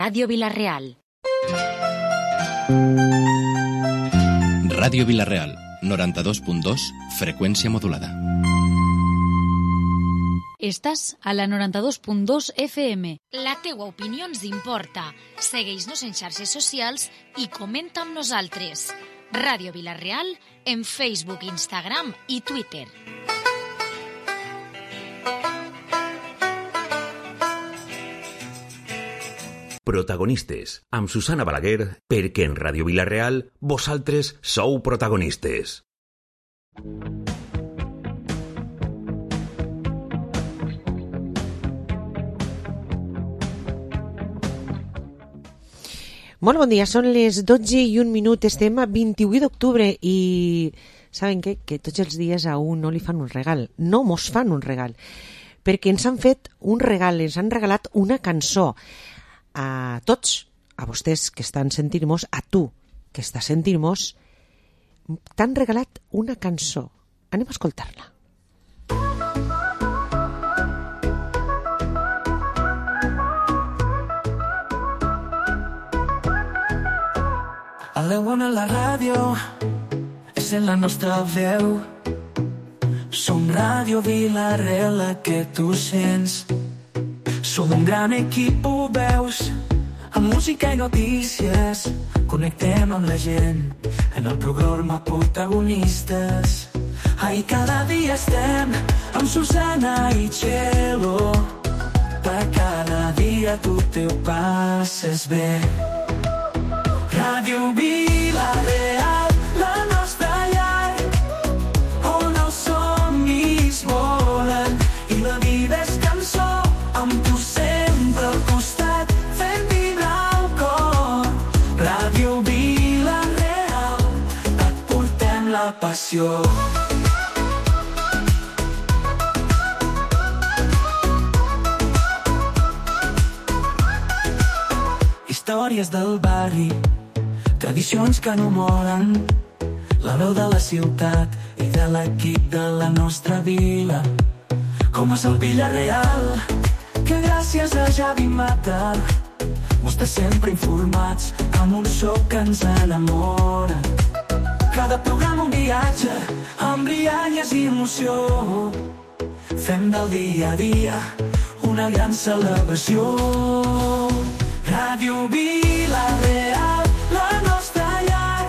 Ràdio Vila-real. Ràdio Vila-real, 92.2, freqüència modulada. Estàs a la 92.2 FM. La teua opinió ens importa. Segueix-nos en xarxes socials i comenta amb nosaltres. Ràdio Vila-real en Facebook, Instagram i Twitter. Protagonistes, amb Susana Balaguer, perquè en Ràdio Vila-real vosaltres sou protagonistes. Molt bon dia, són les 12:01, estem a 28 d'octubre i saben què? Que tots els dies a un no li fan un regal, no mos fan un regal, perquè ens han fet un regal, ens han regalat una cançó a tots, a vostès que estan sentint-nos, a tu que estàs sentint-nos, t'han regalat una cançó. Anem a escoltar-la. A la bona la ràdio és en la nostra veu. Som Ràdio Vila-real, la que tu sents. Som un gran equip, ho veus, amb música i notícies. Connectem amb la gent en el programa Protagonistes. Ai, cada dia estem amb Susana i Txelo. Per cada dia tu te ho passes bé. Ràdio Vila-real, la nostra llar, on els somnis volen i la vida és cançó. Amb tu sempre al costat, fent vibrar el cor. Ràdio Vila-real, et portem la passió. Històries del barri, tradicions que no moren, la veu de la ciutat i de l'equip de la nostra vila. Com és el Vila-real, que gràcies a Javi Mata mos té sempre informats amb un so que ens enamora. Cada programa un viatge amb rialles i emoció. Fem del dia a dia una gran celebració. Ràdio Vila-real, la nostra llar,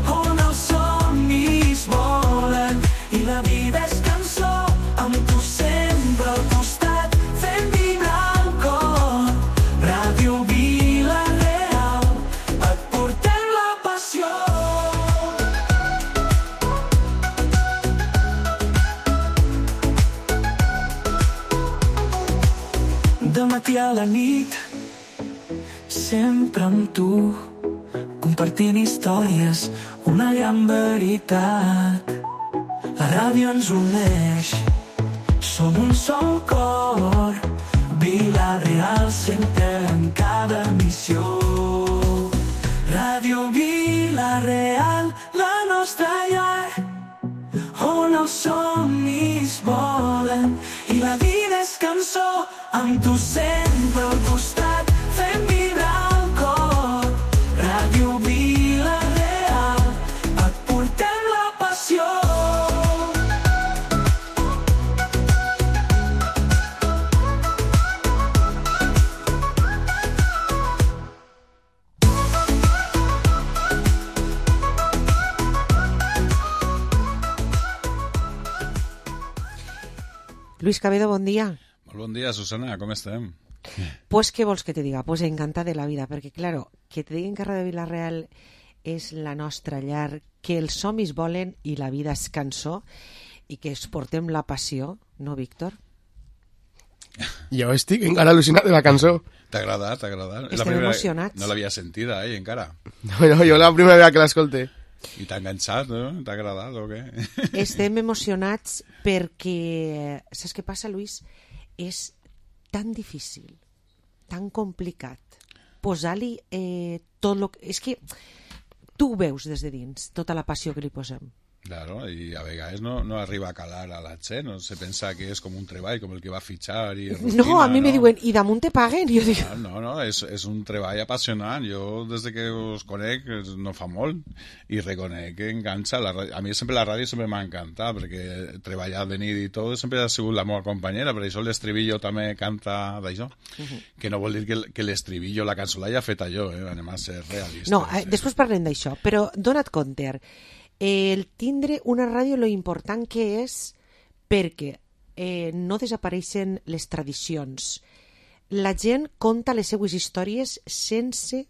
on els somnis volen i la vida és cançó. Amb tu sempre al costat, fent vibrar el cor. Ràdio Vila-real, et portem la passió. De matí a la nit, sempre amb tu, compartint històries, una gran veritat. La ràdio ens uneix, som un sol cor. Vila-real sempre en cada missió. Ràdio Vila-real, la nostra llar, on els somnis volen i la vida és cançó. Amb tu sempre al costat, fent vibrar el cor. Ràdio Vila-real, et portem la passió. Luis Cabedo, bon dia. Molt bon dia, Susana, com estem? Pues, què vols que te diga? Pues encantada de la vida, perquè, claro, que te diguin que Ràdio Vila-real és la nostra llar, que els somnis volen i la vida és cançó, i que es portem la passió, no, Víctor? Jo estic encara al·lucinat de la cançó. T'ha agradat, t'ha agradat? Estem emocionats. No l'havia sentida, encara. No, jo la primera vegada que l'escolté. I t'ha enganxat, no? T'ha agradat o què? Estem emocionats perquè, saps què passa, Luis? És tan difícil, tan complicat, posar-li tot el que... És que tu ho veus des de dins, tota la passió que li posem. Claro, i a vegades no arriba a calar a la gent, no se pensa que és com un treball, com el que va fitxar i rutina, No, a mi me diuen, i damunt te paguen? Jo dic... No, és un treball apassionant. Jo, des que us conec, no fa molt, i reconec que enganxa. A mi sempre la ràdio sempre m'ha encantat, perquè treballar de nit i tot sempre ha sigut la meva companyera, per això l'estribillo també canta d'això, que no vol dir que l'estribillo, la cançó l'hagi fet jo, anem a ser realistes. No, després parlem d'això, però dona't compte, el tindre una ràdio lo important que és perquè no desapareixen les tradicions. La gent conta les seues històries sense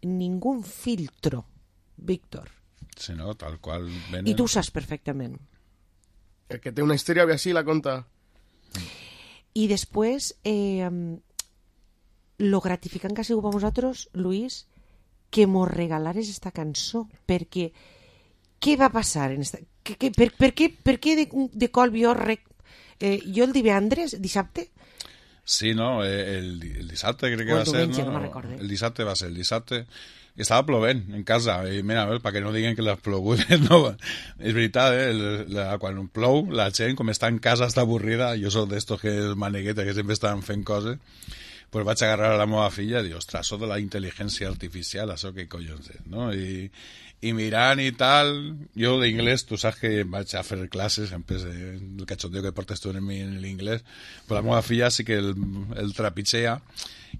ningú filtro, Víctor. Sí, no, tal qual. I tu ho saps perfectament. El que té una història ve així la conta. I després, lo gratificant que ha sigut per vosaltres, Luis, que mos regalares esta cançó, perquè què va passar? Per què de col jo jo el divendres, dissabte? Sí, no, el dissabte crec que va ser, no? El dissabte va ser, el dissabte estava plovent en casa, i mira, perquè no diguen que les plogudes, no, és veritat, quan plou, la gent, com està en casa, està avorrida, jo soc d'estos que és manegueta, que sempre estan fent coses, pues vaig agarrar a la meva filla i dir, ostres, això de la intel·ligència artificial, això què collons és, no? I mirant i tal, jo d'inglès, tu saps que vaig a fer classes, el cachondeo que portes tu en l'inglès, però la meva filla sí que el trapitxea,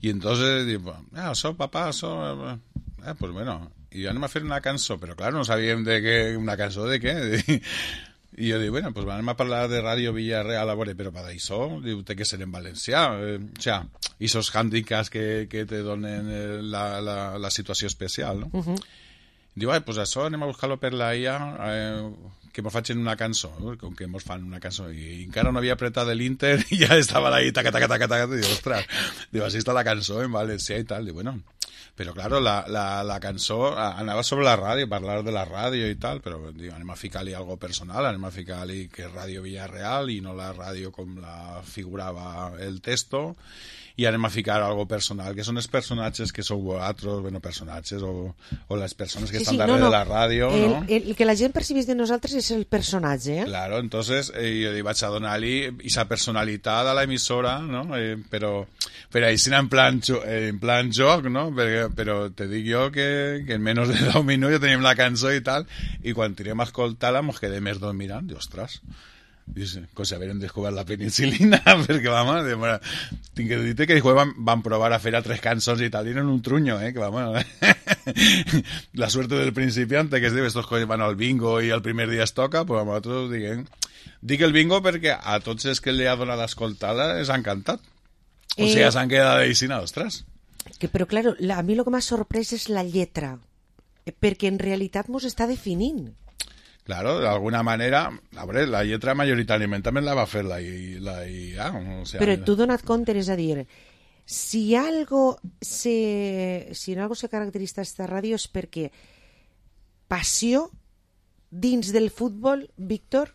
i entonces diu, això, papà, això... pues bueno, i anem a fer una cançó, però clar, no sabíem una cançó de què, i jo dic, bueno, pues anem a parlar de Ràdio Villarreal, a veure, però per això, diu, té que ser en valencià, o sea, i esos hàndicaps que te donen la situació especial, no? Diu, pues això anem a buscar-lo per la IA, que mos facin una cançó, com que mos fan una cançó, i encara no havia apretat l'Inter i ja estava ahí, taca, i diu, ostres, diu, així està la cançó en valencià i tal, diu, bueno, però claro, la cançó anava sobre la ràdio, parlar de la ràdio i tal, però diu, anem a ficar-li algo personal, anem a ficar-li que és Ràdio Villarreal i no la ràdio com la figurava el texto, i anem a ficar algo personal, que són els personatges que sou vosaltres, bueno, personatges, o les persones que estan darrere de la ràdio, no? El que la gent percibeix de nosaltres és el personatge, eh? Claro, entonces jo vaig a donar-li esa personalitat a l'emissora, no? Però ahí sí en plan joc, no? Però te dic jo que en menys de 10 minuts ja tenim la cançó i tal, i quan tirem a escoltar-la mos quedem més dos mirant, i ostres, com si haguérem descobert la penicilina, perquè vamos, tinc que dir que van provar a fer altres cançons i tal, i eren un trunyo, que vamos, la suerte del principiante, que es diu, estos que van al bingo i el primer dia es toca, pues a nosaltres dic el bingo perquè a tots els que li ha donat a escoltar-la els ha encantat, o sigui, s'han quedat així, ostres. Però, claro, a mi el que m'ha sorprès és la lletra, perquè en realitat mos està definint. Claro, de alguna manera, a veure, la lletra majoritàriament també la va fer la IA. O sea, però tu dona't compte, és a dir, si en algo se caracteritza esta ràdio és perquè passió dins del futbol, Víctor?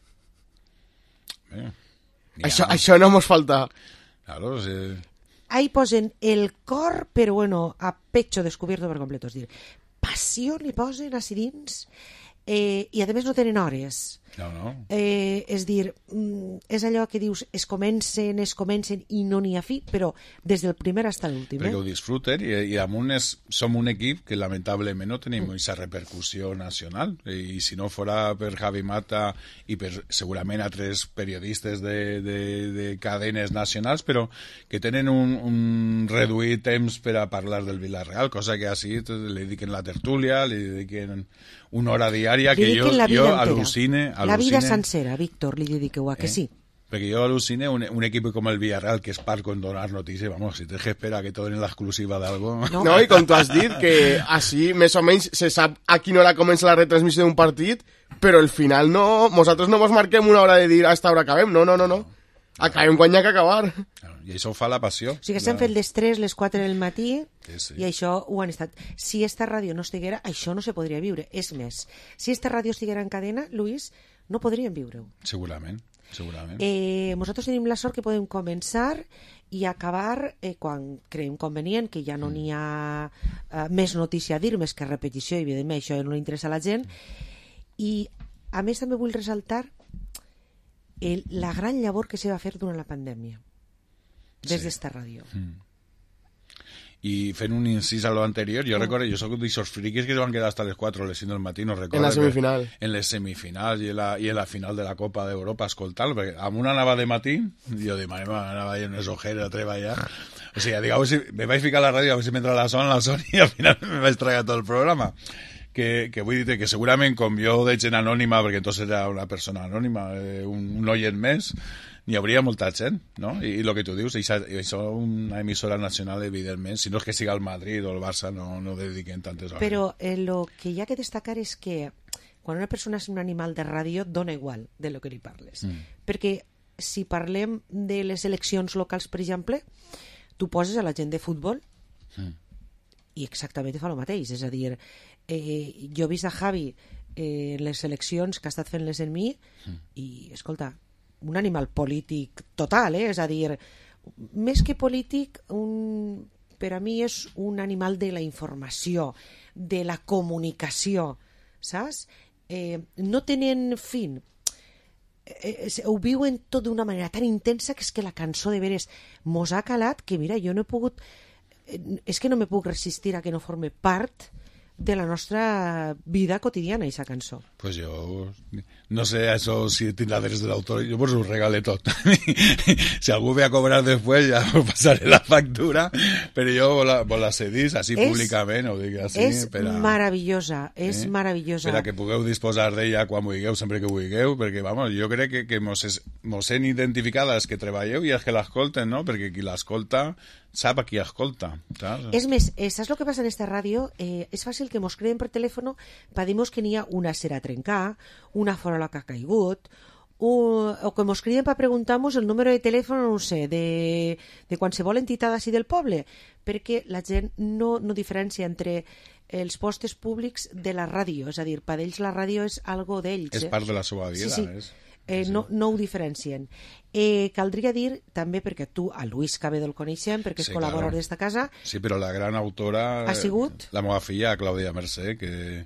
Això no mos falta. Claro, sí. Ahí posen el cor, però bueno, a pecho descubierto per completo, és dir, passió li posen així dins, i a més no tenen hores. No. És dir, és allò que dius, es comencen i no n'hi ha fi, però des del primer fins a l'últim. Perquè ho disfruten i damunt som un equip que lamentablement no tenim aquesta repercussió nacional, i si no fora per Javi Mata i per segurament altres periodistes de cadenes nacionals, però que tenen un reduït temps per a parlar del Villarreal, cosa que així li dediquen la tertúlia, li dediquen una hora diària, que jo al·lucine. La vida sencera, Víctor, li dediqueu a que sí. Perquè jo al·lucine un equip com el Villarreal, que és part con donar notícies, vamos, si tens que esperar que te donen l'exclusiva d'algo... No, i com tu has dit, que així més o menys se sap a quina hora comença la retransmissió d'un partit, però al final no, nosaltres no mos marquem una hora de dir a esta hora acabem, no. Acabem quan hi ha que acabar. I això ho fa la passió. O sigui que s'han fet les 3, les 4 del matí, i això ho han estat. Si esta ràdio no estiguera, això no se podria viure. És més, si esta ràdio estiguera en cadena, Luis, no podríem viure-ho. Segurament. Nosaltres tenim la sort que podem començar i acabar quan creiem convenient, que ja no n'hi ha més notícia a dir, més que repetició, i evidentment això no li interessa a la gent, i a més també vull ressaltar la gran llavor que se va fer durant la pandèmia des d'esta ràdio. I fent un incís a lo anterior, jo recordo, jo soc d'aixòs friquis que van quedar hasta les 4 o les 5 del matí, no recordo. En la semifinal. En les semifinals i en la final de la Copa d'Europa, escoltant, perquè amb una anava de matí, jo de manera anava a unes ojeres a treballar, o sigui, dic, si me vaig ficar a la ràdio, a veure si m'entra la son i al final me vaig tragar tot el programa. Que vull dir que segurament com jo de gent anònima, perquè entonces era una persona anònima, un oient més, n'hi hauria molta gent, no? I el que tu dius, això és una emissora nacional, evidentment, si no és que siga el Madrid o el Barça, no dediquen tantes hores. Però el que hi ha que destacar és que quan una persona és un animal de ràdio, dona igual de lo que li parles. Perquè si parlem de les eleccions locals, per exemple, tu poses a la gent de futbol i exactament fa el mateix. És a dir, jo he vist a Javi en les eleccions que ha estat fent les en mi i, escolta, un animal polític total, és a dir, més que polític, per a mi és un animal de la informació, de la comunicació, saps? No tenen fin. Ho viuen tot d'una manera tan intensa que és que la cançó de veres mos ha calat que, mira, jo no he pogut... És que no me puc resistir a que no forme part de la nostra vida quotidiana, aquesta cançó. Pues jo no sé això si tindrà drets de l'autor, jo pues ho regale tot. Si algú ve a cobrar després ja us passaré la factura, però jo vos la cedís així públicament, ho dic així. És meravellosa, és meravellosa. Per a que pugueu disposar d'ella quan vulgueu, sempre que vulgueu, perquè vamos, jo crec que mos hem identificat els que treballeu i els que l'escolten, no? Perquè qui l'escolta sap a qui escolta. Saps? És més, saps el que passa en esta ràdio? És fàcil que mos creen per telèfon per dir-nos que n'hi ha una cera a trencar, una farola que ha caigut, o que mos criden per preguntar-nos el número de telèfon, no sé, de qualsevol entitat així del poble, perquè la gent no diferencia entre els postes públics de la ràdio, és a dir, per ells la ràdio és algo d'ells. És part de la seva vida. Sí. No ho diferencien. Caldria dir també, perquè tu a Luis Cabedo el coneixem, perquè és col·laborador d'esta casa. Sí, però la gran autora ha sigut la meva filla, Clàudia Mercè, que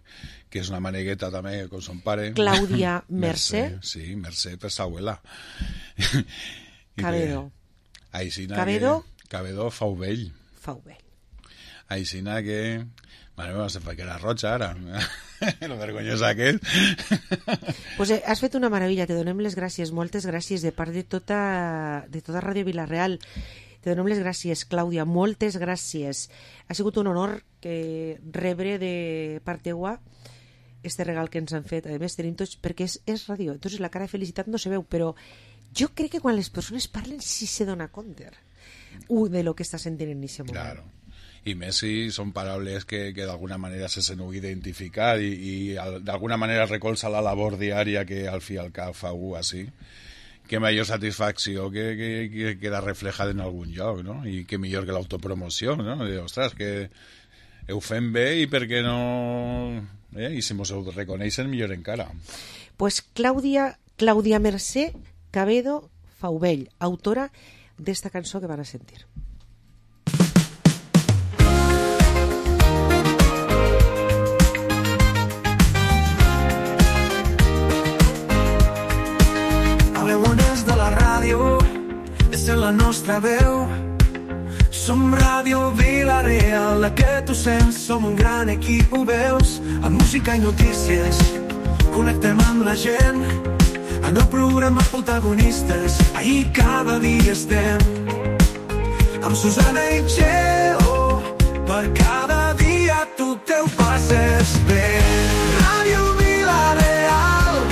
és una manegueta també com son pare. Clàudia Mercè? Sí, Mercè per sa abuela. Cabedo. Cabedo Fauvell. Aixina que... Mare meva, se fa que era roja ara. Lo vergonyosa que és. Pues has fet una meravella, te donem les gràcies, moltes gràcies de part de tota Ràdio Vila-real. Te donem les gràcies, Clàudia, moltes gràcies. Ha sigut un honor rebre de part teua este regal que ens han fet. A més, tenim tots, perquè és ràdio, entonces la cara de felicitat no se veu, però jo crec que quan les persones parlen sí se dona compte de lo que està sentint en aquest moment. Claro. I més si són paraules que d'alguna manera se sent identificar i d'alguna manera recolza la labor diària que al fi al cap fa algú així. Que major satisfacció que queda reflejada en algun lloc, no? I que millor que l'autopromoció, no? Ostres, que ho fem bé i per què no... I si mos ho reconeixen, millor encara. Pues Clàudia Mercè Cabedo Fauvell, autora d'esta cançó que van a sentir. És la nostra veu. Som Ràdio Vila-real, la que tu sents. Som un gran equip, ho veus. Amb música i notícies connectem amb la gent. En el programa protagonistes, ahir cada dia estem amb Susana i Txeo. Per cada dia tu teu passes bé. Ràdio Vila-real,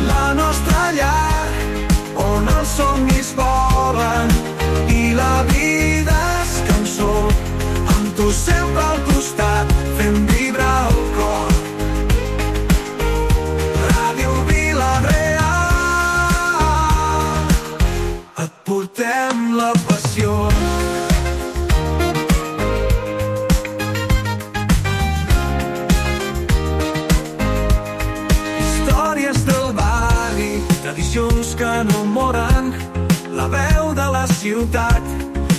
la nostra llar, on els somnis volen i la vida és cançó, amb tu sempre al costat, fent vibrar el cor. Ràdio Vila-real, et portem la passió. Històries del barri, tradicions que no moren, la veu de la ciutat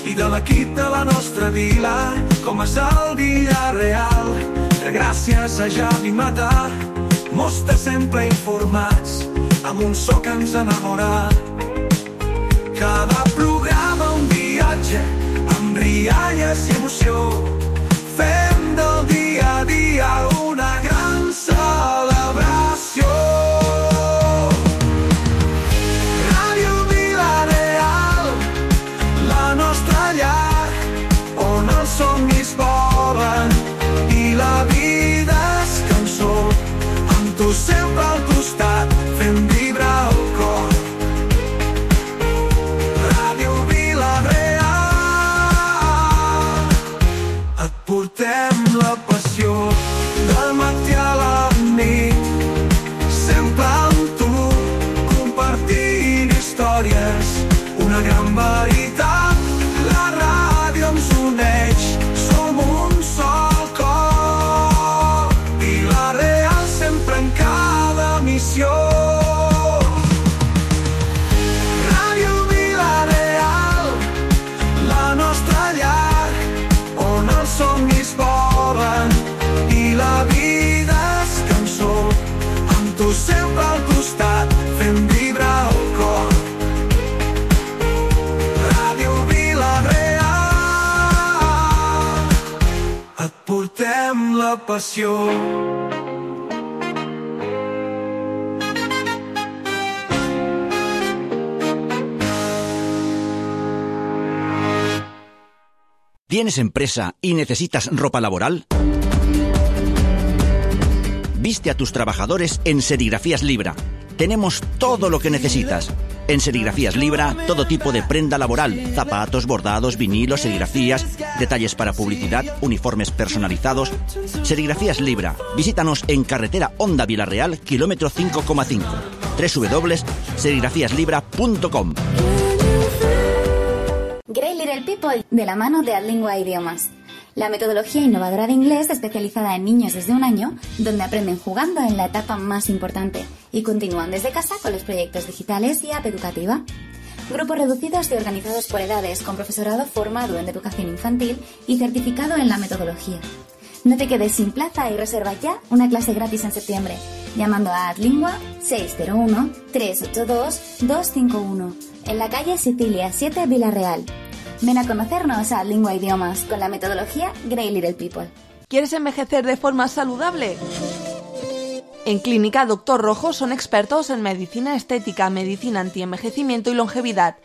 i de l'equip de la nostra vila, com és el Vila-real. Gràcies a Javi Mata, mos té sempre informats, amb un so que ens enamora. Cada programa un viatge, amb rialles i emoció, fem del dia a dia una gran celebració. Ràdio Vila-real, la nostra llar, on els somnis volen i la vida és cançó, amb tu sempre al costat, fent vibrar el cor. Portem la passió del matí a la nit, sempre amb tu, compartint històries, una gran veritat. La ràdio ens uneix, som un sol cor, Vila-real sempre en cada missió. Ràdio Vila-real, la nostra llar, on els somnis volen i la vida és cançó, amb tu sempre al costat, fent vibrar el cor. Ràdio Vila-real, et portem la passió. ¿Tienes empresa y necesitas ropa laboral? Viste a tus trabajadores en Serigrafías Libra. Tenemos todo lo que necesitas. En Serigrafías Libra, todo tipo de prenda laboral, zapatos, bordados, vinilos, serigrafías, detalles para publicidad, uniformes personalizados. Serigrafías Libra. Visítanos en carretera Honda Vila-real, kilómetro 5,5. www.serigrafíaslibra.com. Great Little People, de la mano de Adlingua Idiomas. La metodología innovadora de inglés especializada en niños desde 1 año, donde aprenden jugando en la etapa más importante y continúan desde casa con los proyectos digitales y app educativa. Grupos reducidos y organizados por edades, con profesorado formado en educación infantil y certificado en la metodología. No te quedes sin plaza y reserva ya una clase gratis en septiembre, llamando a Adlingua 601-382-251, en la calle Sicilia 7, Vila-real. Ven a conocernos a Adlingua Idiomas con la metodología Great Little People. ¿Quieres envejecer de forma saludable? En Clínica Dr. Rojo son expertos en medicina estética, medicina antienvejecimiento y longevidad.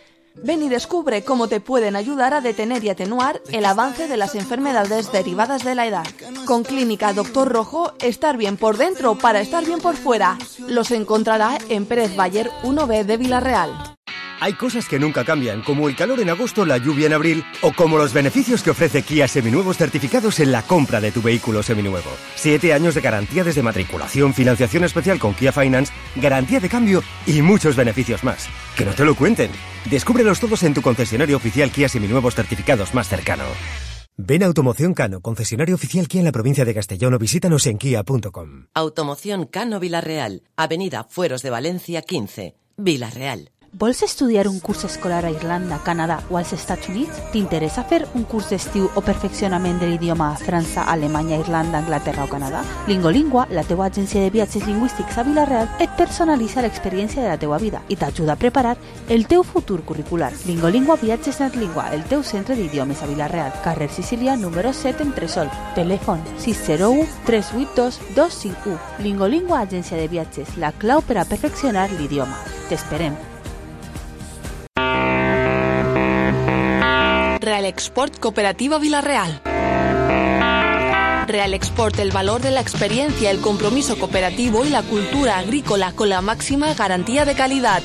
Ven y descubre cómo te pueden ayudar a detener y atenuar el avance de las enfermedades derivadas de la edad. Con Clínica Dr. Rojo, estar bien por dentro para estar bien por fuera. Los encontrará en Pérez Bayer 1B de Vila-real. Hay cosas que nunca cambian, como el calor en agosto, la lluvia en abril, o como los beneficios que ofrece Kia Seminuevos certificados en la compra de tu vehículo seminuevo. 7 años de garantía desde matriculación, financiación especial con Kia Finance, garantía de cambio y muchos beneficios más. Que no te lo cuenten. Descúbrelos todos en tu concesionario oficial Kia Seminuevos certificados más cercano. Ven a Automoción Cano, concesionario oficial Kia en la provincia de Castellón, o visítanos en kia.com. Automoción Cano Vila-real, Avenida Fueros de Valencia 15, Vila-real. Vols estudiar un curs escolar a Irlanda, Canadà o als Estats Units? T'interessa fer un curs d'estiu o perfeccionament de l'idioma a França, Alemanya, Irlanda, Anglaterra o Canadà? Lingolingua, la teua agència de viatges lingüístics a Vila-real, et personalitza l'experiència de la teua vida i t'ajuda a preparar el teu futur curricular. Lingolingua Viatges Natlingua, el teu centre d'idiomes a Vila-real, carrer Sicília, número 7, Entresol. Telèfon 601 382 251. Lingolingua, agència de viatges, la clau per a perfeccionar l'idioma. T'esperem. Real Export Cooperativa Vila-real. Real Export, el valor de la experiencia, el compromiso cooperativo y la cultura agrícola con la máxima garantía de calidad.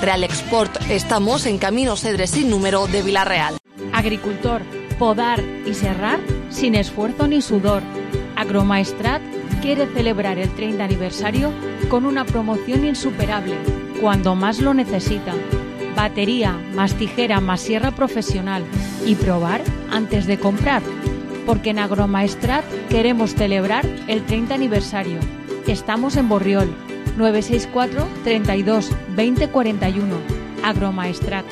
Real Export, estamos en Camino Cedres sin número de Vila-real. Agricultor, podar y serrar sin esfuerzo ni sudor. Agromaestrat quiere celebrar el 30 aniversario con una promoción insuperable, cuando más lo necesita. Batería, más tijera, más sierra profesional. Y probar antes de comprar. Porque en Agromaestrat queremos celebrar el 30 aniversario. Estamos en Borriol, 964 32 20 41. Agromaestrat.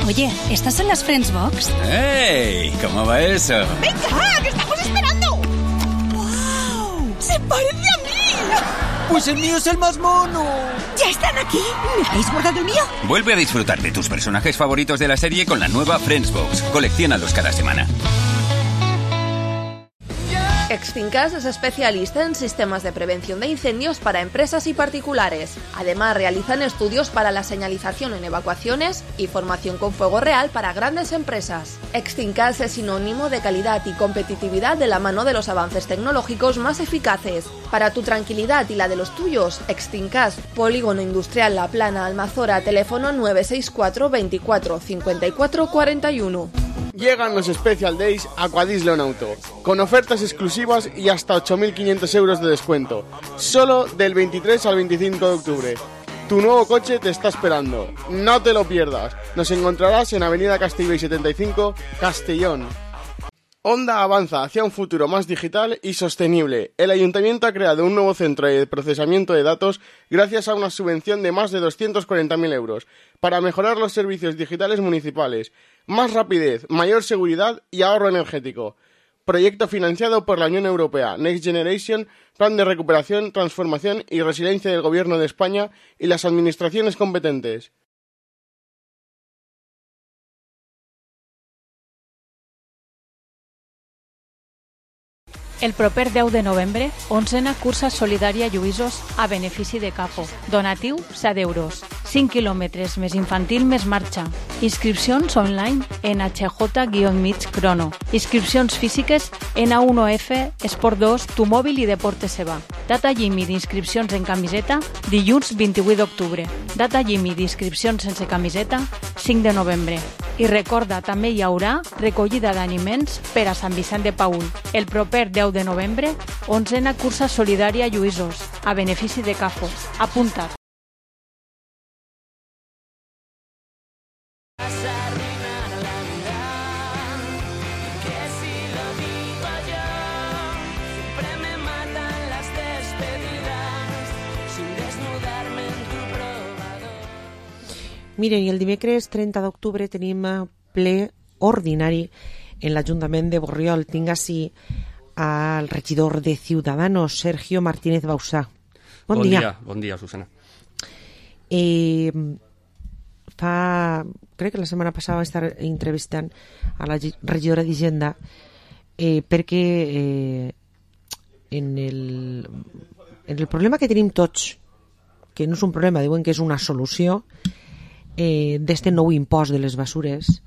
Oye, ¿estas son las Friends Box? ¡Hey! ¿Cómo va eso? ¡Venga, que estamos esperando! ¡Wow! ¡Se parece a mí! Pues el mío es el más mono. ¿Ya están aquí? ¿Me habéis guardado el mío? Vuelve a disfrutar de tus personajes favoritos de la serie con la nueva Friendsbox. Colecciónalos cada semana. Extincas es especialista en sistemas de prevención de incendios para empresas y particulares. Además, realizan estudios para la señalización en evacuaciones y formación con fuego real para grandes empresas. Extincas es sinónimo de calidad y competitividad de la mano de los avances tecnológicos más eficaces. Para tu tranquilidad y la de los tuyos, Extincas, Polígono Industrial La Plana, Almazora, teléfono 964 24 54 41. Llegan los Special Days Aquadislon Auto, con ofertas exclusivas y hasta 8.500 euros de descuento, solo del 23 al 25 de octubre. Tu nuevo coche te está esperando, no te lo pierdas. Nos encontrarás en Avenida Castellbell 75, Castellón. Honda avanza hacia un futuro más digital y sostenible. El Ayuntamiento ha creado un nuevo centro de procesamiento de datos gracias a una subvención de más de 240.000 euros para mejorar los servicios digitales municipales, más rapidez, mayor seguridad y ahorro energético. Proyecto financiado por la Unión Europea, Next Generation, Plan de Recuperación, Transformación y Resiliencia del Gobierno de España y las administraciones competentes. El proper 10 de novembre, 11a cursa solidària Lluïsos a benefici de CAFO. Donatiu, 7 euros. 5 quilòmetres més infantil més marxa. Inscripcions online en HJ-mig Crono. Inscripcions físiques en A1F, Esport 2, Tu Mòbil i Deportes Seba. Data límit d'inscripcions en camiseta, dilluns 28 d'octubre. Data límit d'inscripcions sense camiseta, 5 de novembre. I recorda, també hi haurà recollida d'aliments per a Sant Vicent de Paül. El proper 10 de novembre, 11a cursa solidària Lluïsos, a benefici de CAFO. Apunta't. Miren, i el dimecres 30 d'octubre tenim ple ordinari en l'Ajuntament de Borriol. Tinc així al regidor de Ciudadanos, Sergio Martínez Bausà. Bon dia. Bon dia, Susana. Crec que la setmana passada vaig estar entrevistant a la regidora d'Hisenda perquè en el problema que tenim tots, que no és un problema, diuen que és una solució, d'este nou impost de les basures,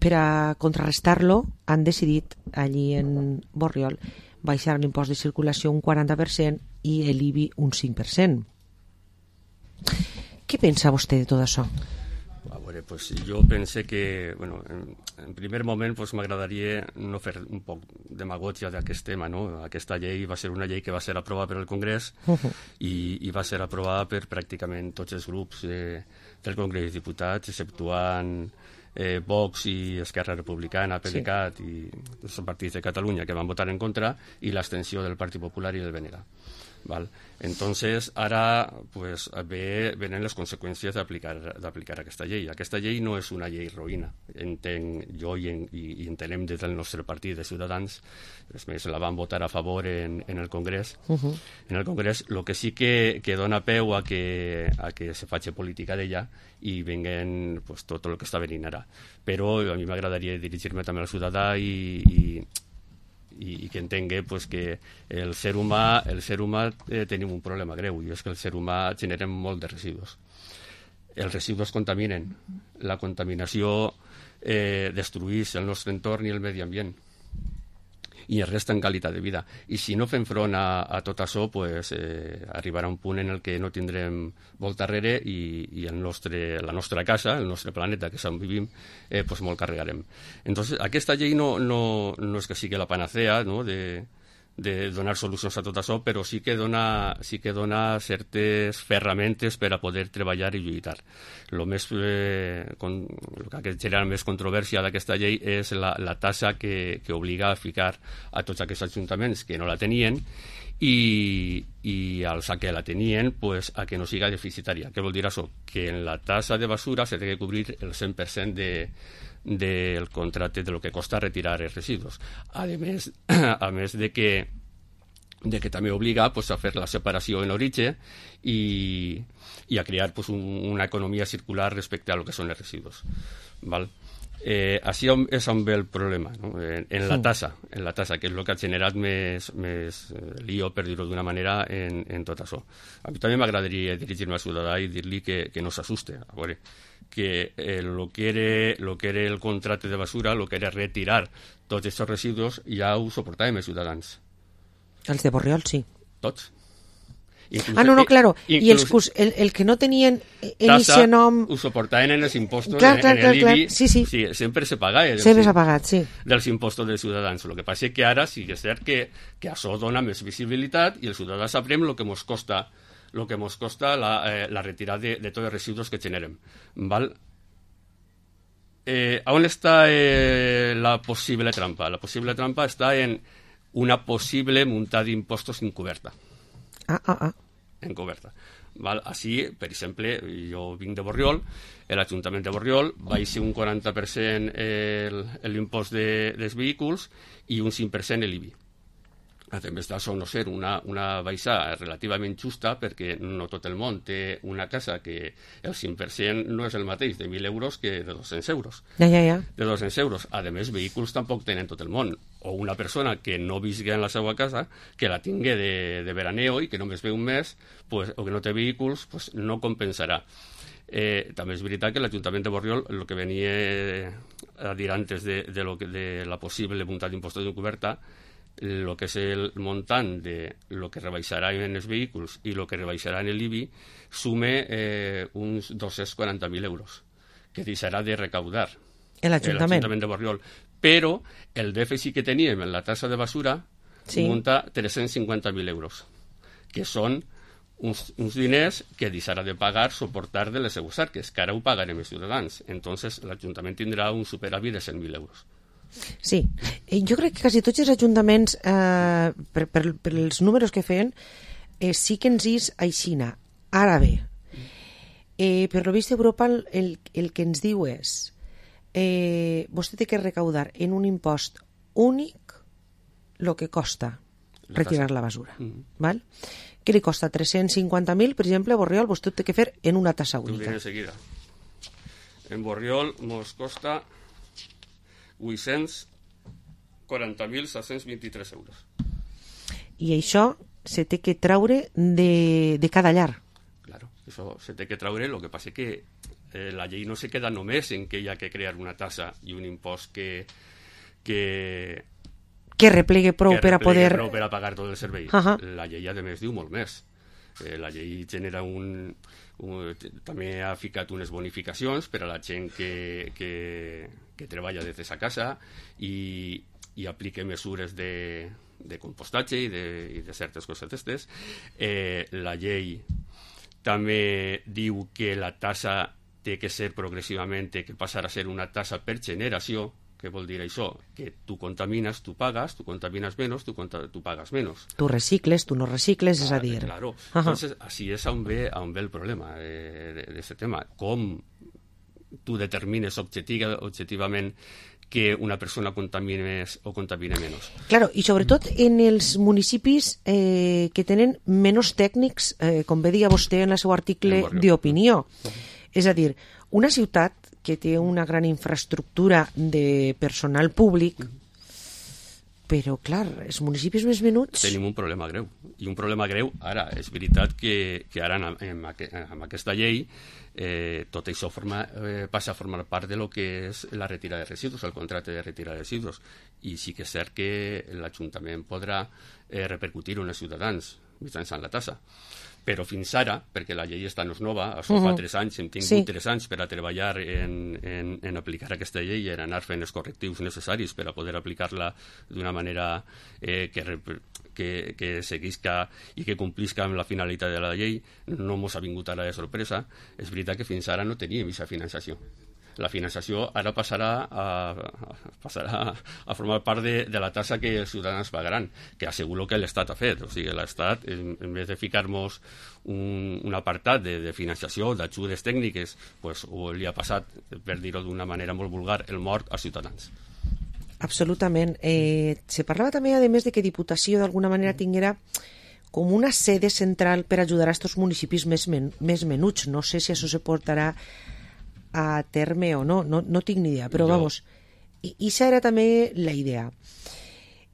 per a contrarrestar-lo han decidit allí en Borriol baixar l'impost de circulació un 40% i l'IBI un 5%. Què pensa vostè de tot això? A veure, pues jo pense que, bueno, en primer moment pues, m'agradaria no fer un poc demagògia d'aquest tema, no? Aquesta llei va ser una llei que va ser aprovada per el Congrés i va ser aprovada per pràcticament tots els grups del Congrés de Diputats, exceptuant Vox i Esquerra Republicana, PDeCAT i els partits de Catalunya que van votar en contra i l'abstenció del Partit Popular i del BNG. ¿Vale? Entonces, ara pues, venen les conseqüències d'aplicar aquesta llei. Aquesta llei no és una llei roïna, entenc jo i entenem des del nostre partit de Ciutadans. És més, la van votar a favor en el Congrés. En el Congrés, el que sí que dona peu a que se faci política d'ella i venguen pues, tot el que està venint ara. Però a mi m'agradaria dirigir-me també al ciutadà i que entengui pues, que el ser humà tenim un problema greu i és que el ser humà generem molt de residus. Els residus contaminen. La contaminació destrueix el nostre entorn i el medi ambient i es resta en qualitat de vida. I si no fem front a tot això, pues, arribarà un punt en el que no tindrem volta enrere i la nostra casa, el nostre planeta, que és on vivim, pues molt carregarem. Entonces, aquesta llei no és que sigui la panacea, no?, de donar solucions a tot això, però sí que dona certes ferramentes per a poder treballar i lluitar. El que genera més controvèrsia d'aquesta llei és la taxa que obliga a ficar a tots aquests ajuntaments que no la tenien i als que la tenien pues, a que no siga deficitària. Què vol dir això? Que en la taxa de basura s'ha de cobrir el 100% del contracte de lo que costa retirar els residus. A més de que de que també obliga pues, a fer la separació en origen i a crear pues, una economia circular respecte a lo que són els residus. Val? Així és on ve el problema, no? En la tassa, que és el que ha generat més lío, per dir-ho d'una manera, en tot això. A mi també m'agradaria dirigir-me al ciutadà i dir-li que no s'assuste. A veure, que lo que era el contracte de basura, lo que era retirar tots aquests residus, ja ho suportàvem els ciutadans. Els de Borriol, sí. Tots. No, claro. I el que no tenien inici nom... Ho suportaven en els impostos, en l'IBI. Sí. Sempre se pagava. Sempre s'ha pagat, sí. Dels impostos dels ciutadans. El que passa és que ara sí que és cert que això dona més visibilitat i el ciutadà sabrem el que ens costa la retirada de tots els residus que generem. Val? On està la possible trampa? La possible trampa està en una possible muntada d'impostos encoberta. Encoberta. Val? Així, per exemple, jo vinc de Borriol, l'Ajuntament de Borriol va ser un 40% l'impost dels vehicles i un 5% l'IBI. A més d'això no ser una baixada relativament justa perquè no tot el món té una casa que el 5% no és el mateix de 1.000 euros que de 200 euros. Ja. De 200 euros. A més, vehicles tampoc tenen tot el món. O una persona que no visqui en la seva casa, que la tingui de veraneo i que només ve un mes, pues, o que no té vehicles, pues, no compensarà. També és veritat que l'Ajuntament de Borriol, el que venia a dir antes de la possible muntada d'impostos d'encoberta, el que és el muntant de lo que rebaixarà en els vehicles i el que rebaixarà en l'IBI sume uns 240.000 euros que deixarà de recaudar l'Ajuntament de Borriol. Però el dèficit que teníem en la tassa de basura munta 350.000 euros, que són uns diners que deixarà de pagar, suportar de les seues arques, que ara ho pagarem els ciutadans. Entonces l'Ajuntament tindrà un superàvit de 100.000 euros. Sí, jo crec que quasi tots els ajuntaments, per els números que feien, sí que ens és aixina. Ara bé, per lo vist Europa el que ens diu és vostè té que recaudar en un impost únic el que costa retirar la basura. Val? Què li costa? 350.000, per exemple, a Borriol vostè té que fer en una tassa única. En Borriol ens costa 840.723 euros. I això se té que traure de cada llar. Claro, això se té que traure. El que passa és que la llei no se queda només en que hi ha que crear una tassa i un impost que replegue prou per a poder... per a pagar tot el servei. La llei, a més, diu molt més. La llei genera també ha ficat unes bonificacions per a la gent que treballa des de sa casa i aplica mesures de compostatge i de certes coses d'estes. La llei també diu que la tassa té que ser progressivament, té que passar a ser una tassa per generació. Què vol dir això? Que tu contamines, tu pagas, tu contamines menys, tu pagas menys. Tu recicles, tu no recicles, és a dir... Claro. Entonces, així és on ve el problema d'aquest tema. Com tu determines objectivament que una persona contamine més o contamine menys. Claro, i sobretot en els municipis que tenen menys tècnics, com bé deia vostè en el seu article d'opinió. És a dir, una ciutat que té una gran infraestructura de personal públic, però, clar, els municipis més menuts... Tenim un problema greu. I un problema greu, ara, és veritat que ara amb aquesta llei tot això passa a formar part de lo que és la retirada de residus, el contracte de retirada de residus. I sí que és cert que l'Ajuntament podrà repercutir en els ciutadans mitjançant la tassa. Però fins ara, perquè la llei està nova, això fa 3 anys, hem tingut 3 anys per a treballar en aplicar aquesta llei i en anar fent els correctius necessaris per a poder aplicar-la d'una manera que seguisca i que complisca amb la finalitat de la llei. No ens ha vingut ara de sorpresa. És veritat que fins ara no teníem aquesta finançació. La finançació ara passarà a formar part de la tassa que els ciutadans pagaran, que asseguro que l'Estat ha fet. O sigui, l'Estat, en vez de ficar-nos un apartat de finançació, d'ajudes tècniques, pues, li ha passat, per dir-ho d'una manera molt vulgar, el mort als ciutadans. Absolutament. Se parlava també, a més, de que Diputació d'alguna manera tinguera com una sede central per ajudar a estos municipis més menuts. No sé si això se portarà a terme o no tinc ni idea, però vamos, i això era també la idea.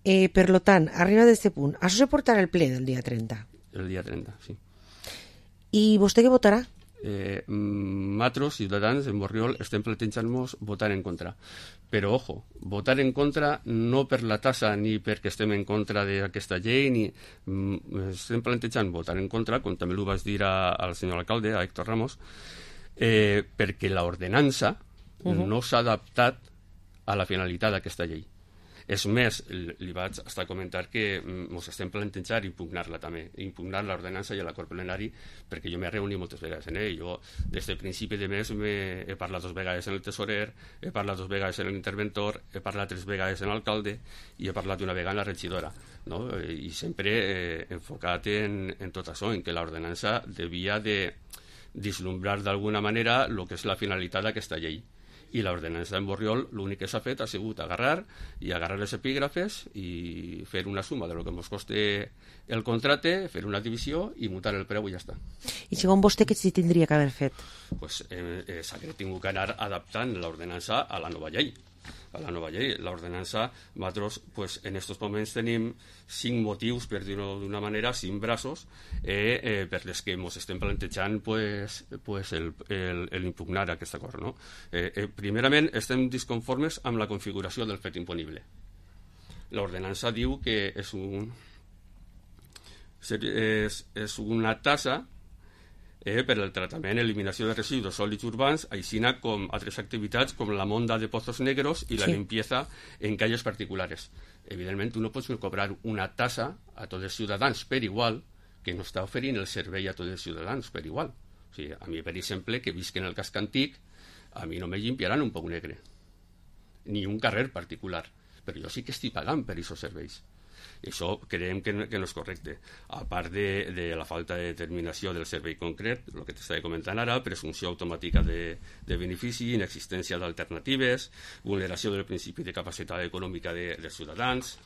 Per lo tant, arriba d'aquest punt, això se portarà el ple del dia 30? El dia 30, sí. I vostè què votarà? Nosaltres, Ciutadans, en Borriol, estem plantejant-nos votar en contra. Però, ojo, votar en contra no per la tassa ni perquè estem en contra d'aquesta llei, ni estem plantejant votar en contra, com també ho vaig dir al senyor alcalde, a Héctor Ramos, perquè l'ordenança no s'ha adaptat a la finalitat d'aquesta llei. És més, li vaig estar a comentar que ens estem plantejant impugnar-la també, impugnar l'ordenança i l'acord plenari, perquè jo m'he reunit moltes vegades en ell. Jo, des del principi de mes, he parlat 2 vegades amb el tesorer, he parlat 2 vegades amb l'interventor, he parlat 3 vegades amb l'alcalde i he parlat una vegada amb la regidora, no? I sempre enfocat en tot això, en que l'ordenança devia de vislumbrar d'alguna manera el que és la finalitat d'aquesta llei. I l'ordenança en Borriol l'únic que s'ha fet ha sigut agarrar els epígrafes i fer una suma de lo que ens costa el contracte, fer una divisió i mutar el preu i ja està. I segons vostè, què s'hi tindria que haver fet? Pues s'ha tingut que anar adaptant l'ordenança a la nova llei. L'ordenança, nosaltres en aquests moments tenim 5 motius, per dir-ho d'una manera, 5 braços per les que ens estem plantejant l'impugnar aquest acord, no? Primerament, estem disconformes amb la configuració del fet imponible. L'ordenança diu que és una tassa per al tractament i eliminació de residus sòlids urbans, així com altres activitats com la monda de pozos negros i la limpieza en calles particulars. Evidentment, tu no pots cobrar una tassa a tots els ciutadans per igual que no està oferint el servei a tots els ciutadans per igual. O sigui, a mi, per exemple, que visc en el casc antic, a mi no me limpiaran un pou negre, ni un carrer particular, però jo sí que estic pagant per aquests serveis. I això creiem que no és correcte. A part de la falta de determinació del servei concret, el que t'estava comentant ara, presumpció automàtica de benefici, inexistència d'alternatives, vulneració del principi de capacitat econòmica dels ciutadans.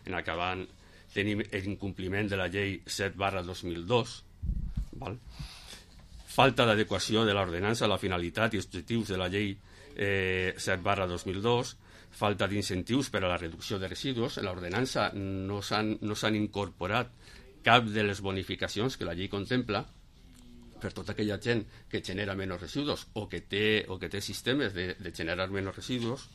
En acabant, tenim l'incompliment de la llei 7/2002, falta d'adequació de l'ordenança a la finalitat i objectius de la llei 7/2002, falta d'incentius per a la reducció de residus. En l'ordenança no s'han incorporat cap de les bonificacions que la llei contempla per tota aquella gent que genera menys residus o que té sistemes de generar menys residus.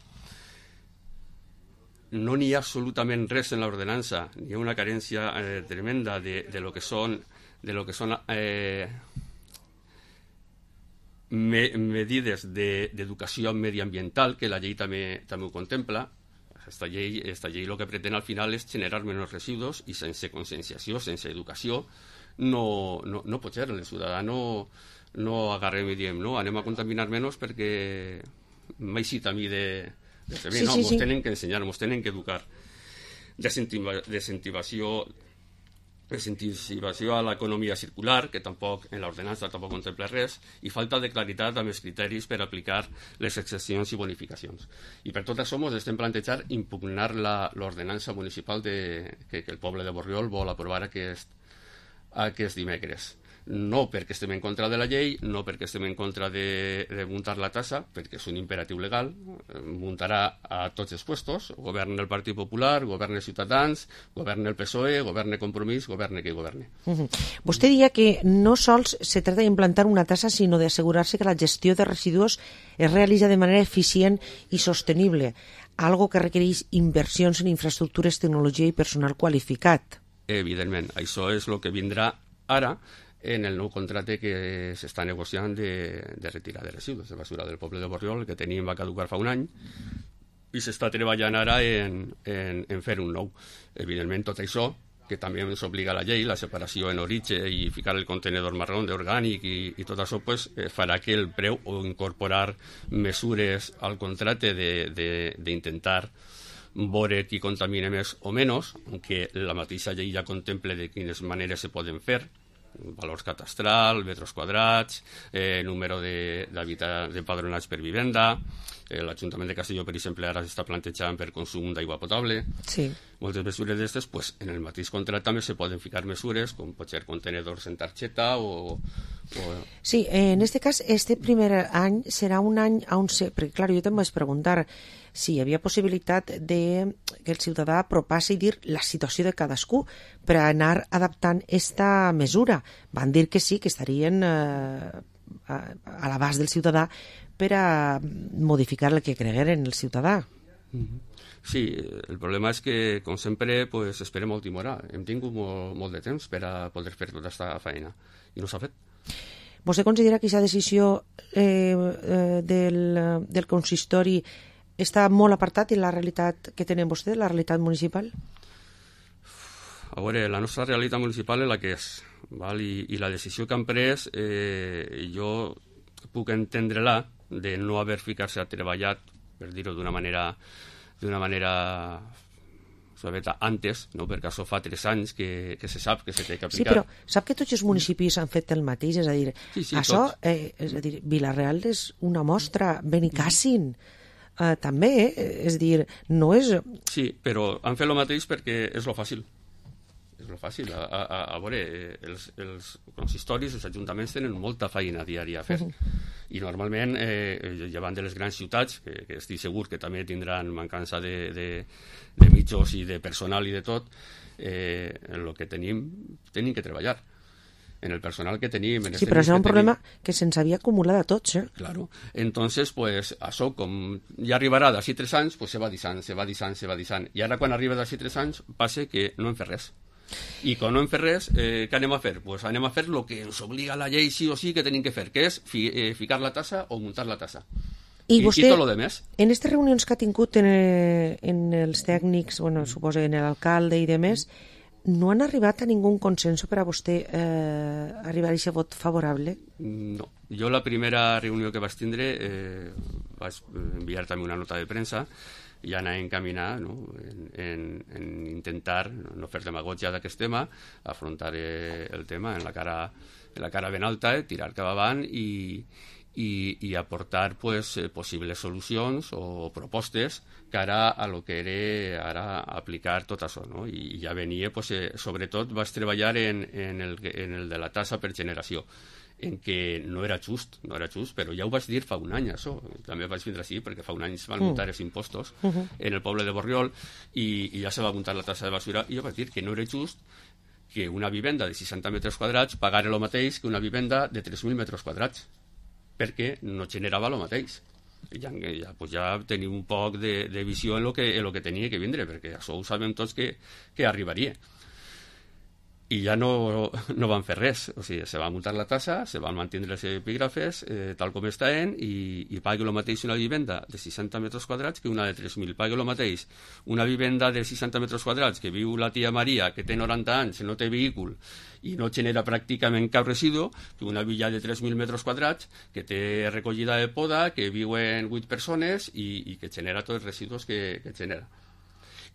No n'hi ha absolutament res en l'ordenança, n'hi ha una carència tremenda de lo que són medides d'educació mediambiental, que la llei també ho contempla. Esta llei el que pretén al final és generar menys residus i sense conscienciació, sense educació, no pot ser. El ciutadà no agarrem i diem, no, anem a contaminar menys perquè m'ha eixit a mi de fer bé. No, ens tenen que ensenyar, ens tenen que educar. Desincentivació a l'economia circular, que tampoc en l'ordenança tampoc contempla res, i falta de claritat amb els criteris per aplicar les excepcions i bonificacions. I per tot això ens estem plantejant impugnar l'ordenança municipal que el poble de Borriol vol aprovar aquest dimecres. No perquè estem en contra de la llei, no perquè estem en contra de muntar la tassa, perquè és un imperatiu legal, muntarà a tots els puestos, governa el Partit Popular, governa Ciutadans, governa el PSOE, governa Compromís, governa qui governe. Vostè deia que no sols se trata d'implantar una tassa, sinó d'assegurar-se que la gestió de residus es realitza de manera eficient i sostenible, algo que requereix inversions en infraestructures, tecnologia i personal qualificat. Evidentment, això és el que vindrà ara en el nou contracte que s'està negociant de retirada de residus de basura del poble de Borriol, que va caducar fa un any, i s'està treballant ara en fer un nou. Evidentment, tot això, que també ens obliga la llei, la separació en origen i ficar el contenedor marró d'orgànic i tot això, farà que el preu o incorporar mesures al contracte d'intentar veure qui contamina més o menys, que la mateixa llei ja contempla de quines maneres se poden fer, valors catastral, metres quadrats, número d'empadronats per vivenda. L'Ajuntament de Castelló, per exemple, ara s'està plantejant per consum d'aigua potable. Sí. Moltes mesures d'aquestes, pues, en el mateix contracte també se poden ficar mesures, com pot ser contenedors en targeta o... Sí, en este cas, este primer any serà un any on perquè, clar, jo també vaig preguntar si hi havia possibilitat de que el ciutadà apropàs i dir la situació de cadascú per anar adaptant esta mesura. Van dir que sí, que estarien a l'abast del ciutadà per a modificar el que cregueren el ciutadà. Sí, el problema és que, com sempre, pues, esperem a última hora. Hem tingut molt de temps per a poder fer tota aquesta feina i no s'ha fet. Vostè considera que aquesta decisió del consistori està molt apartat de la realitat que tenen vostè, la realitat municipal? A veure, la nostra realitat municipal és la que és, val? I la decisió que han pres jo puc entendre-la de no haver ficar-se a treballar, per dir-ho d'una manera antes, no? Perquè això fa 3 anys que se sap que se té que aplicar. Sí, però sap que tots els municipis han fet el mateix, és a dir, sí, això, és a dir, Vila-real és una mostra, Benicàssim també, és a dir, no és... Sí, però han fet el mateix perquè és lo fàcil. És lo fàcil. A veure, els consistoris, els ajuntaments tenen molta feina diària a fer. I normalment, llevant de les grans ciutats, que estic segur que també tindran mancança de mitjos i de personal i de tot, en el que tenim que treballar. En el personal que tenim... Sí, però això és un problema que se'ns havia acumulat a tots, Claro. Entonces, pues, això, com ja arribarà d'ací 3 anys, pues se va dissant. I ara, quan arriba d'ací 3 anys, passa que no hem fet res. I quan no hem fet res, què anem a fer? Pues anem a fer el que ens obliga la llei sí o sí que tenim que fer, que és ficar la tassa o muntar la tassa. I vostè, tot lo demés. En aquestes reunions que ha tingut en els tècnics, bueno, suposo en l'alcalde i demés, no han arribat a ningú consenso per a vostè arribar a aquest vot favorable? No. Jo la primera reunió que vaig tindre vaig enviar també una nota de premsa i anar a encaminar, no? en intentar no fer demagogia d'aquest tema, afrontar el tema en la cara ben alta, tirar cap avant i aportar pues, possibles solucions o propostes cara a lo que era ara aplicar tot això. No? I ja venia, pues, sobretot vaig treballar en el de la tassa per generació, en què no era just, però ja ho vaig dir fa un any, això. També vaig vindre així, perquè fa un any es van muntar els impostos en el poble de Borriol i ja se va muntar la tassa de basura, i jo vaig dir que no era just que una vivenda de 60 metres quadrats pagara el mateix que una vivenda de 3.000 metres quadrats, perquè no generava el mateix. Ja tenim un poc de visió en el que tenia que vindre, perquè això ho sabem tots que arribaria. I ja no van fer res, o sigui, se va muntar la tassa, se van mantenir els epígrafes tal com estaven i pagui el mateix una vivenda de 60 metres quadrats que una de 3.000. Pagui el mateix una vivenda de 60 metres quadrats que viu la tia Maria, que té 90 anys, no té vehicle i no genera pràcticament cap residu, que una villa de 3.000 metres quadrats que té recollida de poda, que viuen 8 persones i que genera tots els residus que genera.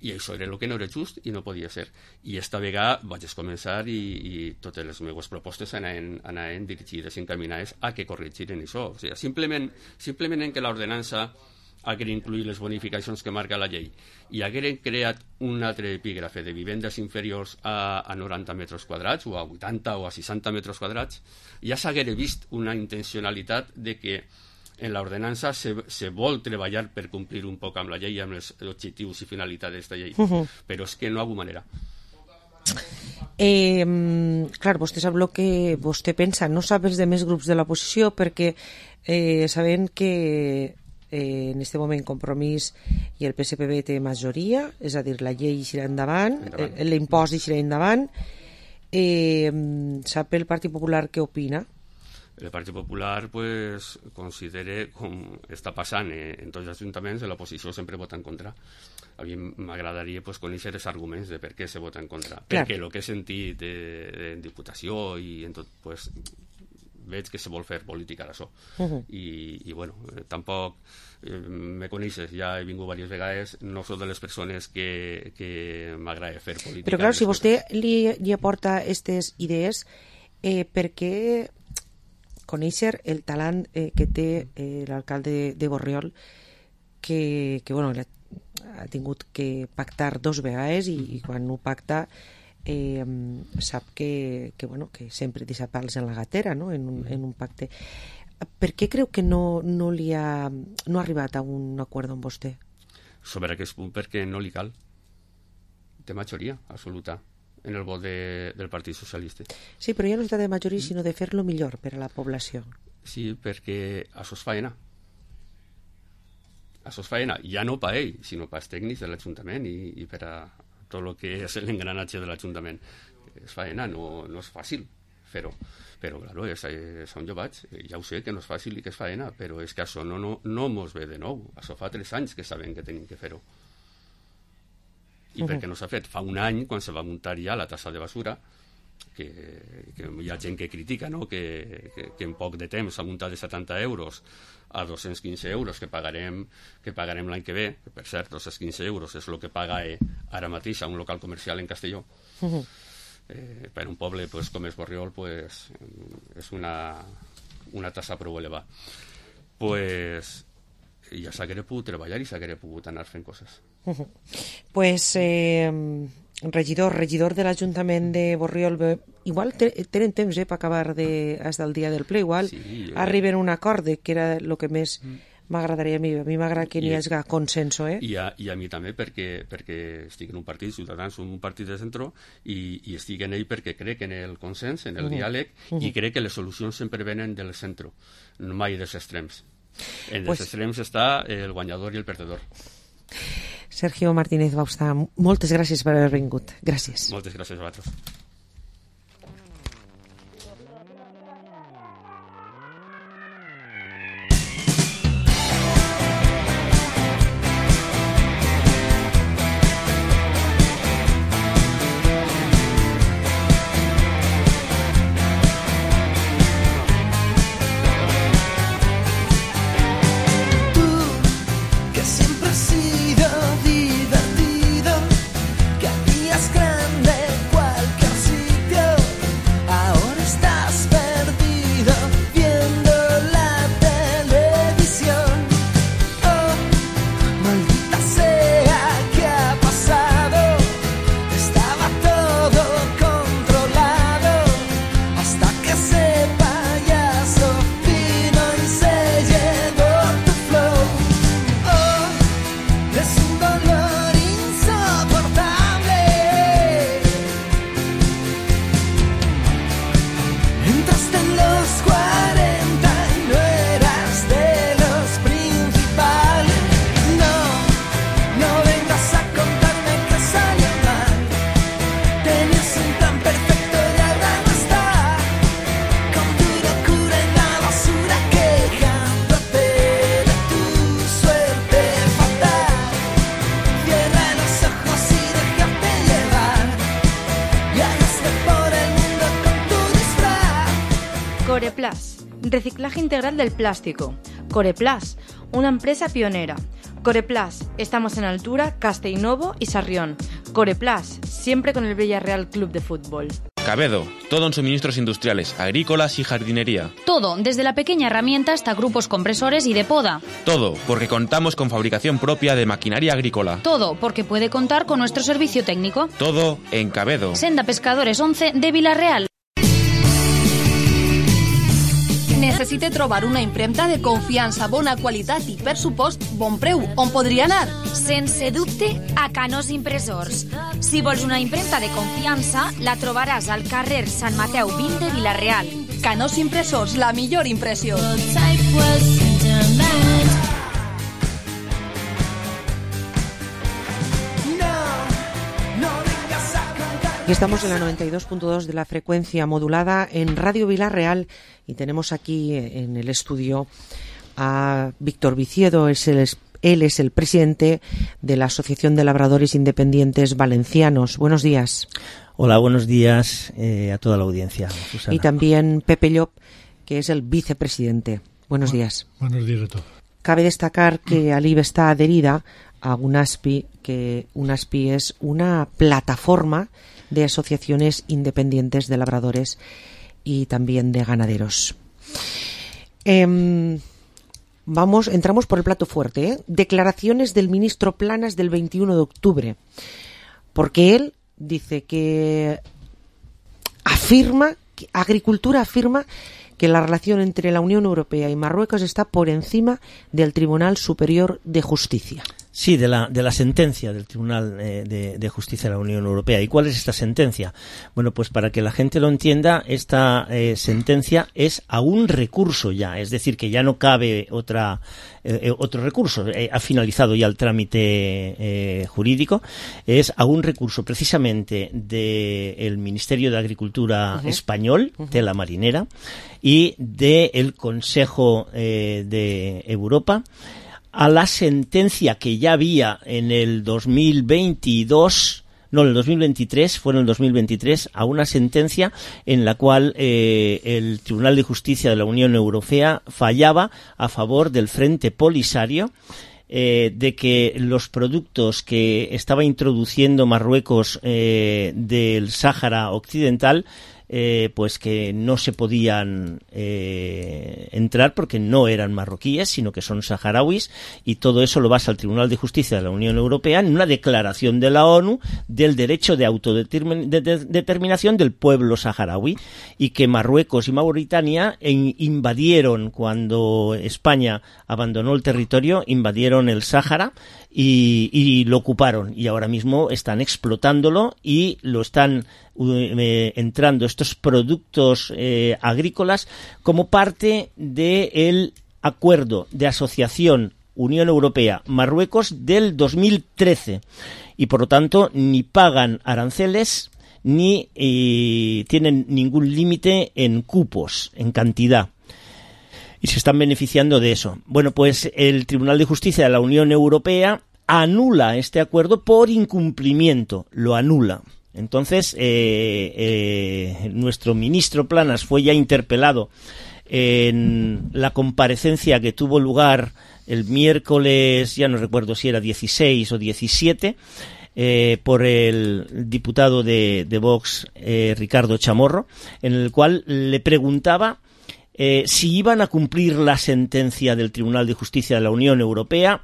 I això era el que no era just i no podia ser. I esta vegada vaig començar i totes les meves propostes anaven dirigides i encaminades a que corregiren això. O sigui, simplement en que l'ordenança haguera incluït les bonificacions que marca la llei i hagueren creat un altre epígrafe de vivendes inferiors a 90 metres quadrats o a 80 o a 60 metres quadrats, ja s'haguera vist una intencionalitat de que en l'ordenança se vol treballar per complir un poc amb la llei, amb els objectius i finalitats d'aquesta llei, però és que no hi ha manera. Clar, vostè sap el que vostè pensa, no sap els demés grups de l'oposició, perquè sabem que en aquest moment Compromís i el PSPB té majoria, és a dir, la llei eixirà endavant, l'impost eixirà endavant. Sap el Partit Popular què opina? El Partit Popular pues, considera, com està passant en tots els ajuntaments, l'oposició sempre vota en contra. A mi m'agradaria pues, conèixer els arguments de per què se vota en contra. Clar. Perquè el que he sentit en Diputació i en tot, pues, veig que se vol fer política d'això. I bueno, tampoc me coneixes, ja he vingut diverses vegades, no soc de les persones que m'agrada fer política. Però clar, si vostè li aporta aquestes idees, perquè conèixer el talent que té l'alcalde de Borriol, que bueno, ha tingut que pactar 2 vegades i quan ho pacta sap que sempre deixa pals en la gatera, no? en un pacte. Per què creu que no ha arribat a un acord amb vostè? Sobre aquest punt, perquè no li cal. Té majoria absoluta en el vot del Partit Socialista. Sí, però ja no es tracta de majoria, sinó de fer-lo millor per a la població. Sí, perquè això és faena. Això és faena, ja no per ell, sinó per als tècnics de l'Ajuntament i per a tot el que és l'engranatge de l'Ajuntament. És faena, no és fàcil fer-ho. Però, claro, són jovats, ja ho sé que no és fàcil i que és faena, però és que això no mos ve de nou. Això fa 3 anys que sabem que tenim que fer-ho. I perquè no s'ha fet? Fa un any, quan se va muntar ja la tassa de basura, que hi ha gent que critica, no? que en poc de temps s'ha muntat de 70 euros a 215 euros que pagarem l'any que ve, que per cert, 215 euros és el que paga ara mateix a un local comercial en Castelló. Per un poble com és Borriol és una tassa prou elevada. Ja s'haguera pogut treballar i s'haguera pogut anar fent coses. Regidor de l'Ajuntament de Borriol, igual tenen temps per acabar fins al dia del ple, igual arriben a un acord, que era el que més m'agradaria a mi. A mi m'agrada que n'hi hagi consens. I a mi també, perquè estic en un partit, Ciutadans, un partit de centre, i estic en ell perquè crec en el consens, en el diàleg, i crec que les solucions sempre venen del centre, mai dels extrems. En els extrems està el guanyador i el perdedor. Sergio Martínez Bauzá, moltes gràcies per haver vingut. Gràcies. Moltes gràcies a vosaltres. Coreplas, reciclaje integral del plástico. Coreplas, una empresa pionera. Coreplas, estamos en Altura, Castellnovo y Sarrión. Coreplas, siempre con el Villarreal Club de Fútbol. Cabedo, todo en suministros industriales, agrícolas y jardinería. Todo, desde la pequeña herramienta hasta grupos compresores y de poda. Todo, porque contamos con fabricación propia de maquinaria agrícola. Todo, porque puede contar con nuestro servicio técnico. Todo en Cabedo. Senda Pescadores 11 de Vilareal. Necessite trobar una impremta de confiança, bona qualitat i, per supost, bon preu. On podria anar? Sense dubte, a Canós Impressors. Si vols una impremta de confiança, la trobaràs al carrer Sant Mateu 20 de Vilareal. Canós Impressors, la millor impressió. Y estamos en la 92.2 de la frecuencia modulada en Radio Vilareal y tenemos aquí en el estudio a Víctor Viciedo. Él es el presidente de la Asociación de Labradores Independientes Valencianos. Buenos días. Hola, buenos días a toda la audiencia, Susana. Y también Pepe Llop, que es el vicepresidente. Buenos días. Buenos días a todos. Cabe destacar que Alive está adherida a UNASPI, que UNASPI es una plataforma de asociaciones independientes de labradores. y también de ganaderos. Entramos por el plato fuerte, Declaraciones del ministro Planas del 21 de octubre, porque él dice que Agricultura afirma que la relación entre la Unión Europea y Marruecos está por encima del Tribunal Superior de Justicia. Sí, de la sentencia del Tribunal de Justicia de la Unión Europea. ¿Y cuál es esta sentencia? Bueno, pues para que la gente lo entienda, esta sentencia es a un recurso ya, es decir, que ya no cabe otro recurso. Ha finalizado ya el trámite jurídico. Es a un recurso precisamente del Ministerio de Agricultura español, de la Marinera, y del Consejo de Europa, a la sentencia que ya había en el 2023, fue en el 2023, a una sentencia en la cual el Tribunal de Justicia de la Unión Europea fallaba a favor del Frente Polisario, de que los productos que estaba introduciendo Marruecos del Sáhara Occidental, pues que no se podían entrar porque no eran marroquíes, sino que son saharauis, y todo eso lo basa el Tribunal de Justicia de la Unión Europea en una declaración de la ONU del derecho de autodeterminación del pueblo saharaui, y que Marruecos y Mauritania invadieron, cuando España abandonó el territorio, invadieron el Sáhara y lo ocuparon, y ahora mismo están explotándolo y lo están entrando estos productos agrícolas como parte del acuerdo de asociación Unión Europea-Marruecos del 2013, y por lo tanto ni pagan aranceles ni tienen ningún límite en cupos, en cantidad, y se están beneficiando de eso. Bueno, pues el Tribunal de Justicia de la Unión Europea anula este acuerdo por incumplimiento, lo anula. Entonces, nuestro ministro Planas fue ya interpelado en la comparecencia que tuvo lugar el miércoles, ya no recuerdo si era 16 o 17, por el diputado de Vox, Ricardo Chamorro, en el cual le preguntaba si iban a cumplir la sentencia del Tribunal de Justicia de la Unión Europea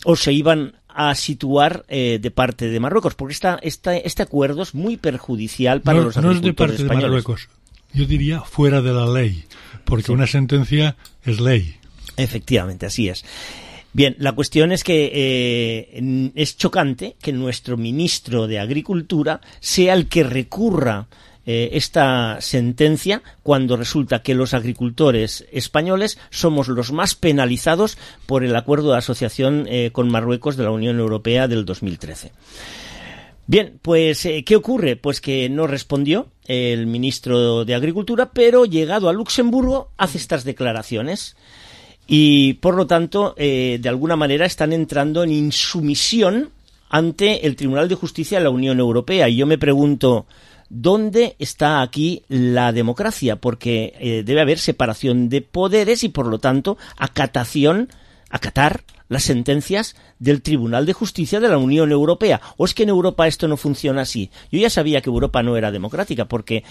o se iban a situar de parte de Marruecos, porque este acuerdo es muy perjudicial para los agricultores españoles. No es de parte de Marruecos, yo diría fuera de la ley, porque sí, una sentencia es ley. Efectivamente, así es. Bien, la cuestión es que es chocante que nuestro ministro de Agricultura sea el que recurra esta sentencia, cuando resulta que los agricultores españoles somos los más penalizados por el acuerdo de asociación con Marruecos de la Unión Europea del 2013. Bien, pues ¿qué ocurre? Pues que no respondió el ministro de Agricultura, pero llegado a Luxemburgo hace estas declaraciones y por lo tanto de alguna manera están entrando en insumisión ante el Tribunal de Justicia de la Unión Europea, y yo me pregunto, ¿dónde está aquí la democracia? Porque debe haber separación de poderes y, por lo tanto, acatar las sentencias del Tribunal de Justicia de la Unión Europea. ¿O es que en Europa esto no funciona así? Yo ya sabía que Europa no era democrática, porque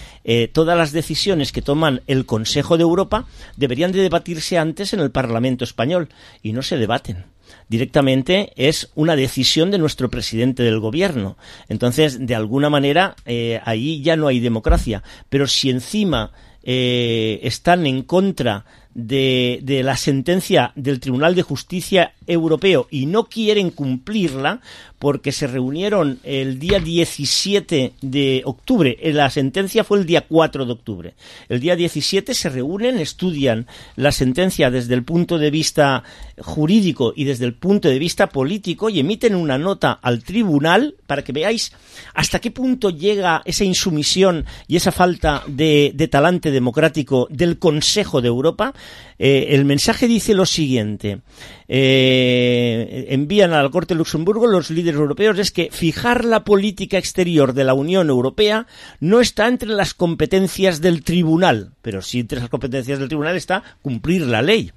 todas las decisiones que toman el Consejo de Europa deberían de debatirse antes en el Parlamento español, y no se debaten. Directamente es una decisión de nuestro presidente del gobierno. Entonces, de alguna manera, ahí ya no hay democracia. Pero si encima están en contra de la sentencia del Tribunal de Justicia Europeo y no quieren cumplirla, porque se reunieron el día 17 de octubre, la sentencia fue el día 4 de octubre, el día 17 se reúnen, estudian la sentencia desde el punto de vista jurídico y desde el punto de vista político y emiten una nota al tribunal para que veáis hasta qué punto llega esa insumisión y esa falta de talante democrático del Consejo de Europa. El mensaje dice lo siguiente: envían a la Corte de Luxemburgo los líderes europeos, es que fijar la política exterior de la Unión Europea no está entre las competencias del tribunal, pero sí entre las competencias del tribunal está cumplir la ley,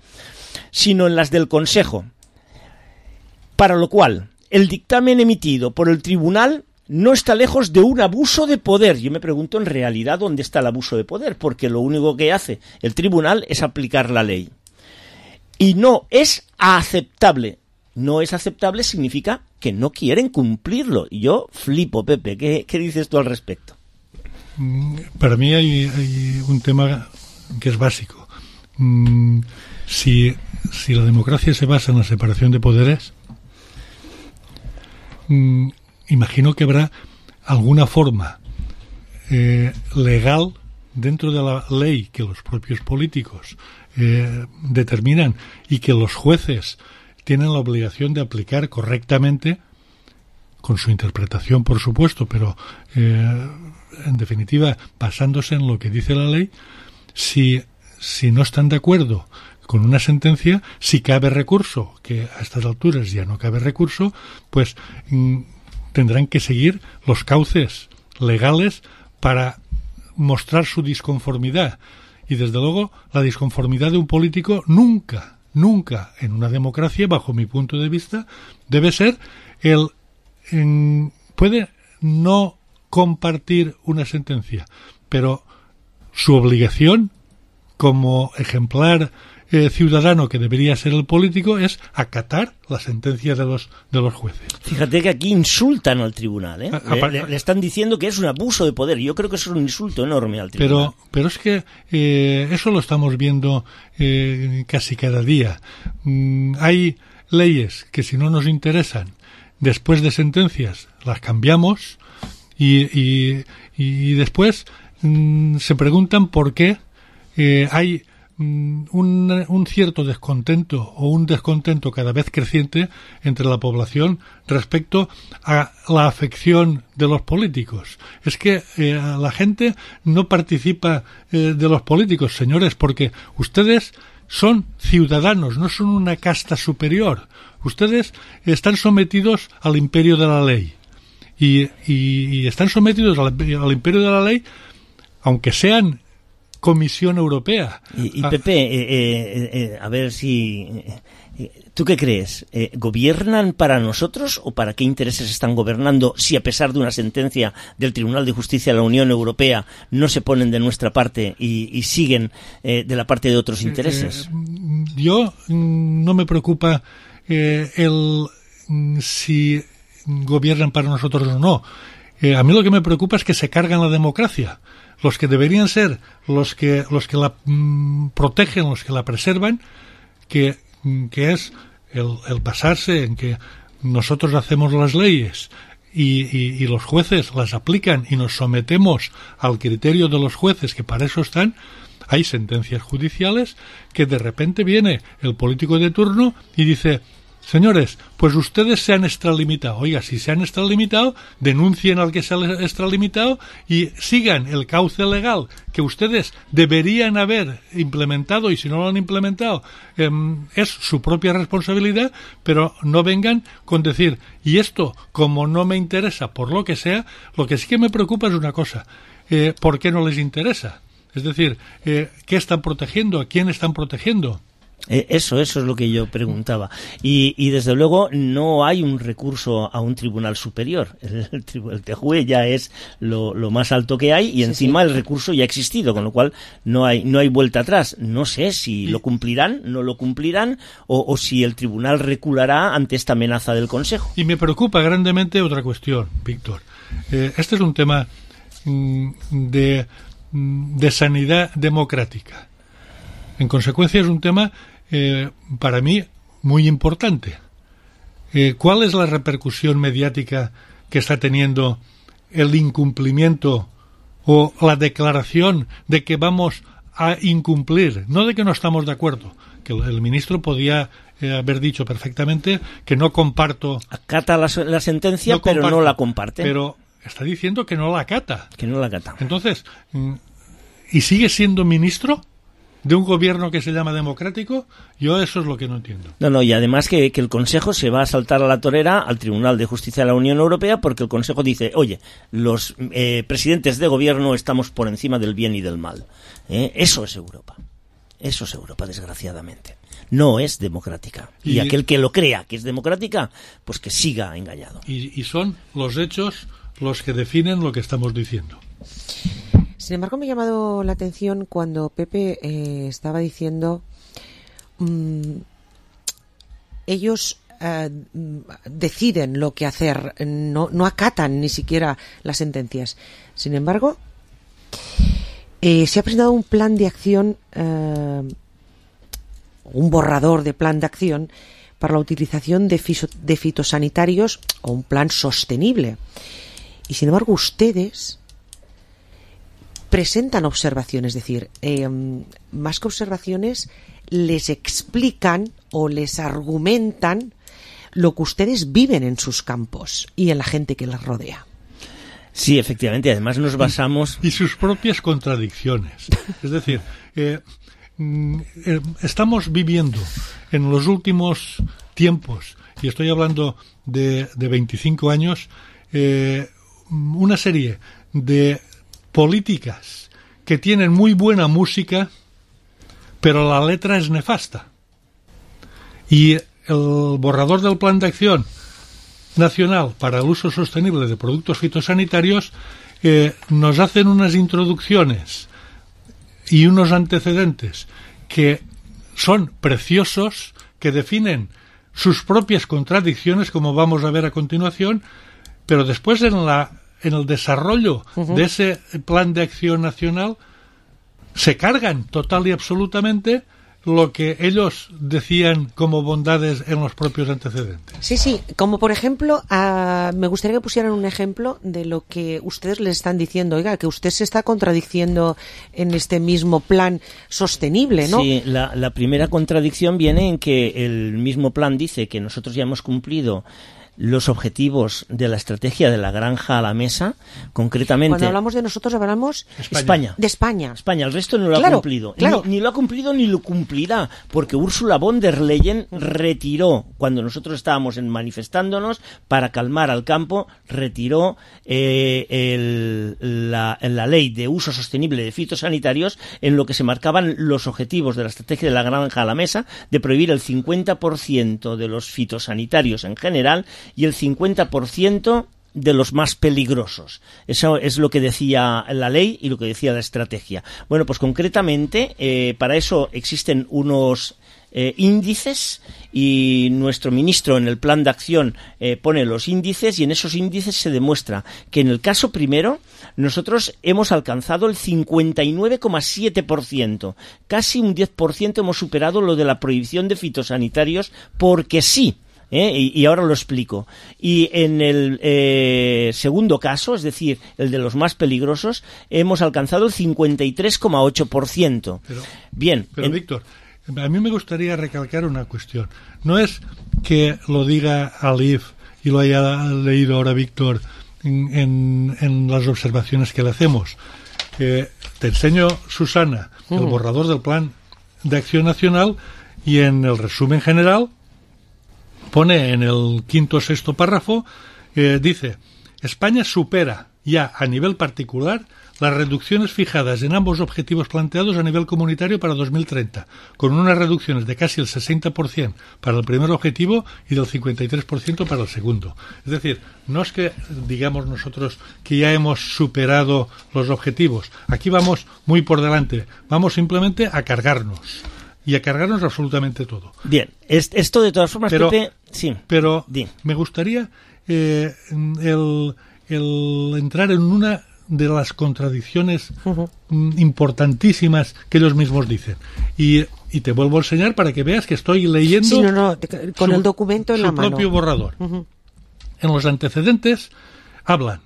sino en las del Consejo, para lo cual el dictamen emitido por el tribunal no está lejos de un abuso de poder. Yo me pregunto en realidad dónde está el abuso de poder, porque lo único que hace el tribunal es aplicar la ley. Y no es aceptable. No es aceptable significa que no quieren cumplirlo. Y yo flipo, Pepe. ¿Qué dices tú al respecto? Para mí hay un tema que es básico. Si la democracia se basa en la separación de poderes, imagino que habrá alguna forma legal dentro de la ley que los propios políticos determinan y que los jueces tienen la obligación de aplicar correctamente, con su interpretación, por supuesto, pero en definitiva basándose en lo que dice la ley. Si no están de acuerdo con una sentencia, si cabe recurso, que a estas alturas ya no cabe recurso, pues tendrán que seguir los cauces legales para mostrar su disconformidad. Y desde luego la disconformidad de un político nunca en una democracia, bajo mi punto de vista, debe ser puede no compartir una sentencia, pero su obligación como ejemplar ciudadano que debería ser el político es acatar la sentencia de los jueces. Fíjate que aquí insultan al tribunal, ¿eh? Le están diciendo que es un abuso de poder. Yo creo que eso es un insulto enorme al tribunal. Pero es que eso lo estamos viendo casi cada día. Hay leyes que si no nos interesan, después de sentencias las cambiamos y después se preguntan por qué hay un cierto descontento o un descontento cada vez creciente entre la población respecto a la afección de los políticos. Es que la gente no participa de los políticos, señores, porque ustedes son ciudadanos, no son una casta superior. Ustedes están sometidos al imperio de la ley. Y están sometidos al imperio de la ley, aunque sean Comisión Europea. Y Pepe, a ver si... ¿Tú qué crees? ¿Gobiernan para nosotros o para qué intereses están gobernando si a pesar de una sentencia del Tribunal de Justicia de la Unión Europea no se ponen de nuestra parte y siguen de la parte de otros intereses? Yo no me preocupa si gobiernan para nosotros o no. A mí lo que me preocupa es que se cargan la democracia. Los que deberían ser los que la protegen, los que la preservan, que es el basarse en que nosotros hacemos las leyes y los jueces las aplican y nos sometemos al criterio de los jueces, que para eso están. Hay sentencias judiciales que de repente viene el político de turno y dice: señores, pues ustedes se han extralimitado. Oiga, si se han extralimitado, denuncien al que se ha extralimitado y sigan el cauce legal que ustedes deberían haber implementado, y si no lo han implementado, es su propia responsabilidad, pero no vengan con decir, y esto, como no me interesa por lo que sea. Lo que sí que me preocupa es una cosa: ¿por qué no les interesa? Es decir, ¿qué están protegiendo? ¿A quién están protegiendo? Eso es lo que yo preguntaba. Y desde luego no hay un recurso a un tribunal superior. El TJUE ya es lo más alto que hay y encima el recurso ya ha existido, con lo cual no hay vuelta atrás. No sé si lo cumplirán, no lo cumplirán o si el tribunal reculará ante esta amenaza del Consejo. Y me preocupa grandemente otra cuestión, Víctor. Este es un tema de sanidad democrática. En consecuencia es un tema para mí muy importante. ¿Cuál es la repercusión mediática que está teniendo el incumplimiento o la declaración de que vamos a incumplir? No de que no estamos de acuerdo, que el ministro podía haber dicho perfectamente que no comparto. Acata la sentencia, no pero comparto, no la comparte. Pero está diciendo que no la acata. Que no la acata. Entonces, ¿y sigue siendo ministro de un gobierno que se llama democrático? Yo eso es lo que no entiendo. No, y además que el Consejo se va a saltar a la torera al Tribunal de Justicia de la Unión Europea, porque el Consejo dice, oye, los presidentes de gobierno estamos por encima del bien y del mal. Eso es Europa. Eso es Europa, desgraciadamente. No es democrática. Y aquel que lo crea que es democrática, pues que siga engañado. Y son los hechos los que definen lo que estamos diciendo. Sin embargo, me ha llamado la atención cuando Pepe estaba diciendo ellos deciden lo que hacer, no acatan ni siquiera las sentencias. Sin embargo, se ha presentado un plan de acción, un borrador de plan de acción para la utilización de fitosanitarios, o un plan sostenible. Y sin embargo, ustedes presentan observaciones, es decir, más que observaciones, les explican o les argumentan lo que ustedes viven en sus campos y en la gente que les rodea. Sí, efectivamente, además nos basamos... Y sus propias contradicciones. Es decir, estamos viviendo en los últimos tiempos, y estoy hablando de 25 años, una serie de políticas que tienen muy buena música, pero la letra es nefasta. Y el borrador del Plan de Acción Nacional para el Uso Sostenible de Productos Fitosanitarios nos hacen unas introducciones y unos antecedentes que son preciosos, que definen sus propias contradicciones, como vamos a ver a continuación, pero después en el desarrollo de ese plan de acción nacional se cargan total y absolutamente lo que ellos decían como bondades en los propios antecedentes. Sí, como por ejemplo, me gustaría que pusieran un ejemplo de lo que ustedes les están diciendo. Oiga, que usted se está contradiciendo en este mismo plan sostenible, ¿no? Sí, la primera contradicción viene en que el mismo plan dice que nosotros ya hemos cumplido los objetivos de la estrategia de la granja a la mesa, concretamente... Cuando hablamos de nosotros, hablamos... España. De España. España, el resto no lo ha cumplido. Claro. Ni lo ha cumplido ni lo cumplirá, porque Ursula von der Leyen retiró, cuando nosotros estábamos manifestándonos, para calmar al campo, retiró la ley de uso sostenible de fitosanitarios, en lo que se marcaban los objetivos de la estrategia de la granja a la mesa, de prohibir el 50% de los fitosanitarios en general y el 50% de los más peligrosos. Eso es lo que decía la ley y lo que decía la estrategia. Bueno, pues concretamente para eso existen unos índices, y nuestro ministro en el plan de acción pone los índices, y en esos índices se demuestra que en el caso primero nosotros hemos alcanzado el 59,7%, casi un 10% hemos superado lo de la prohibición de fitosanitarios, porque sí. Y ahora lo explico. Y en el segundo caso, es decir, el de los más peligrosos, hemos alcanzado el 53,8%. Bien. Pero Víctor, a mí me gustaría recalcar una cuestión. No es que lo diga Alif y lo haya leído ahora Víctor en las observaciones que le hacemos. Te enseño, Susana, el borrador del Plan de Acción Nacional, y en el resumen general pone en el quinto o sexto párrafo, dice: España supera ya a nivel particular las reducciones fijadas en ambos objetivos planteados a nivel comunitario para 2030, con unas reducciones de casi el 60% para el primer objetivo y del 53% para el segundo. Es decir, no es que digamos nosotros que ya hemos superado los objetivos. Aquí vamos muy por delante. Vamos simplemente a cargarnos. Y a cargarnos absolutamente todo. Bien, esto de todas formas, Pepe... Sí. Pero me gustaría el entrar en una de las contradicciones importantísimas que ellos mismos dicen. Y te vuelvo a enseñar para que veas que estoy leyendo con el documento en la mano. Su propio borrador. En los antecedentes hablan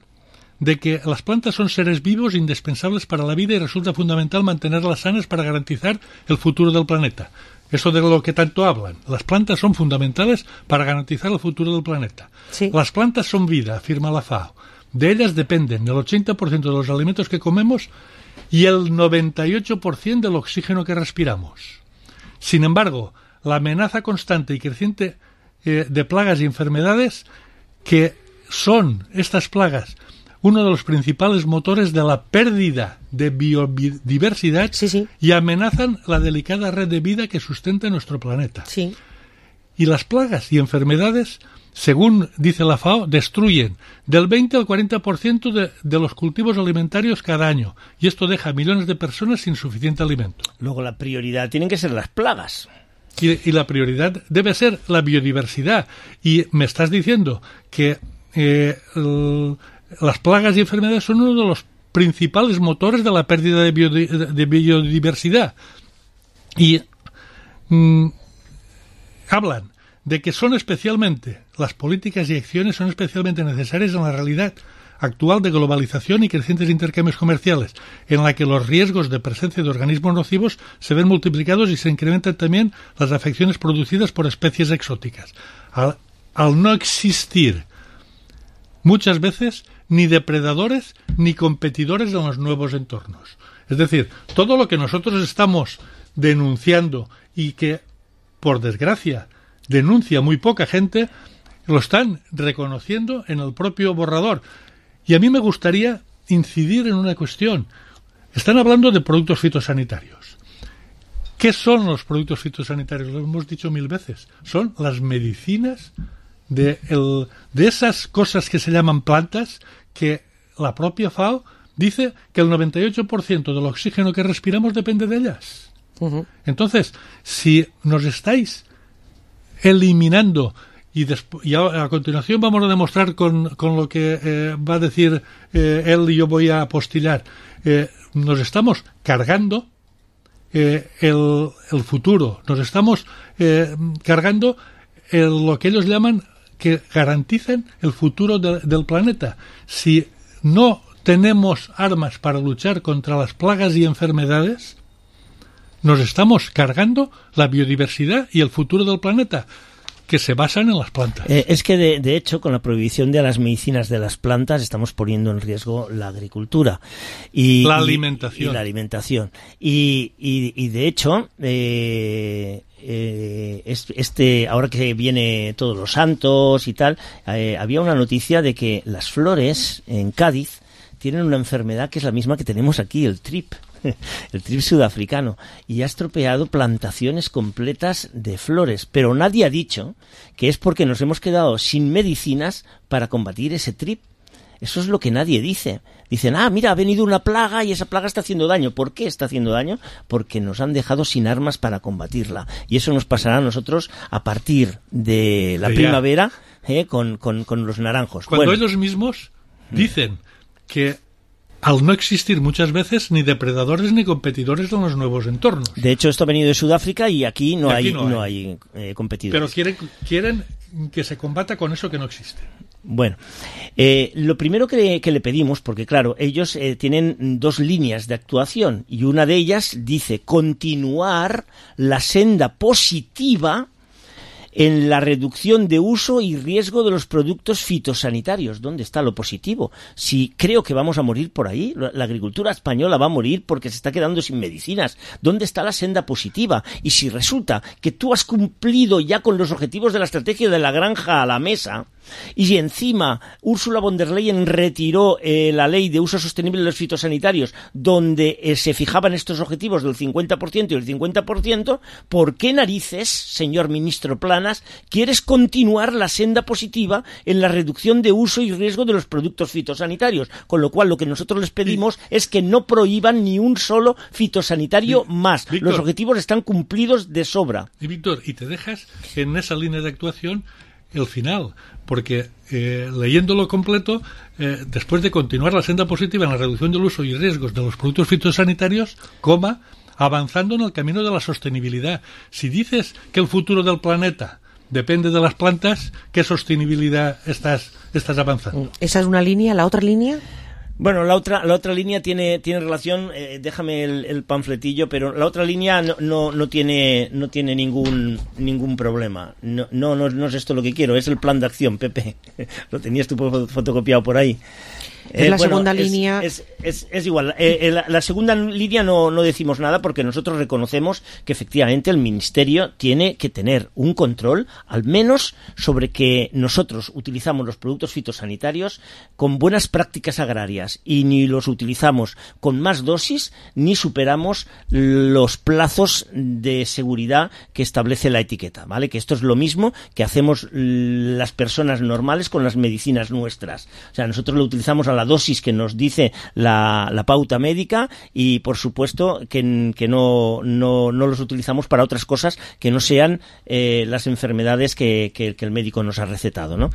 de que las plantas son seres vivos indispensables para la vida y resulta fundamental mantenerlas sanas para garantizar el futuro del planeta. Eso de lo que tanto hablan. Las plantas son fundamentales para garantizar el futuro del planeta. Sí. Las plantas son vida, afirma la FAO. De ellas dependen el 80% de los alimentos que comemos y el 98% del oxígeno que respiramos. Sin embargo, la amenaza constante y creciente de plagas y enfermedades, que son estas plagas uno de los principales motores de la pérdida de biodiversidad, y amenazan la delicada red de vida que sustenta nuestro planeta. Sí. Y las plagas y enfermedades según dice la FAO, destruyen del 20 al 40% de los cultivos alimentarios cada año. Y esto deja a millones de personas sin suficiente alimento. Luego la prioridad tienen que ser las plagas. Y la prioridad debe ser la biodiversidad. Y me estás diciendo que las plagas y enfermedades son uno de los principales motores de la pérdida de biodiversidad. Y hablan de que las políticas y acciones son especialmente necesarias en la realidad actual de globalización y crecientes intercambios comerciales, en la que los riesgos de presencia de organismos nocivos se ven multiplicados y se incrementan también las afecciones producidas por especies exóticas. Al no existir muchas veces ni depredadores ni competidores en los nuevos entornos. Es decir, todo lo que nosotros estamos denunciando y que, por desgracia, denuncia muy poca gente, lo están reconociendo en el propio borrador. Y a mí me gustaría incidir en una cuestión. Están hablando de productos fitosanitarios. ¿Qué son los productos fitosanitarios? Lo hemos dicho 1000 veces. Son las medicinas de esas cosas que se llaman plantas, que la propia FAO dice que el 98% del oxígeno que respiramos depende de ellas. Uh-huh. Entonces, si nos estáis eliminando, y a continuación vamos a demostrar con lo que va a decir él y yo voy a apostillar, nos estamos cargando el futuro, nos estamos cargando lo que ellos llaman que garantizan el futuro del planeta. Si no tenemos armas para luchar contra las plagas y enfermedades, nos estamos cargando la biodiversidad y el futuro del planeta, que se basan en las plantas. Es que, de hecho, con la prohibición de las medicinas de las plantas, estamos poniendo en riesgo la agricultura. Y la alimentación. Y de hecho, ahora que viene Todos los Santos y tal, había una noticia de que las flores en Cádiz tienen una enfermedad que es la misma que tenemos aquí, el trip sudafricano, y ha estropeado plantaciones completas de flores, pero nadie ha dicho que es porque nos hemos quedado sin medicinas para combatir ese trip. Eso es lo que nadie dice. Dicen, mira, ha venido una plaga y esa plaga está haciendo daño. ¿Por qué está haciendo daño? Porque nos han dejado sin armas para combatirla. Y eso nos pasará a nosotros a partir de la primavera con los naranjos. Cuando ellos mismos dicen que al no existir muchas veces ni depredadores ni competidores en los nuevos entornos. De hecho, esto ha venido de Sudáfrica y aquí no hay competidores. Pero quieren que se combata con eso que no existe. Bueno, lo primero que le pedimos, porque claro, ellos tienen 2 líneas de actuación y una de ellas dice continuar la senda positiva en la reducción de uso y riesgo de los productos fitosanitarios. ¿Dónde está lo positivo? Si creo que vamos a morir por ahí, la agricultura española va a morir porque se está quedando sin medicinas. ¿Dónde está la senda positiva? Y si resulta que tú has cumplido ya con los objetivos de la estrategia de la granja a la mesa, y encima Ursula von der Leyen retiró la ley de uso sostenible de los fitosanitarios, donde se fijaban estos objetivos del 50% y el 50%, ¿por qué narices, señor ministro Planas, quieres continuar la senda positiva en la reducción de uso y riesgo de los productos fitosanitarios? Con lo cual, lo que nosotros les pedimos es que no prohíban ni un solo fitosanitario más. Víctor, los objetivos están cumplidos de sobra. Y Víctor, y te dejas en esa línea de actuación el final, porque leyéndolo completo, después de continuar la senda positiva en la reducción del uso y riesgos de los productos fitosanitarios, avanzando en el camino de la sostenibilidad. Si dices que el futuro del planeta depende de las plantas, ¿qué sostenibilidad estás avanzando? Esa es una línea. ¿La otra línea? Bueno, la otra línea tiene relación, déjame el panfletillo, pero la otra línea no tiene ningún problema. No es esto lo que quiero, es el plan de acción, Pepe. Lo tenías tú fotocopiado por ahí. la segunda línea... Es igual. La segunda línea no decimos nada porque nosotros reconocemos que efectivamente el Ministerio tiene que tener un control, al menos sobre que nosotros utilizamos los productos fitosanitarios con buenas prácticas agrarias y ni los utilizamos con más dosis ni superamos los plazos de seguridad que establece la etiqueta, ¿vale? Que esto es lo mismo que hacemos las personas normales con las medicinas nuestras. O sea, nosotros lo utilizamos a la dosis que nos dice la pauta médica y, por supuesto, que no los utilizamos para otras cosas que no sean las enfermedades que el médico nos ha recetado, ¿no?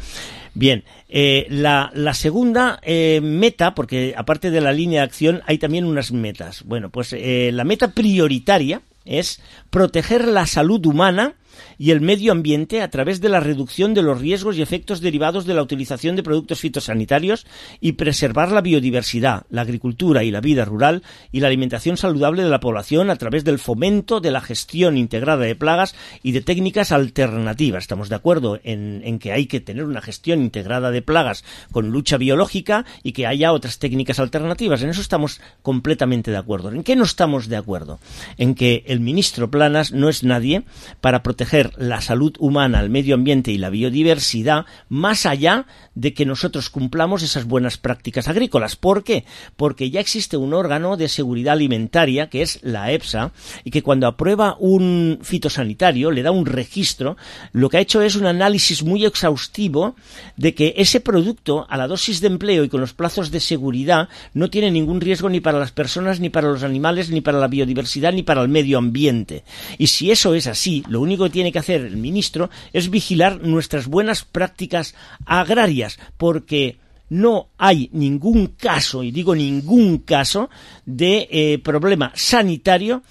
Bien, la segunda meta, porque aparte de la línea de acción hay también unas metas. Bueno, pues la meta prioritaria es proteger la salud humana y el medio ambiente a través de la reducción de los riesgos y efectos derivados de la utilización de productos fitosanitarios y preservar la biodiversidad, la agricultura y la vida rural y la alimentación saludable de la población a través del fomento de la gestión integrada de plagas y de técnicas alternativas. Estamos de acuerdo en que hay que tener una gestión integrada de plagas con lucha biológica y que haya otras técnicas alternativas. En eso estamos completamente de acuerdo. ¿En qué no estamos de acuerdo? En que el ministro Planas no es nadie para proteger la salud humana, el medio ambiente y la biodiversidad más allá de que nosotros cumplamos esas buenas prácticas agrícolas. ¿Por qué? Porque ya existe un órgano de seguridad alimentaria que es la EFSA y que cuando aprueba un fitosanitario le da un registro. Lo que ha hecho es un análisis muy exhaustivo de que ese producto a la dosis de empleo y con los plazos de seguridad no tiene ningún riesgo ni para las personas, ni para los animales, ni para la biodiversidad, ni para el medio ambiente. Y si eso es así, lo único que tiene que hacer el ministro es vigilar nuestras buenas prácticas agrarias, porque no hay ningún caso, y digo ningún caso, de problema sanitario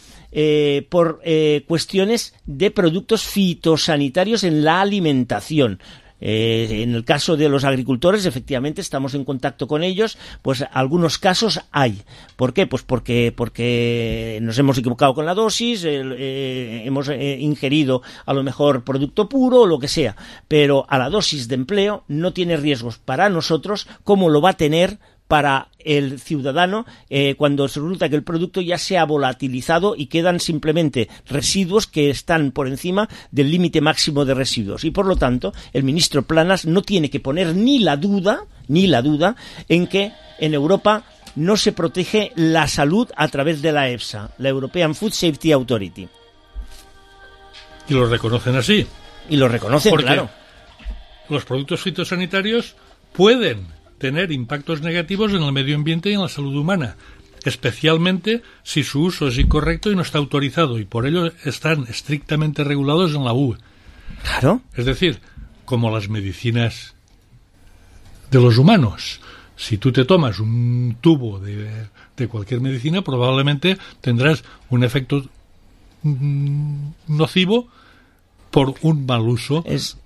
por cuestiones de productos fitosanitarios en la alimentación. En el caso de los agricultores, efectivamente, estamos en contacto con ellos, pues algunos casos hay. ¿Por qué? Pues porque nos hemos equivocado con la dosis, hemos ingerido a lo mejor producto puro o lo que sea, pero a la dosis de empleo no tiene riesgos para nosotros como lo va a tener para el ciudadano cuando resulta que el producto ya se ha volatilizado y quedan simplemente residuos que están por encima del límite máximo de residuos. Y por lo tanto, el ministro Planas no tiene que poner ni la duda en que en Europa no se protege la salud a través de la EFSA, la European Food Safety Authority. Y lo reconocen así. Y lo reconocen, porque claro. Los productos fitosanitarios pueden tener impactos negativos en el medio ambiente y en la salud humana, especialmente si su uso es incorrecto y no está autorizado, y por ello están estrictamente regulados en la UE. Claro. Es decir, como las medicinas de los humanos. Si tú te tomas un tubo de cualquier medicina, probablemente tendrás un efecto nocivo por un mal uso. Es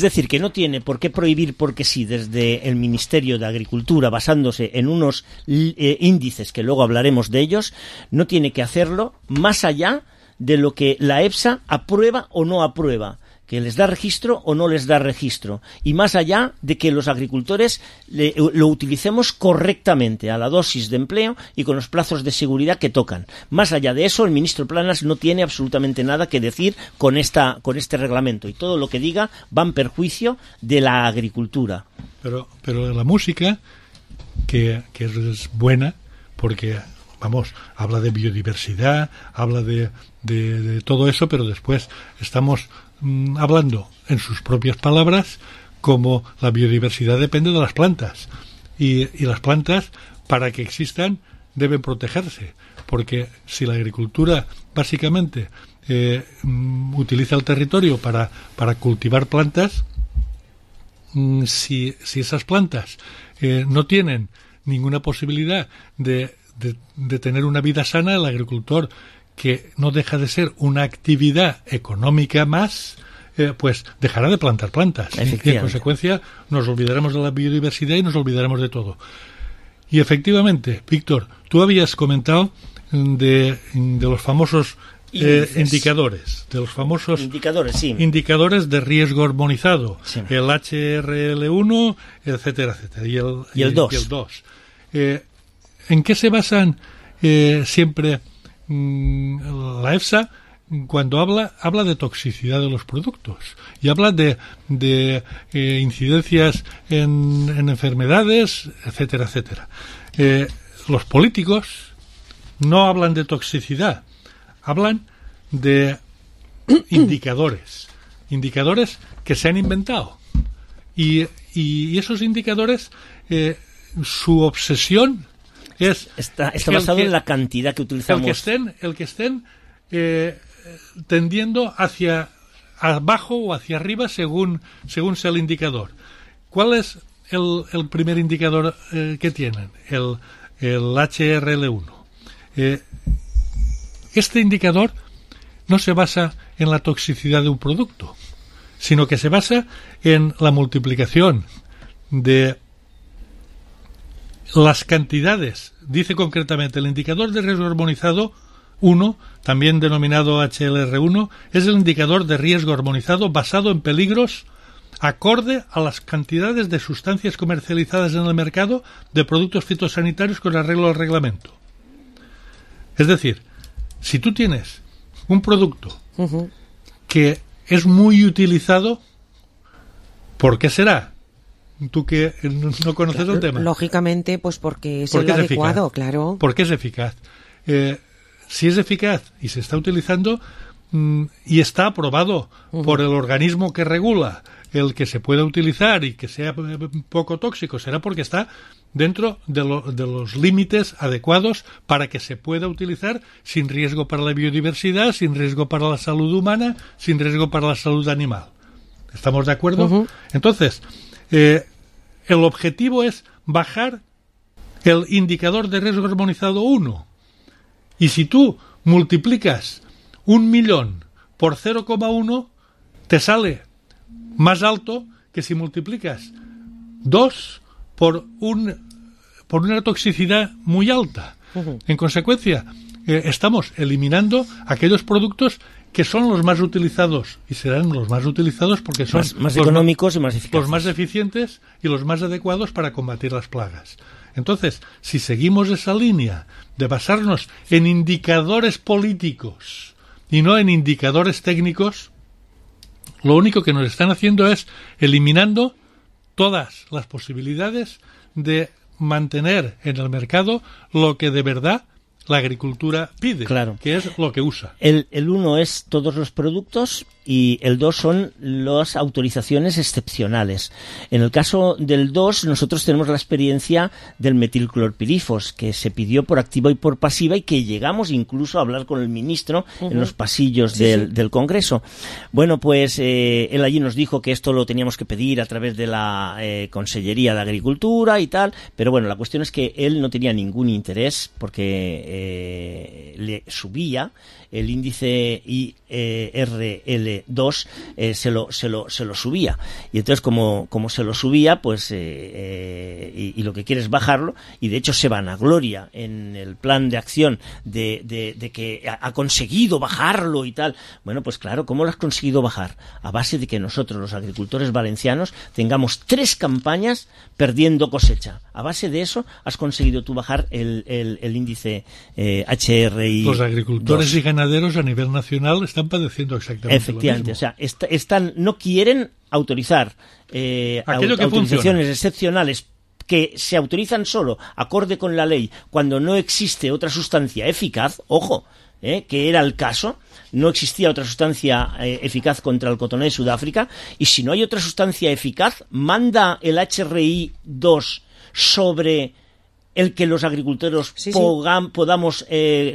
decir, que no tiene por qué prohibir porque sí desde el Ministerio de Agricultura, basándose en unos índices que luego hablaremos de ellos, no tiene que hacerlo más allá de lo que la EFSA aprueba o no aprueba, que les da registro o no les da registro, y más allá de que los agricultores lo utilicemos correctamente a la dosis de empleo y con los plazos de seguridad que tocan. Más allá de eso, el ministro Planas no tiene absolutamente nada que decir con este reglamento, y todo lo que diga va en perjuicio de la agricultura. Pero la música, que es buena, porque vamos, habla de biodiversidad, habla de todo eso, pero después estamos hablando en sus propias palabras como la biodiversidad depende de las plantas y las plantas, para que existan, deben protegerse, porque si la agricultura básicamente utiliza el territorio para cultivar plantas, si esas plantas no tienen ninguna posibilidad de tener una vida sana, el agricultor, que no deja de ser una actividad económica más, pues dejará de plantar plantas. Y en consecuencia nos olvidaremos de la biodiversidad y nos olvidaremos de todo. Y efectivamente, Víctor, tú habías comentado de los famosos indicadores, de los famosos indicadores de riesgo armonizado, sí. El HRL1, etcétera, etcétera, y el 2. ¿En qué se basan siempre la EFSA cuando habla de toxicidad de los productos y habla de incidencias en enfermedades, etcétera, etcétera? Los políticos no hablan de toxicidad, hablan de indicadores que se han inventado, y esos indicadores, su obsesión está basado en la cantidad que utilizamos. El que estén tendiendo hacia abajo o hacia arriba según sea el indicador. ¿Cuál es el primer indicador que tienen? El HRL1. Este indicador no se basa en la toxicidad de un producto, sino que se basa en la multiplicación de las cantidades. Dice concretamente, el indicador de riesgo armonizado 1, también denominado HLR1, es el indicador de riesgo armonizado basado en peligros acorde a las cantidades de sustancias comercializadas en el mercado de productos fitosanitarios con arreglo al reglamento. Es decir, si tú tienes un producto que es muy utilizado, ¿por qué será? Tú que no conoces el tema. Lógicamente, pues porque es el adecuado, claro. Porque es eficaz. Si es eficaz y se está utilizando y está aprobado por el organismo que regula el que se pueda utilizar y que sea poco tóxico, será porque está dentro de los límites adecuados para que se pueda utilizar sin riesgo para la biodiversidad, sin riesgo para la salud humana, sin riesgo para la salud animal. ¿Estamos de acuerdo? Entonces, el objetivo es bajar el indicador de riesgo armonizado 1. Y si tú multiplicas 1.000.000 por 0,1, te sale más alto que si multiplicas 2 por una toxicidad muy alta. En consecuencia, estamos eliminando aquellos productos que son los más utilizados y serán los más utilizados porque son más económicos y más eficaces, los más eficientes y los más adecuados para combatir las plagas. Entonces, si seguimos esa línea de basarnos en indicadores políticos y no en indicadores técnicos, lo único que nos están haciendo es eliminando todas las posibilidades de mantener en el mercado lo que de verdad la agricultura pide, claro, que es lo que usa. El 1 es todos los productos y el 2 son las autorizaciones excepcionales. En el caso del 2, nosotros tenemos la experiencia del metilclorpirifos, que se pidió por activa y por pasiva y que llegamos incluso a hablar con el ministro en los pasillos del Congreso. Bueno, pues él allí nos dijo que esto lo teníamos que pedir a través de la Consellería de Agricultura y tal, pero bueno, la cuestión es que él no tenía ningún interés porque le subía el índice IRL2, se lo subía, y entonces como se lo subía, pues y lo que quiere es bajarlo, y de hecho se vanagloria en el plan de acción de que ha conseguido bajarlo y tal. Bueno, pues claro, ¿cómo lo has conseguido bajar? A base de que nosotros, los agricultores valencianos, tengamos 3 campañas perdiendo cosecha. A base de eso has conseguido tú bajar el índice HRI. Los agricultores y ganaderos a nivel nacional están padeciendo exactamente efectivamente, lo mismo. O sea, no quieren autorizar autorizaciones excepcionales que se autorizan solo acorde con la ley cuando no existe otra sustancia eficaz, ojo, que era el caso, no existía otra sustancia eficaz contra el cotonés de Sudáfrica, y si no hay otra sustancia eficaz, manda el HRI 2 sobre el que los agricultores podamos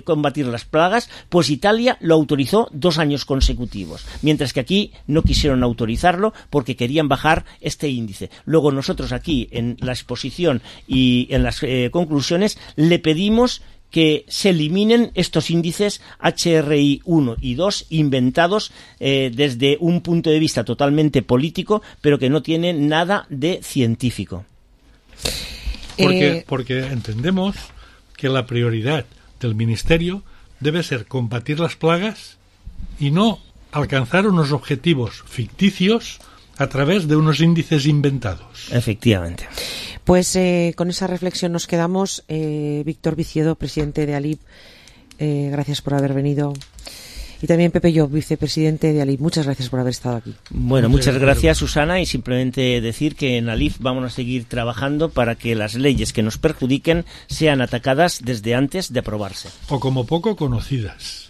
combatir las plagas, pues Italia lo autorizó 2 años consecutivos, mientras que aquí no quisieron autorizarlo porque querían bajar este índice. Luego nosotros aquí en la exposición y en las conclusiones le pedimos que se eliminen estos índices HRI 1 y 2 inventados desde un punto de vista totalmente político, pero que no tienen nada de científico. Porque entendemos que la prioridad del Ministerio debe ser combatir las plagas y no alcanzar unos objetivos ficticios a través de unos índices inventados. Efectivamente. Pues con esa reflexión nos quedamos. Víctor Viciedo, presidente de ALIP, gracias por haber venido. Y también Pepe Llop, vicepresidente de ALIP. Muchas gracias por haber estado aquí. Bueno, muchas gracias, Susana, y simplemente decir que en ALIP vamos a seguir trabajando para que las leyes que nos perjudiquen sean atacadas desde antes de aprobarse. O como poco conocidas.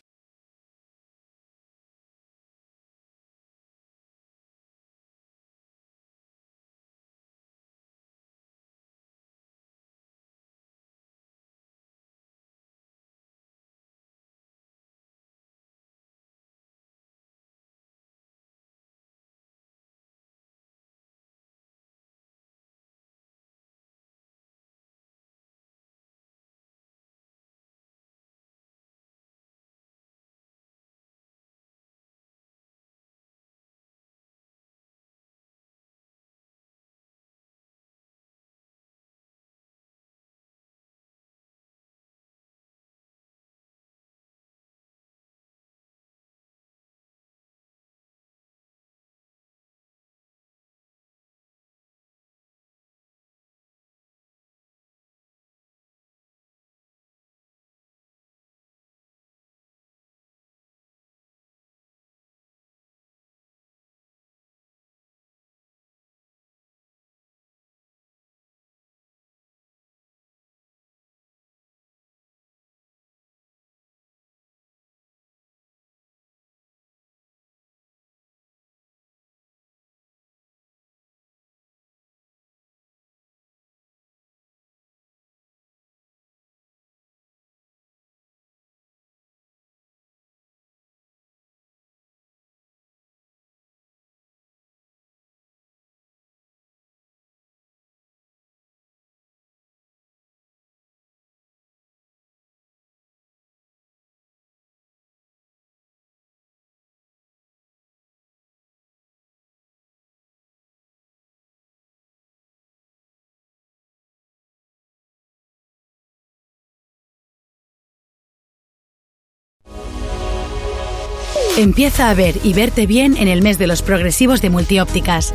Empieza a ver y verte bien en el mes de los progresivos de Multiópticas.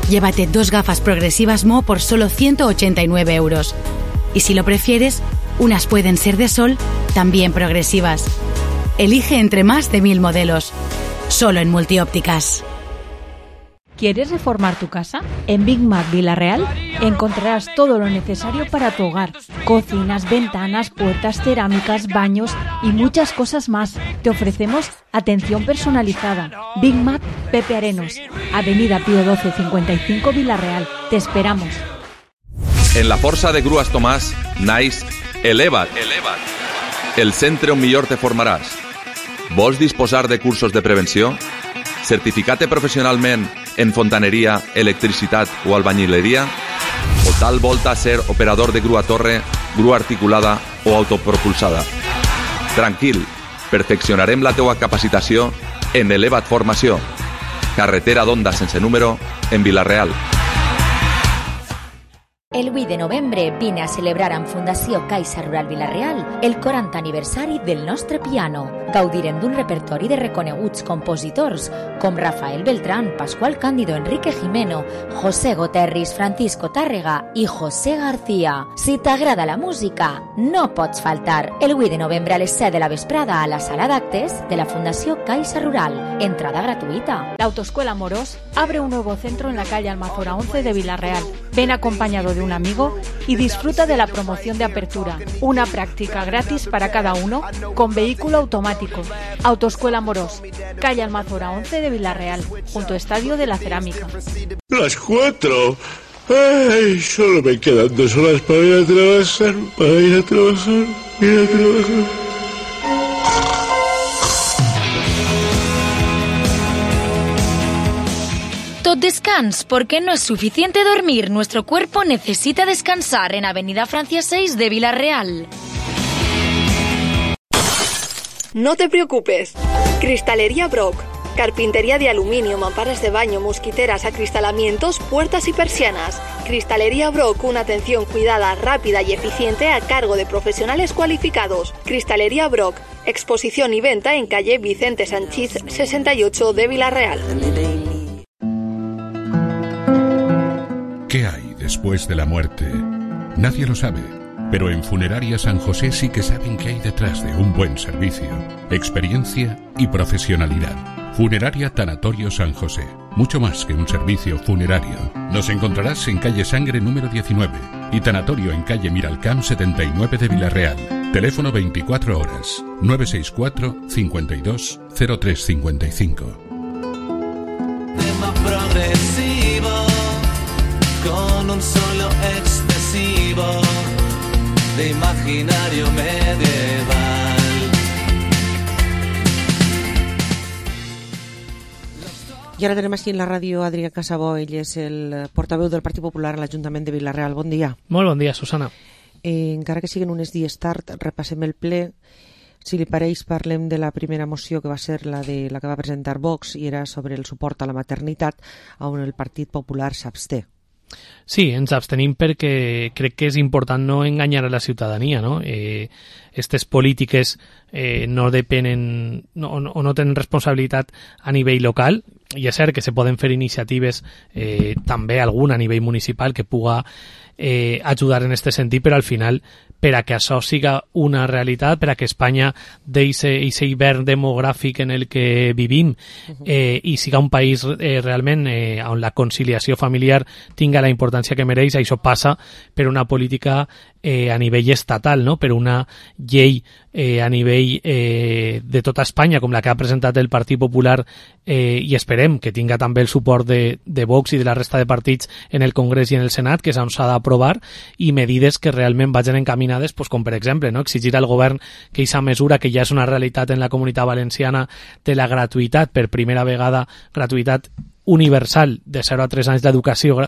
Llévate 2 gafas progresivas Mo por solo 189 €. Y si lo prefieres, unas pueden ser de sol, también progresivas. Elige entre más de 1000 modelos. Solo en Multiópticas. ¿Quieres reformar tu casa? En Big Mac Vila-real encontrarás todo lo necesario para tu hogar. Cocinas, ventanas, puertas, cerámicas, baños y muchas cosas más. Te ofrecemos atención personalizada. Big Mac Pepe Arenos, Avenida Pío 12 55 Vila-real. Te esperamos. En la Força de Grues Tomàs naix Eleva't. El centre on millor te formaràs. Vols disposar de cursos de prevenció? Certificat professionalment en fontaneria, electricitat o albañileria? O tal volta ser operador de grua torre, grua articulada o autopropulsada? Tranquil, perfeccionarem la teua capacitació en Eleva't Formació. Carretera d'Onda sense número en Vila-real. El 8 de novembre vine a celebrar amb Fundació Caixa Rural Vila-real el 40 aniversari del nostre piano. Gaudirem d'un repertori de reconeguts compositors com Rafael Beltrán, Pascual Cándido, Enrique Jimeno, José Goterris, Francisco Tàrrega i José García. Si t'agrada la música, no pots faltar. El 8 de novembre a les 7 de la vesprada a la sala d'actes de la Fundació Caixa Rural. Entrada gratuita. La Autoescuela Morós abre un nuevo centro en la calle Almazora 11 de Vila-real. Ven acompañado de un amigo y disfruta de la promoción de apertura. Una práctica gratis para cada uno con vehículo automático. Autoescuela Morós, calle Almazora 11 de Vila-real, junto Estadio de la Cerámica. Las 4. Ay, solo me quedan 2 horas para ir a trabajar, Tot descans, porque no es suficiente dormir. Nuestro cuerpo necesita descansar en Avenida Francia 6 de Vila-real. No te preocupes. Cristalería Brock. Carpintería de aluminio, mamparas de baño, mosquiteras, acristalamientos, puertas y persianas. Cristalería Brock, una atención cuidada, rápida y eficiente a cargo de profesionales cualificados. Cristalería Brock, exposición y venta en calle Vicente Sanchís 68 de Vila-real. ¿Qué hay después de la muerte? Nadie lo sabe, pero en Funeraria San José sí que saben qué hay detrás de un buen servicio, experiencia y profesionalidad. Funeraria Tanatorio San José, mucho más que un servicio funerario. Nos encontrarás en calle Sangre número 19 y Tanatorio en calle Miralcamp 79 de Villarreal. Teléfono 24 horas, 964 52 0355. Tema progresivo, con un solo excesivo de imaginario medieval. I ara tenem així en la ràdio Adrià Casabó, ell és el portaveu del Partit Popular a l'Ajuntament de Vila-real. Bon dia. Molt bon dia, Susana. Encara que siguin uns dies tard, repassem el ple. Si li pareix, parlem de la primera moció, que va ser la que va presentar Vox, i era sobre el suport a la maternitat, on el Partit Popular s'absté. Sí, ens abstenim perquè crec que és important no enganyar a la ciutadania, no? Aquestes polítiques no depenen o no tenen responsabilitat a nivell local, i és cert que se poden fer iniciatives també alguna a nivell municipal que puga ajudar en aquest sentit, però al final, per a que això siga una realitat, per a que Espanya deixi aquest hivern demogràfic en el que vivim i siga un país realment on la conciliació familiar tinga la importància que mereix, això passa per una política a nivell estatal, no? Per una llei a nivell de tota Espanya, com la que ha presentat el Partit Popular, i esperem que tinga també el suport de Vox i de la resta de partits en el Congrés i en el Senat, que és on s'ha d'aprovar, i medides que realment vagin encaminades, pues, com per exemple, no? Exigir al govern que aquesta mesura, que ja és una realitat en la Comunitat Valenciana, de la gratuïtat, per primera vegada, gratuïtat universal de 0 a 3 anys d'educació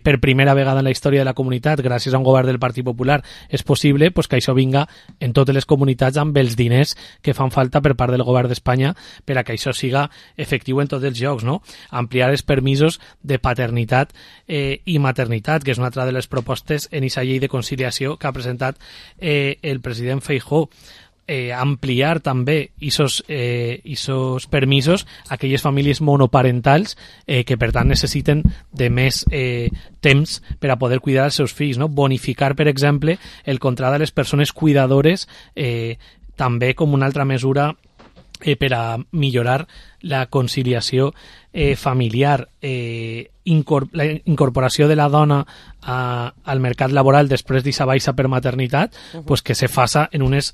per primera vegada en la història de la comunitat, gràcies a un govern del Partit Popular, és possible pues, que això vinga en totes les comunitats amb els diners que fan falta per part del govern d'Espanya per a que això siga efectiu en tots els llocs, no? Ampliar els permisos de paternitat i maternitat, que és una altra de les propostes en aquesta llei de conciliació que ha presentat el president Feijóo. Ampliar també aquests permisos a aquelles famílies monoparentals que per tant necessiten de més temps per a poder cuidar els seus fills, no? Bonificar, per exemple, el contracte de les persones cuidadores també com una altra mesura per a millorar la conciliació familiar, la incorporació de la dona al mercat laboral després d'aquesta baixa per maternitat, pues que se faça en unes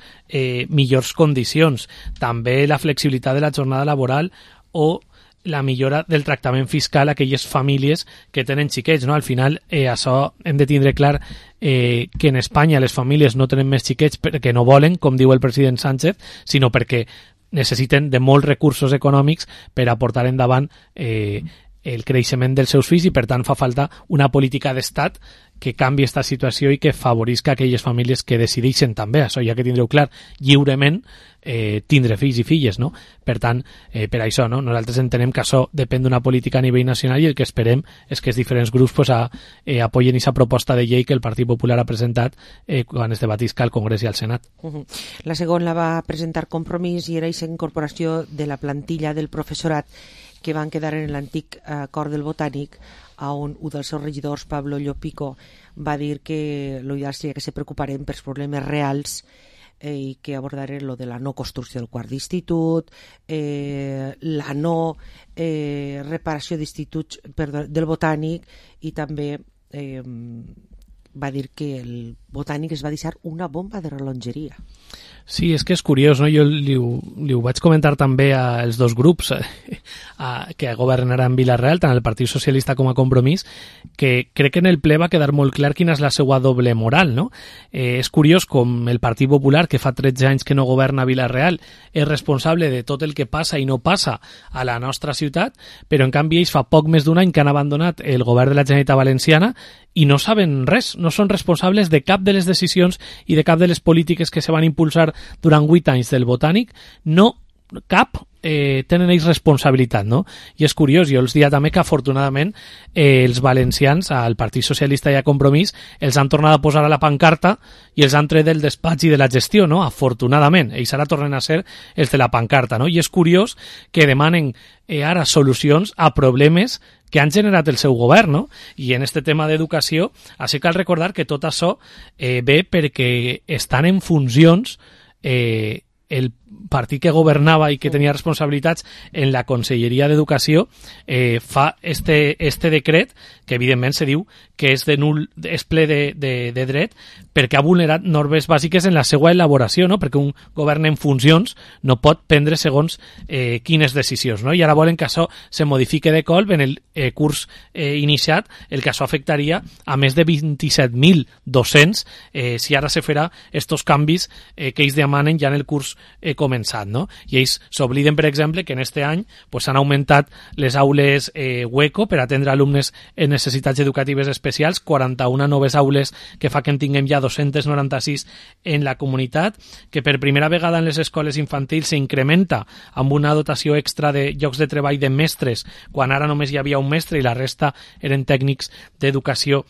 millors condicions. També la flexibilitat de la jornada laboral o la millora del tractament fiscal a aquelles famílies que tenen xiquets, no? Al final, això hem de tindre clar que en Espanya les famílies no tenen més xiquets perquè no volen, com diu el president Sánchez, sinó perquè necessiten de molts recursos econòmics per a portar endavant el creixement dels seus fills, i per tant fa falta una política d'estat que canvi aquesta situació i que favorisca aquelles famílies que decideixen també, això ja que tindreu clar, lliurement tindre fills i filles, no? Per tant, per això, no? Nosaltres entenem que això depèn d'una política a nivell nacional, i el que esperem és que els diferents grups pues, apoyen aquesta proposta de llei que el Partit Popular ha presentat quan es debatisca al Congrés i al Senat. La segona la va presentar Compromís i era aquesta incorporació de la plantilla del professorat que van quedar en l'antic acord del Botànic, on un dels seus regidors, Pablo Llopico, va dir que l'ideal seria que se preocuparen pels problemes reals i que abordaren lo de la no construcció del quart d'institut, la no reparació d'instituts del Botànic, i també va dir que el Botànic es va deixar una bomba de rellotgeria. Sí, és que és curiós, no? Jo li ho vaig comentar també als dos grups que governaran Vila-real, tant el Partit Socialista com a Compromís, que crec que en el ple va quedar molt clar quina és la seva doble moral, no? És curiós com el Partit Popular, que fa 13 anys que no governa Vila-real, és responsable de tot el que passa i no passa a la nostra ciutat, però en canvi ells fa poc més d'un any que han abandonat el govern de la Generalitat Valenciana i no saben res, no són responsables de cap de les decisions i de cap de les polítiques que se van impulsar durant 8 anys del Botànic, no cap tenen ells responsabilitat, no? I és curiós, jo els diria també que afortunadament els valencians, al Partit Socialista i a Compromís, els han tornat a posar a la pancarta i els han tret del despatx i de la gestió, no? Afortunadament, ells ara tornen a ser els de la pancarta, no? I és curiós que demanen ara solucions a problemes que han generat el seu govern, no? I en este tema d'educació, així cal recordar que tot això ve perquè estan en funcions el partit que governava i que tenia responsabilitats en la Conselleria d'Educació fa este decret que evidentment se diu que és ple de dret perquè ha vulnerat normes bàsiques en la seva elaboració, no? Perquè un govern en funcions no pot prendre segons quines decisions, no? I ara volen que això se modifique de colp en el curs iniciat, el que això afectaria a més de 27.000 docents si ara se farà estos canvis que ells demanen ja en el curs començat, no? I ells s'obliden, per exemple, que en este any s'han augmentat les aules hueco per atendre alumnes en necessitats educatives especials, 41 noves aules que fa que en tinguem ja 296 en la comunitat, que per primera vegada en les escoles infantils s'incrementa amb una dotació extra de llocs de treball de mestres, quan ara només hi havia un mestre i la resta eren tècnics d'educació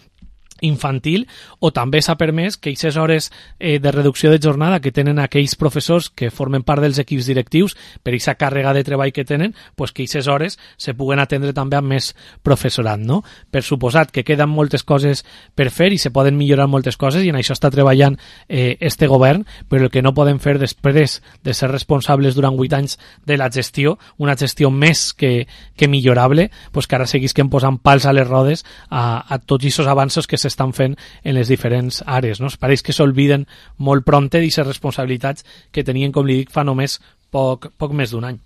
infantil, o també s'ha permès que aquestes hores de reducció de jornada que tenen aquells professors que formen part dels equips directius per aquesta càrrega de treball que tenen, pues que aquestes hores se puguen atendre també amb més professorat, no? Per suposat que queden moltes coses per fer i se poden millorar moltes coses i en això està treballant este govern, però el que no poden fer després de ser responsables durant 8 anys de la gestió, una gestió més que millorable, pues que ara seguisquen posant pals a les rodes a tots aquests avanços que s'estan fent en les diferents àrees, no? Pareix que s'olviden molt prompte d'aquestes responsabilitats que tenien, com li dic, fa només poc més d'un any.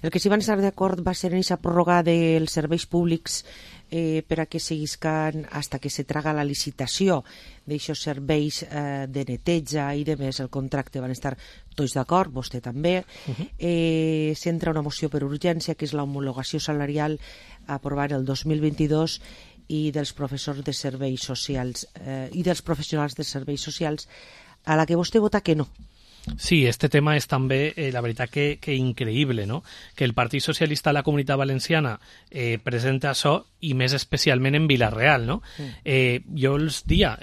El que sí van estar d'acord va ser en aquesta pròrroga dels serveis públics per a que seguiscan hasta que se traga la licitació d'aixòs serveis de neteja i de més el contracte. Van estar tots d'acord, vostè també. S'entra una moció per urgència que és l'homologació salarial aprovada el 2022 i dels professors de serveis socials i dels professionals de serveis socials, a la que vostè vota que no. Sí, este tema és també, la veritat, que increïble, no? Que el Partit Socialista a la Comunitat Valenciana presenta això, i més especialment en Vila-real, no? Jo els dia...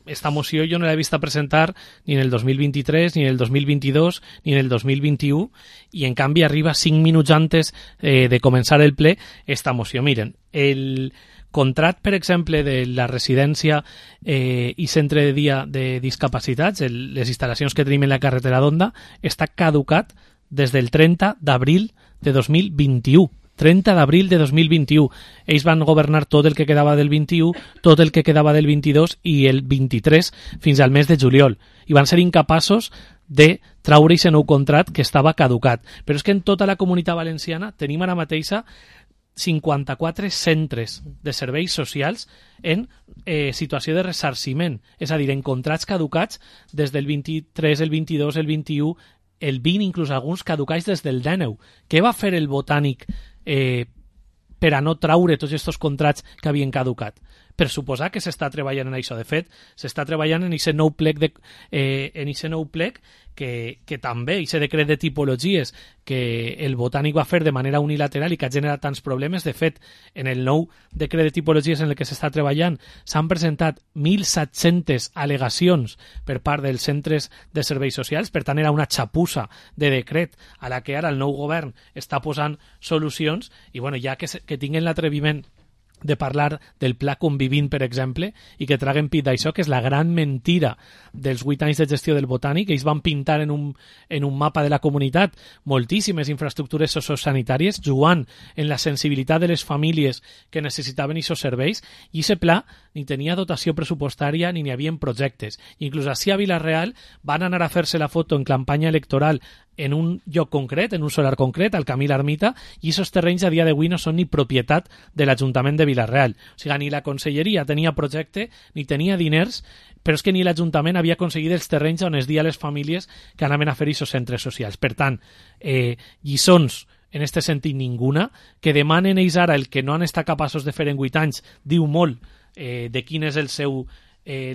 esta moció jo no l'he vist presentar ni en el 2023, ni en el 2022, ni en el 2021, i en canvi arriba 5 minuts antes de començar el ple esta moció. Miren, el contracte, per exemple, de la residència i centre de dia de discapacitats, les instal·lacions que tenim en la carretera d'Onda, està caducat des del 30 d'abril de 2021. 30 d'abril de 2021. Ells van governar tot el que quedava del 21, tot el que quedava del 22 i el 23 fins al mes de juliol. I van ser incapaços de traure aquest nou contracte que estava caducat. Però és que en tota la Comunitat Valenciana tenim ara mateixa 54 centres de serveis socials en situació de ressarciment, és a dir, en contractes caducats des del 23, el 22, el 21, el 20, inclús alguns caducats des del 19. Què va fer el Botànic per a no traure tots aquests contractes que havien caducat? Per suposar que s'està treballant en això. De fet, s'està treballant en aquest nou plec que també, aquest decret de tipologies que el Botànic va fer de manera unilateral i que ha generat tants problemes. De fet, en el nou decret de tipologies en el que s'està treballant s'han presentat 1.700 al·legacions per part dels centres de serveis socials. Per tant, era una xapussa de decret a la que ara el nou govern està posant solucions i bueno, ja que tinguin l'atreviment de parlar del pla convivint, per exemple, i que traguen pit d'això, que és la gran mentira dels 8 anys de gestió del Botànic. Ells van pintar en un mapa de la comunitat moltíssimes infraestructures sociosanitàries, jugant en la sensibilitat de les famílies que necessitaven aquests serveis, i aquest pla ni tenia dotació pressupostària ni n'hi havia projectes. Inclús així a Vila-real van anar a fer-se la foto en campanya electoral en un lloc concret, en un solar concret, al Camí l'Ermita, i aquests terrenys a dia d'avui no són ni propietat de l'Ajuntament de Vila-real. O sigui, ni la Conselleria tenia projecte, ni tenia diners, però és que ni l'Ajuntament havia aconseguit els terrenys on es dia a les famílies que anaven a fer aquests centres socials. Per tant, lliçons en aquest sentit ninguna, que demanen ells ara el que no han estat capaços de fer en 8 anys, diu molt de quin és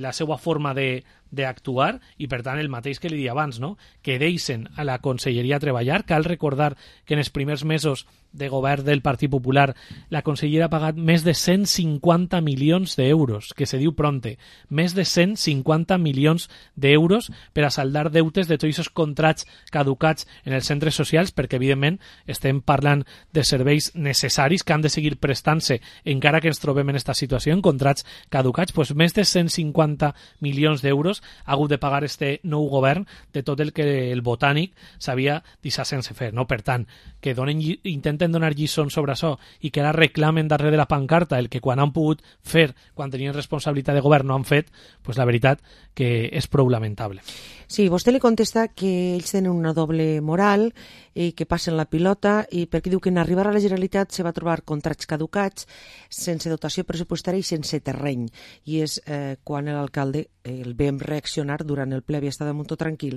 la seva forma de d'actuar i, per tant, el mateix que li dia abans, no? Que deixen a la Conselleria treballar. Cal recordar que en els primers mesos de govern del Partit Popular la consellera ha pagat més de 150 milions d'euros, que se diu pronte, més de 150 milions d'euros per a saldar deutes de tots aquests contrats caducats en els centres socials, perquè evidentment estem parlant de serveis necessaris que han de seguir prestant-se encara que ens trobem en aquesta situació, en contrats caducats. Doncs més de 150 milions d'euros ha hagut de pagar este nou govern de tot el que el Botànic s'havia deixat sense fer, no? Per tant, que intenten donar lliçons sobre això i que ara reclamen darrere de la pancarta el que quan han pogut fer, quan tenien responsabilitat de govern, no han fet, doncs la veritat que és prou lamentable. Sí, vostè li contesta que ells tenen una doble moral i que passen la pilota, i perquè diu que en arribar a la Generalitat se va trobar contrats caducats, sense dotació pressupostària i sense terreny. I és quan l'alcalde el vam reaccionar durant el ple, havia estat molt tranquil,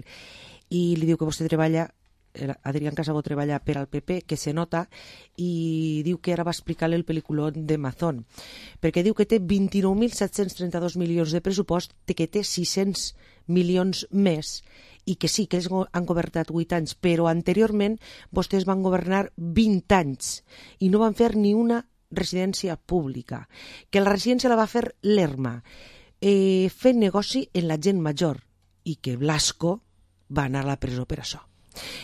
i li diu que vostè treballa, Adrián Casabó treballa per al PP, que se nota, i diu que ara va explicar-li el pel·lículó de Mazón, perquè diu que té 29.732 milions de pressupost, que té 600 milions més, i que sí, que ells han governat 8 anys, però anteriorment vostès van governar 20 anys i no van fer ni una residència pública, que la residència la va fer l'ERMA, fent negoci en la gent major, i que Blasco va anar a la presó per això.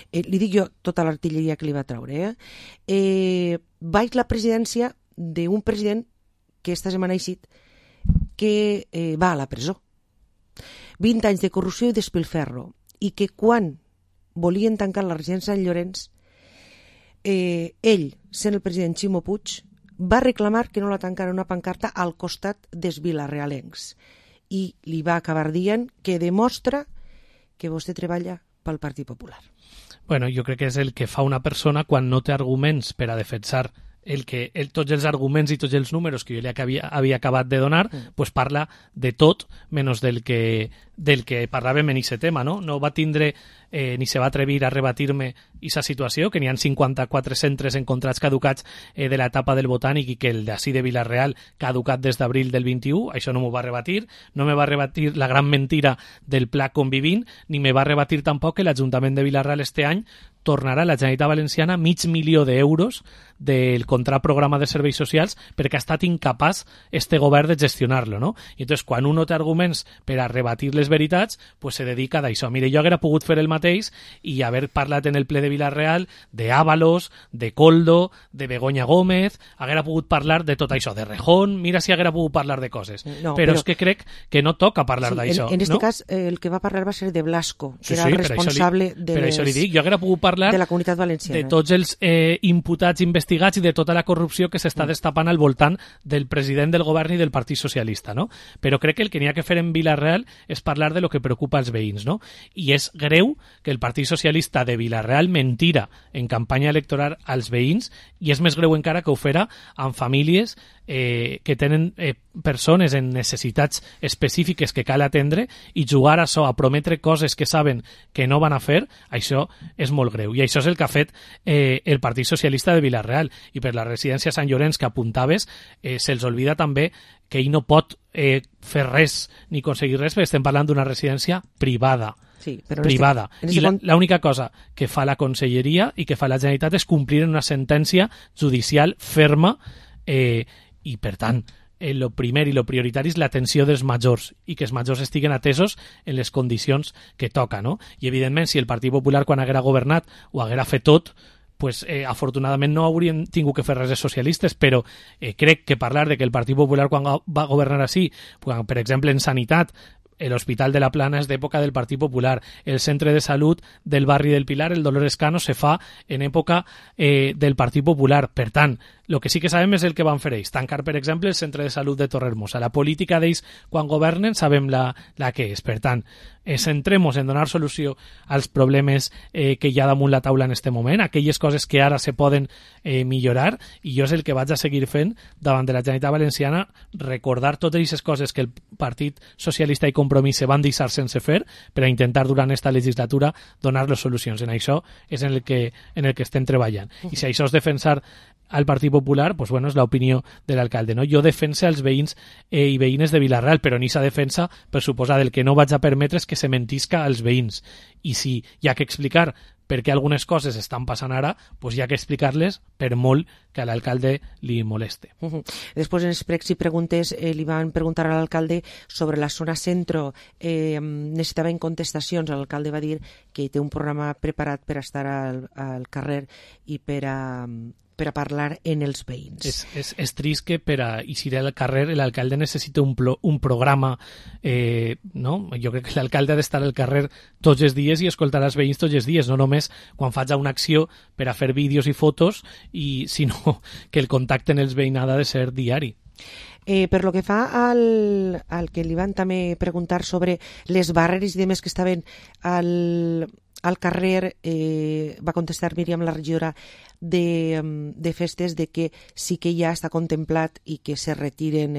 Li dic jo tota l'artilleria que li va treure. Vaig la presidència d'un president que esta setmana ha eixit que va a la presó. 20 anys de corrupció i despilferro, i que quan volien tancar la residència de Llorenç, ell, sent el president Ximo Puig, va reclamar que no la tancara una pancarta al costat dels vilarealencs, i li va acabar dient que demostra que vostè treballa pel Partit Popular. Bueno, jo crec que és el que fa una persona quan no té arguments per a defensar tots els arguments i tots els números que jo li havia acabat de donar, pues parla de tot menys del que parlàvem en aquest tema, no? No va tindre ni se va atrevir a rebatir-me aquesta situació, que n'hi ha 54 centres en contrats caducats de l'etapa del Botànic i que el d'ací de Vila-real caducat des d'abril del 21, això no m'ho va rebatir, no me va rebatir la gran mentira del Pla Convivint, ni me va rebatir tampoc que l'Ajuntament de Vila-real este any tornarà a la Generalitat Valenciana $500.000 d'euros del contrat programa de serveis socials perquè ha estat incapaç este govern de gestionar-lo, no? I entonces, quan un no té arguments per a rebatir les veritats, pues se dedica a això. Mire, jo haguera pogut fer el mateix i haver parlat en el ple de Vila-real d'Ábalos, de Coldo, de Begoña Gómez, haguera pogut parlar de tot això, de Rejón, mira si haguera pogut parlar de coses. No, però és que crec que no toca parlar d'això. En este no? cas, el que va parlar va ser de Blasco, que era el responsable per això li dic, jo haguera pogut parlar de la Comunitat Valenciana, de tots els imputats investigats i de tota la corrupció que s'està destapant al voltant del president del govern i del Partit Socialista, no? Però crec que el que n'hi ha que fer en Vila-real és parlar de lo que preocupa als veïns, no? I és greu que el Partit Socialista de Vila-real mentira en campanya electoral als veïns, i és més greu encara que ho fera amb famílies que tenen persones en necessitats específiques que cal atendre, i jugar a això, a prometre coses que saben que no van a fer, això és molt greu. I això és el que ha fet el Partit Socialista de Vila-real. I per la residència Sant Llorenç que apuntaves, se'ls oblida també que ell no pot fer res ni aconseguir res, perquè estem parlant d'una residència privada. Sí, però privada. I l'única cosa que fa la Conselleria i que fa la Generalitat és complir una sentència judicial ferma, i per tant el primer i el prioritari és l'atenció dels majors i que els majors estiguen atesos en les condicions que toca, no? I evidentment si el Partit Popular quan haguera governat ho haguera fet tot, pues, afortunadament no haurien tingut que fer res els socialistes, però crec que parlar de que el Partit Popular quan va governar així, per exemple en sanitat, l'Hospital de la Plana és d'època del Partit Popular, el centre de salut del barri del Pilar, el Dolores Cano, se fa en època del Partit Popular. Per tant, el que sí que sabem és el que van fer ells, tancar, per exemple, el centre de salut de Torrehermosa. La política d'ells quan governen sabem la que és. Per tant, centrem-nos en donar solució als problemes que hi ha damunt la taula en este moment, aquelles coses que ara se poden millorar, i jo és el que vaig a seguir fent davant de la Generalitat Valenciana, recordar totes aquestes coses que el Partit Socialista i Compromís se van deixar sense fer per a intentar durant esta legislatura donar les solucions. En això és en el que estem treballant. I si això és defensar al Partit Popular, pues bueno, és l'opinió de l'alcalde, no? Jo defense els veïns i veïnes de Vila-real, però en aquesta defensa, per suposar, el que no vaig a permetre és que se mentisca als veïns. I si hi ha que explicar per què algunes coses estan passant ara, pues hi ha que explicar-les per molt que a l'alcalde li moleste. Després, en els pregs i preguntes, li van preguntar a l'alcalde sobre la zona centro. Necessitaven contestacions. L'alcalde va dir que té un programa preparat per estar al carrer i per a parlar en els veïns. És trist que per a eixir al carrer l'alcalde necessita un programa, no? Jo crec que l'alcalde ha d'estar al carrer tots els dies i escoltar els veïns tots els dies, no només quan faig una acció per a fer vídeos i fotos, sinó que el contacte en els veïnats ha de ser diari. Per lo que fa al que li van també preguntar sobre les barreres i demés que estaven al carrer, va contestar Míriam, la regidora de festes, de que sí que ja està contemplat i que se retiren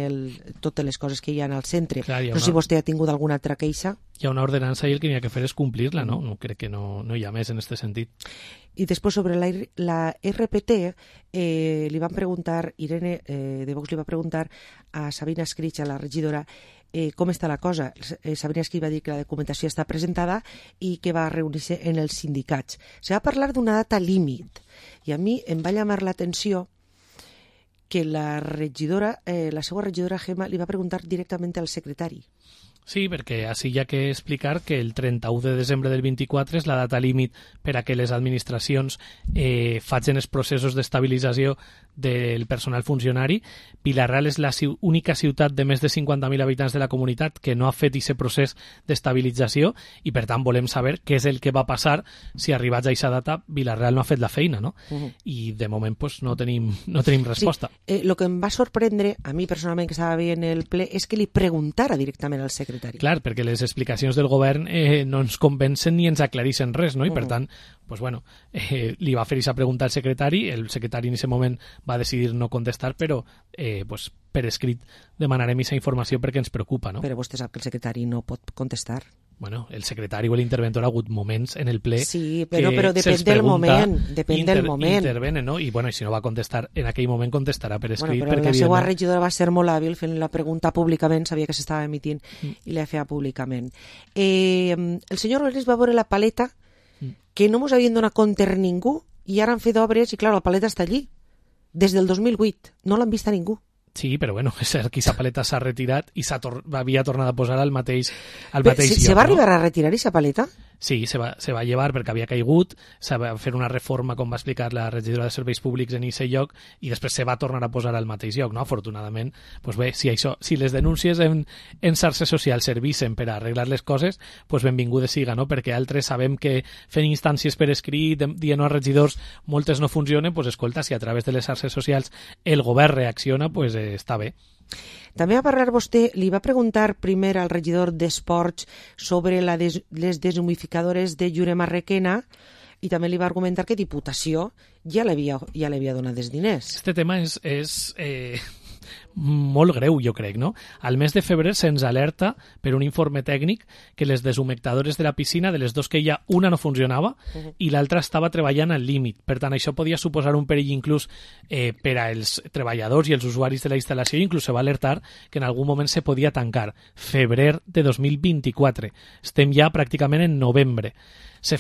totes les coses que hi ha al centre. Clar, no sé si vostè ha tingut alguna altra queixa. Hi ha una ordenança i el que n'hi ha que fer és complir-la, no? No crec que no hi ha més en aquest sentit. I després sobre la RPT li van preguntar, Irene de Vox li va preguntar a Sabina Escrig, a la regidora, com està la cosa. Sabina Escrig va dir que la documentació està presentada i que va reunir-se en els sindicats. Se va parlar d'una data límit i a mi em va llamar l'atenció que la seva regidora Gemma li va preguntar directament al secretari. Sí, perquè així hi ha que explicar que el 31 de desembre del 24 és la data límit per a que les administracions facin els processos d'estabilització del personal funcionari. Vila-real és la única ciutat de més de 50.000 habitants de la comunitat que no ha fet aquest procés d'estabilització i, per tant, volem saber què és el que va passar si arribats a aquesta data Vila-real no ha fet la feina, no? I, de moment, pues, no tenim resposta. Sí, lo que em va sorprendre, a mi personalment, que estava veient el ple, és que li preguntara directament al secretari. Clar, perquè les explicacions del govern no ens convencen ni ens aclareixen res, no? I, per tant, pues, bueno, li va fer aquesta pregunta al secretari, el secretari en aquest moment va decidir no contestar, però pues, per escrit demanarem aquesta informació perquè ens preocupa, no? Però vostè sap que el secretari no pot contestar. Bueno, el secretari o l'interventor ha hagut moments en el ple sí, però depèn del moment. Depèn del moment. Intervenen, no? I, bueno, i si no va contestar en aquell moment, contestarà per escrit. Bueno, però la seva regidora va ser molt hàbil fent la pregunta públicament, sabia que s'estava emitint i la feia públicament. El senyor Rodríguez va veure la paleta que no ens havien donat compte ningú i ara han fet obres i, clar, la paleta està allí. Des del 2008. No l'han vist a ningú. Sí, però bueno, és cert que aquesta paleta s'ha retirat i havia tornat a posar al mateix lloc. Se va arribar a retirar aquesta paleta? Sí, se va llevar perquè havia caigut, se va fer una reforma, com va explicar la regidora de Serveis Públics en aquest lloc, i després se va tornar a posar al mateix lloc, no? Afortunadament, pues bé, si les denúncies en xarxes socials servissen per a arreglar les coses, pues benvingudes siga, no? Perquè altres sabem que fent instàncies per escrit, dient als regidors, moltes no funcionen, pues escolta, si a través de les xarxes socials el govern reacciona, pues està bé. També va parlar vostè, li va preguntar primer al regidor d'Esports sobre les deshumidificadores de Llurema Requena i també li va argumentar que Diputació ja li havia donat els diners. Este tema és molt greu, jo crec, no? Al mes de febrer se'ns alerta per un informe tècnic que les deshumectadores de la piscina, de les dos que hi ha, una no funcionava i l'altra estava treballant al límit. Per tant, això podia suposar un perill inclús per als treballadors i els usuaris de la instal·lació, i inclús se va alertar que en algun moment se podia tancar. Febrer de 2024. Estem ja pràcticament en novembre. Se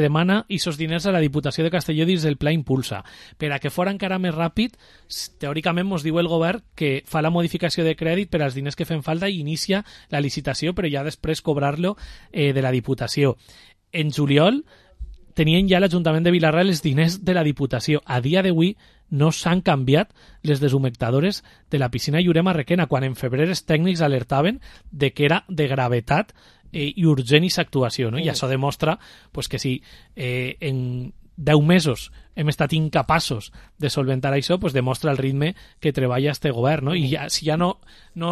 demana aquests diners a la Diputació de Castelló dins del Pla Impulsa. Per a que fora encara més ràpid, teòricament ens diu el govern que fa la modificació de crèdit per als diners que fem falta i inicia la licitació, però ja després cobrar-lo de la Diputació. En juliol tenien ja l'Ajuntament de Vila-real els diners de la Diputació. A dia d'avui no s'han canviat les deshumectadores de la piscina Llurema Requena, quan en febrer els tècnics alertaven de que era de gravetat i urgent aquesta actuació, no? I això demostra pues, que si en 10 mesos hem estat incapaços de solventar això, doncs demostra el ritme que treballa este govern, no? I si ja no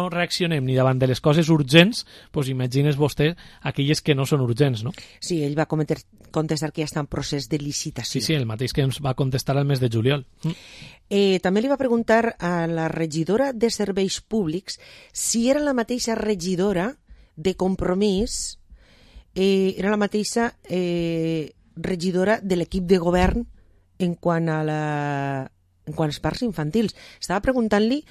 reaccionem ni davant de les coses urgents, doncs imagines vostè aquelles que no són urgents, no? Sí, ell va contestar que ja està en procés de licitació. Sí, el mateix que ens va contestar al mes de juliol. També li va preguntar a la regidora de Serveis Públics si era la mateixa regidora de Compromís, era la mateixa regidora de l'equip de govern en quant als parcs infantils. Estava preguntant-li,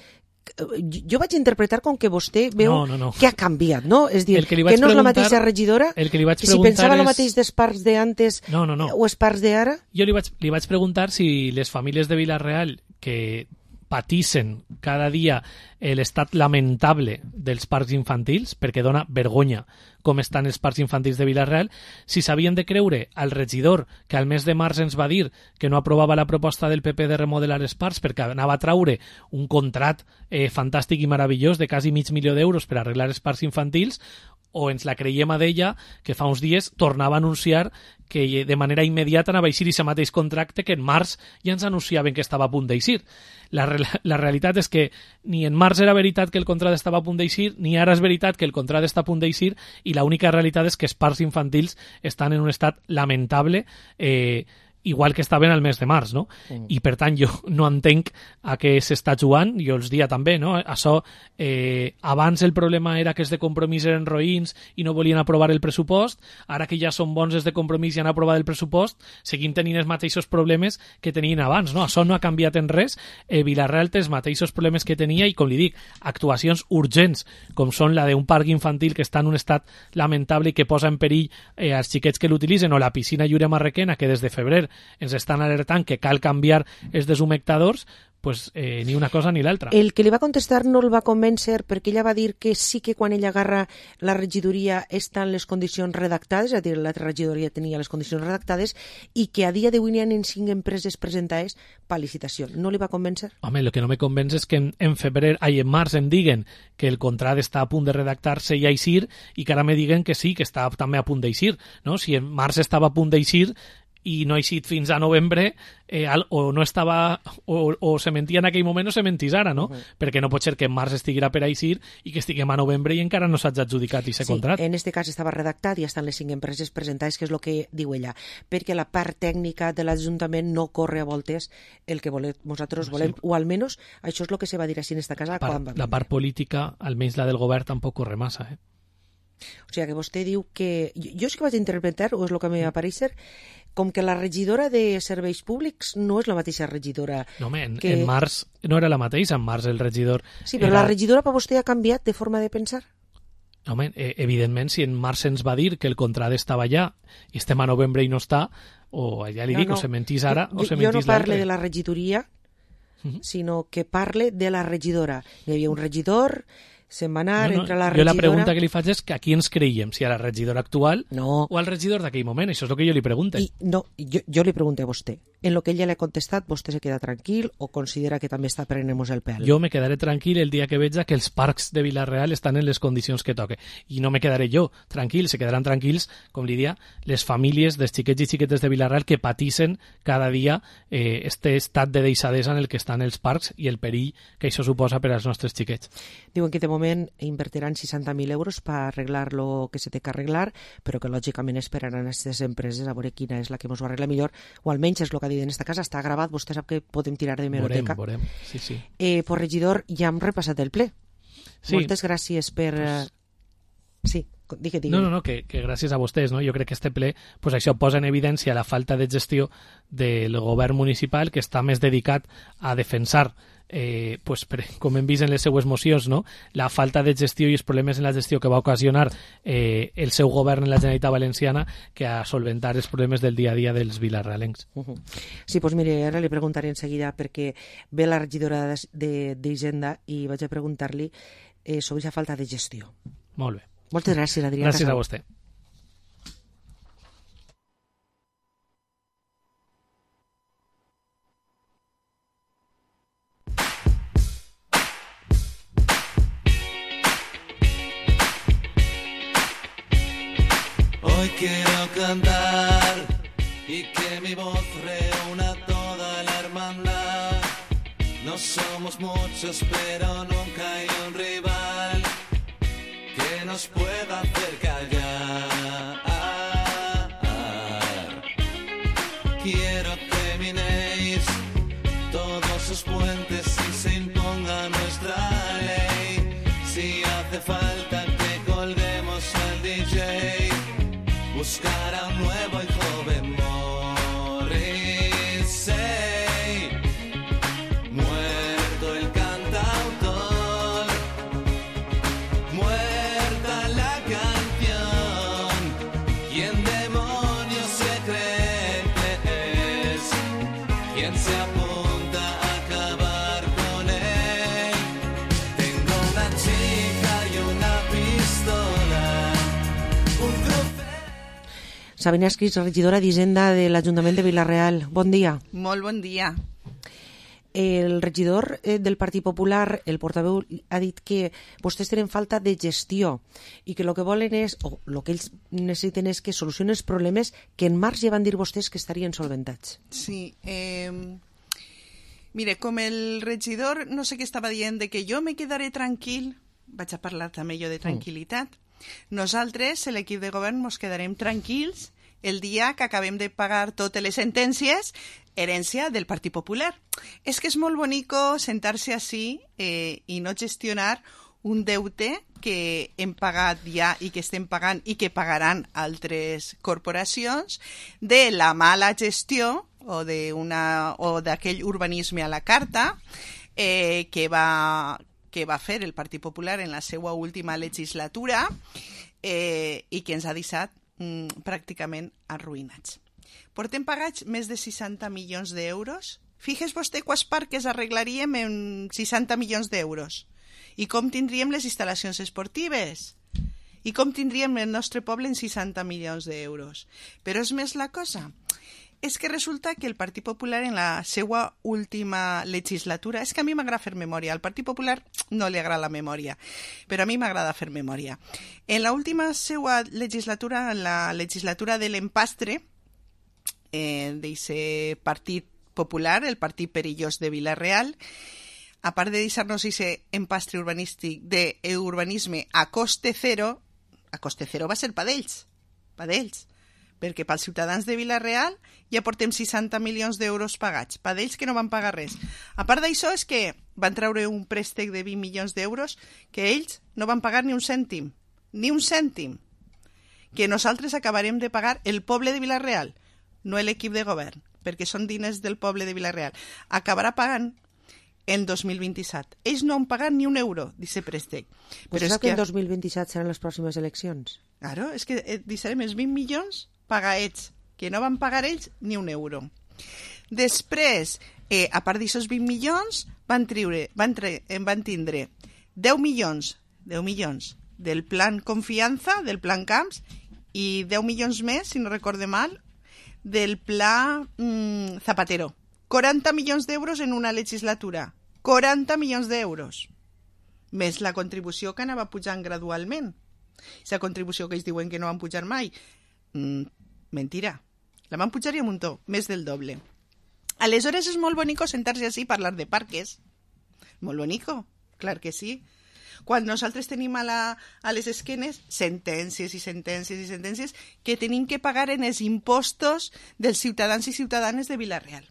jo vaig interpretar com que vostè veu que ha canviat, no? És dir, que no és la mateixa regidora, que si pensava el mateix dels parcs d'antes o els parcs d'ara. Jo li vaig preguntar si les famílies de Vila-real que patissen cada dia l'estat lamentable dels parcs infantils, perquè dona vergonya com estan els parcs infantils de Vila-real, si s'havien de creure al regidor que al mes de març ens va dir que no aprovava la proposta del PP de remodelar els parcs perquè anava a traure un contrat fantàstic i meravellós de quasi $500,000 per arreglar els parcs infantils, o ens la creiem a d'ella, que fa uns dies tornava a anunciar que de manera immediata anava a eixir aquest mateix contracte que en març ja ens anunciaven que estava a punt d'eixir. La realitat és que ni en març era veritat que el contracte estava a punt d'eixir, ni ara és veritat que el contracte està a punt d'eixir, i l'única realitat és que els parcs infantils estan en un estat lamentable, igual que estaven al mes de març, no? I per tant jo no entenc a què s'està jugant, jo els dia també, no? Això, abans el problema era que els de Compromís eren roïns i no volien aprovar el pressupost, ara que ja són bons els de Compromís i han aprovat el pressupost, seguim tenint els mateixos problemes que tenien abans, no? Això no ha canviat en res, Vila-real té els mateixos problemes que tenia i, com li dic, actuacions urgents, com són la d'un parc infantil que està en un estat lamentable i que posa en perill els xiquets que l'utilitzen, o la piscina Llúria Marrequena, que des de febrer ens estan alertant que cal canviar els deshumectadors, pues, ni una cosa ni l'altra. El que li va contestar no el va convèncer perquè ella va dir que sí que quan ella agarra la regidoria estan les condicions redactades, és a dir, l'altra regidoria tenia les condicions redactades i que a dia d'avui n'hi ha 5 empreses presentades per licitació. No li va convèncer? Home, el que no me convenç és que en març em diguen que el contracte està a punt de redactar-se i a eixir, i que ara me diguen que sí, que està també a punt d'eixir, no? Si en març estava a punt d'eixir i no ha eixit fins a novembre, o no estava, o se mentia en aquell moment o se mentís ara, no? Perquè no pot ser que en març estiguera per a eixir i que estiguem a novembre i encara no s'ha adjudicat aquest contracte. En aquest cas estava redactat i estan les 5 empreses presentades, que és el que diu ella, perquè la part tècnica de l'Ajuntament no corre a voltes el que nosaltres volem, o almenys això és el que se va dir així en esta casa quan va vindre. La part política, almenys la del govern, tampoc corre massa, O sigui que vostè diu que... Jo és que vaig interpretar, o és el que m'ha aparèixer, com que la regidora de Serveis Públics no és la mateixa regidora... No, home, en març no era la mateixa, en març el regidor... Sí, però la regidora per vostè ha canviat de forma de pensar? Home, evidentment, si en març ens va dir que el contracte estava allà i estem a novembre i no està, o ja li dic, o se mentís ara o se mentís l'altre. Jo no parle de la regidoria, sinó que parle de la regidora. Hi havia un regidor... se'n va anar entre la regidora... Jo la pregunta que li faig és que a qui ens creiem, si a la regidora actual o al regidor d'aquell moment, això és el que jo li pregunto. Jo li pregunto a vostè, en lo que ella l'ha contestat, vostè se queda tranquil o considera que també està prenent-nos el pèl? Jo me quedaré tranquil el dia que veig que els parcs de Vila-real estan en les condicions que toque, i no me quedaré jo tranquil, se quedaran tranquils, com li dia, les famílies dels xiquets i xiquetes de Vila-real que patissen cada dia este estat de deixadesa en el que estan els parcs i el perill que això suposa per als nostres xiquets. Diuen que de moment invertiran 60.000 euros per arreglar lo que se té que arreglar, però que lògicament esperaran a aquestes empreses a veure quina és la que ens ho arregla millor, o almenys és el que ha dit en esta casa, està gravat, vostè sap que podem tirar de hemeroteca. Veurem, sí. Pues regidor, ja hem repassat el ple. Sí. Moltes gràcies per... Sí, digue. No, que gràcies a vostès, no? Jo crec que este ple, pues això posa en evidència la falta de gestió del govern municipal, que està més dedicat a defensar com hem vist en les seues mocions, no? La falta de gestió i els problemes en la gestió que va ocasionar el seu govern en la Generalitat Valenciana, que a solventar els problemes del dia a dia dels vilarrealencs. Sí, doncs mire, ara li preguntaré en seguida, perquè ve la regidora d'Hisenda i vaig a preguntar-li sobre aquesta falta de gestió. Molt bé. Moltes gràcies, Adrià. Gràcies a vostè. Hoy quiero cantar y que mi voz reúna toda la hermandad. No somos muchos, pero nunca hay un rival que nos pueda hacer callar. Quiero que minéis todos sus puentes y se imponga nuestra ley. Si hace falta que colguemos al DJ, buscar a un nuevo y joven Morrissey. Muerto el cantautor, muerta la canción. ¿Quién demonios se cree que es? ¿Quién se apunta a acabar con él? Tengo una chica y una pistola, un trofeo. Sabina Esquís, regidora d'Hisenda de l'Ajuntament de Vila-real. Bon dia. Molt bon dia. El regidor del Partit Popular, el portaveu, ha dit que vostès tenen falta de gestió i que el que volen és, o el que ells necessiten és que solucionen els problemes que en març ja van dir vostès que estarien solventats. Sí, mire, com el regidor no sé què estava dient de que jo me quedaré tranquil, vaig a parlar també jo de tranquil·litat. Nosaltres, l'equip de govern, ens quedarem tranquils el dia que acabem de pagar totes les sentències, herència del Partit Popular. És que és molt bonico sentar-se així i no gestionar un deute que hem pagat ja i que estem pagant i que pagaran altres corporacions de la mala gestió o d'aquell urbanisme a la carta que va fer el Partit Popular en la seva última legislatura i que ens ha deixat pràcticament arruïnats. Portem pagats més de 60 milions d'euros. Fixes vostè quants parcs arreglaríem en 60 milions d'euros. I com tindríem les instal·lacions esportives. I com tindríem el nostre poble en 60 milions d'euros. Però és més la cosa. És que resulta que el Partit Popular en la seva última legislatura, és que a mi m'agrada fer memòria, al Partit Popular no li agrada la memòria, però a mi m'agrada fer memòria. En la última seva legislatura, en la legislatura de l'empastre, d'aquest Partit Popular, el Partit Perillós de Vila-real, a part de deixar-nos aquest empastre urbanístic d'urbanisme a coste zero va ser pa d'ells, perquè pels ciutadans de Vila-real ja portem 60 milions d'euros pagats, pa d'ells que no van pagar res. A part d'això és que van treure un préstec de 20 milions d'euros que ells no van pagar ni un cèntim, que nosaltres acabarem de pagar el poble de Vila-real, no l'equip de govern, perquè són diners del poble de Vila-real. Acabarà pagant en 2027. Ells no han pagat ni un euro d'aquest préstec. Però és que en 2027 seran les pròximes eleccions. Claro, és que deixarem els 20 milions pagats, que no van pagar ells ni un euro. Després, a part d'aquests 20 milions, van tindre 10 milions del plan Confiança, del plan Camps, i 10 milions més, si no recorde mal, del pla Zapatero. 40 milions d'euros en una legislatura. 40 milions d'euros. Més la contribució que anava pujant gradualment. La contribució que ells diuen que no van pujar mai. Mentira. La van pujar i un muntó, més del doble. Aleshores és molt bonico sentar-se així i parlar de parques. Molt bonico, clar que sí. Quan nosaltres tenim a les esquenes sentències i sentències i sentències que tenim que pagar en els impostos dels ciutadans i ciutadanes de Vila-real.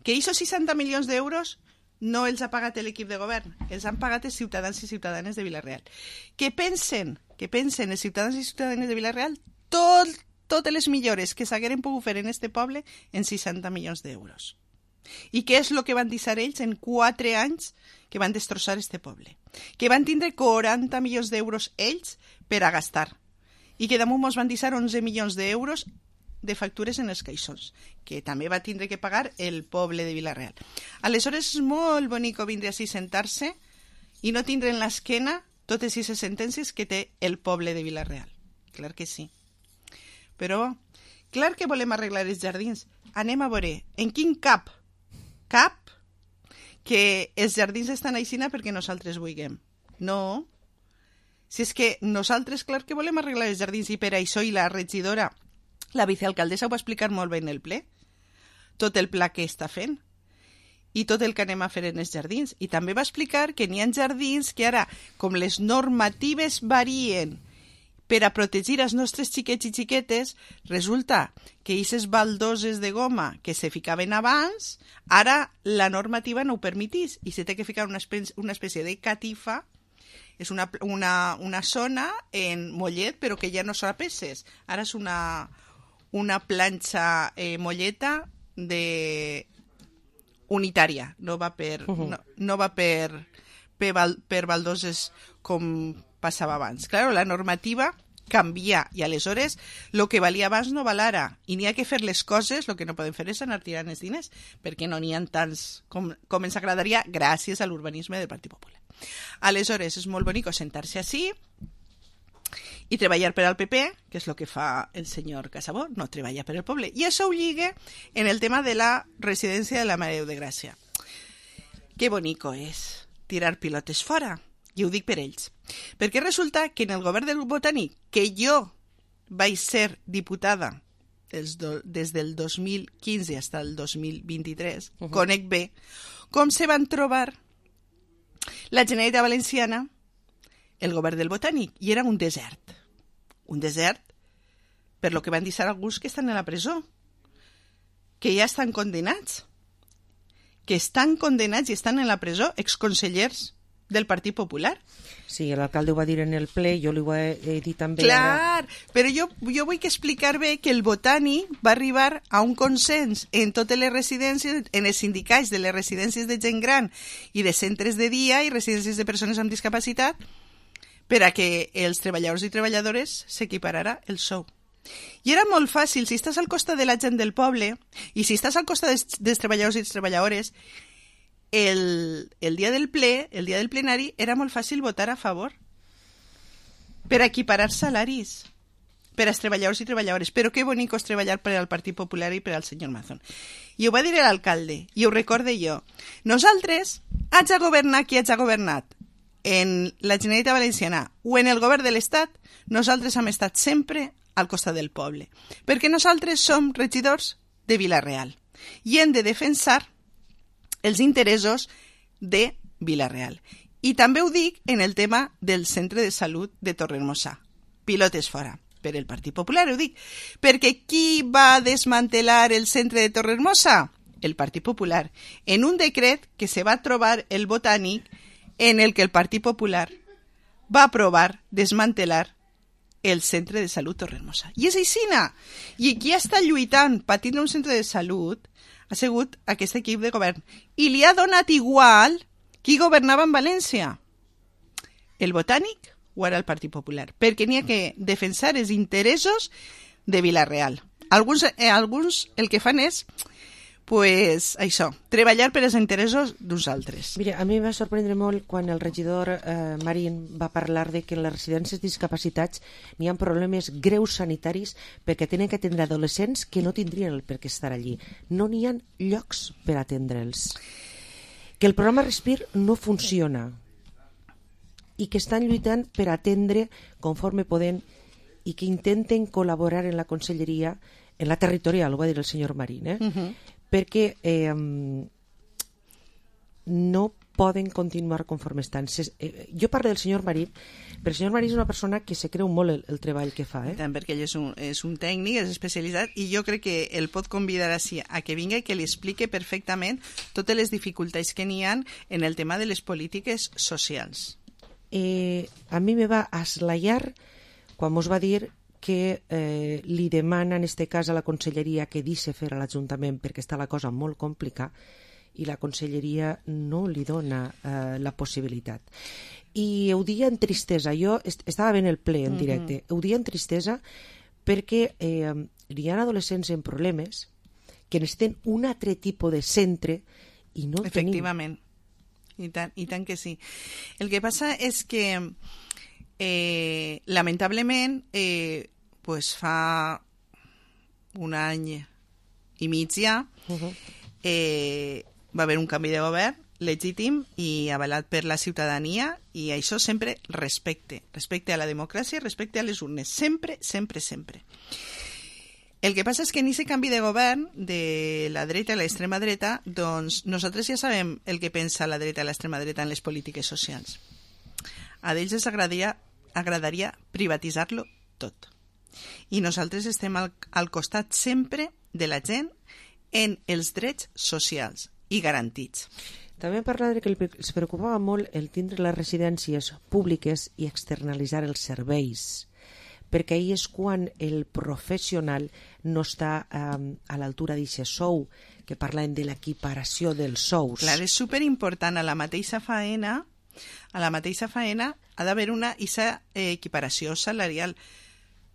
Que aquests 60 milions d'euros no els ha pagat l'equip de govern, els han pagat els ciutadans i ciutadanes de Vila-real. Que pensen els ciutadans i ciutadanes de Vila-real totes les millores que s'hagueren pogut fer en este poble en 60 milions d'euros. I què és el que van deixar ells en 4 anys que van destrossar este poble? Que van tindre 40 milions d'euros ells per a gastar. I que damunt ens van deixar 11 milions d'euros de factures en els caixons, que també va tindre que pagar el poble de Vila-real. Aleshores és molt bonico vindre així, sentar-se i no tindre en l'esquena totes aquestes sentències que té el poble de Vila-real. Clar que sí. Però, clar que volem arreglar els jardins. Anem a veure, en quin cap que els jardins estan aixina perquè nosaltres vulguem. No. Si és que nosaltres, clar que volem arreglar els jardins, i per això i la regidora La vicealcaldessa ho va explicar molt bé en el ple. Tot el pla que està fent i tot el que anem a fer en els jardins. I també va explicar que n'hi ha jardins que ara, com les normatives varien per a protegir els nostres xiquets i xiquetes, resulta que aquestes baldoses de goma que se ficaven abans, ara la normativa no ho permetís i se té que ficar una espècie de catifa. És una zona en mollet, però que ja no són peces. Ara és una planxa molleta unitària, no va per baldoses com passava abans. Claro, la normativa canvia i aleshores el que valia abans no val ara i n'hi ha que fer les coses, el que no podem fer és anar tirant els diners perquè no n'hi ha tants com ens agradaria gràcies a l'urbanisme del Partit Popular. Aleshores és molt bonic sentar-se així i treballar per al PP, que és el que fa el senyor Casabó, no treballa per al poble. I això ho lliga en el tema de la residència de la Mare de Déu de Gràcia. Que bonico és tirar pilotes fora, i ho dic per ells. Perquè resulta que en el govern del Botànic, que jo vaig ser diputada des del 2015 fins al 2023, conec bé com se van trobar la Generalitat Valenciana, el govern del Botànic, i era un desert. Un desert per lo que van dir alguns que estan a la presó, que ja estan condemnats, i estan en la presó, exconsellers del Partit Popular. Sí, l'alcalde ho va dir en el ple, jo li ho he dit també. Clar, però jo vull que explicar bé que el Botànic va arribar a un consens en totes les residències, en els sindicats de les residències de gent gran i de centres de dia i residències de persones amb discapacitat per a que els treballadors i treballadores s'equiparara el sou. I era molt fàcil, si estàs al costat de la gent del poble i si estàs al costat dels treballadors i les treballadores, el dia del ple, el dia del plenari, era molt fàcil votar a favor per equiparar salaris per als treballadors i treballadores. Però que bonic és treballar per al Partit Popular i per al senyor Mazón. I ho va dir l'alcalde, i ho recorde jo. Nosaltres, haig de governar qui haig de governat, en la Generalitat Valenciana o en el govern de l'Estat, nosaltres hem estat sempre al costat del poble. Perquè nosaltres som regidors de Vila-real i hem de defensar els interessos de Vila-real. I també ho dic en el tema del centre de salut de Torrehermosa. Pilotes fora. Per el Partit Popular ho dic. Perquè qui va desmantelar el centre de Torrehermosa? El Partit Popular. En un decret que se va trobar el Botànic en el que el Partit Popular va aprovar desmantelar el centre de salut Torrehermosa. I és aixina. I qui està lluitant per tindre un centre de salut ha sigut aquest equip de govern. I li ha donat igual qui governava en València. El Botànic o era el Partit Popular. Perquè n'hi ha que defensar els interessos de Vila-real. Alguns el que fan és pues, això, treballar per als interessos d'uns altres. Mira, a mi em va sorprendre molt quan el regidor Marín va parlar de que en les residències discapacitats n'hi ha problemes greus sanitaris perquè tenen que atendre adolescents que no tindrien el per què estar allí. No n'hi ha llocs per atendre'ls. Que el programa Respir no funciona i que estan lluitant per atendre conforme poden i que intenten col·laborar en la conselleria, en la territorial, ho va dir el senyor Marín, perquè no poden continuar conforme estan. Jo parlo del senyor Marín, però el senyor Marín és una persona que se creu molt el treball que fa. Tant, perquè ell és un tècnic, és especialitzat, i jo crec que el pot convidar així a que vinga i que li explique perfectament totes les dificultats que n'hi ha en el tema de les polítiques socials. A mi me va aslaiar quan mos va dir que li demana en este cas a la conselleria que deixi fer a l'Ajuntament perquè està la cosa molt complicada i la conselleria no li dona la possibilitat. I ho dia en tristesa, jo estava ben el ple en directe, ho dia en tristesa perquè hi ha adolescents en problemes que necessiten un altre tipus de centre i no el tenim. Efectivament, i tant que sí. El que passa és que lamentablement pues fa un any i mig ja va haver un canvi de govern legítim i avalat per la ciutadania i això sempre respecte a la democràcia i respecte a les urnes, sempre. El que passa és que en aquest canvi de govern de la dreta i l'extrema dreta, doncs nosaltres ja sabem el que pensa la dreta i l'extrema dreta en les polítiques socials. A ells els agradaria privatitzar-lo tot. I nosaltres estem al costat sempre de la gent en els drets socials i garantits. També parla que els preocupava molt el tindre les residències públiques i externalitzar els serveis, perquè ahir és quan el professional no està a l'altura d'aquest sou, que parlen de l'equiparació dels sous. Clar, és superimportant. A la mateixa faena ha d'haver una equiparació salarial.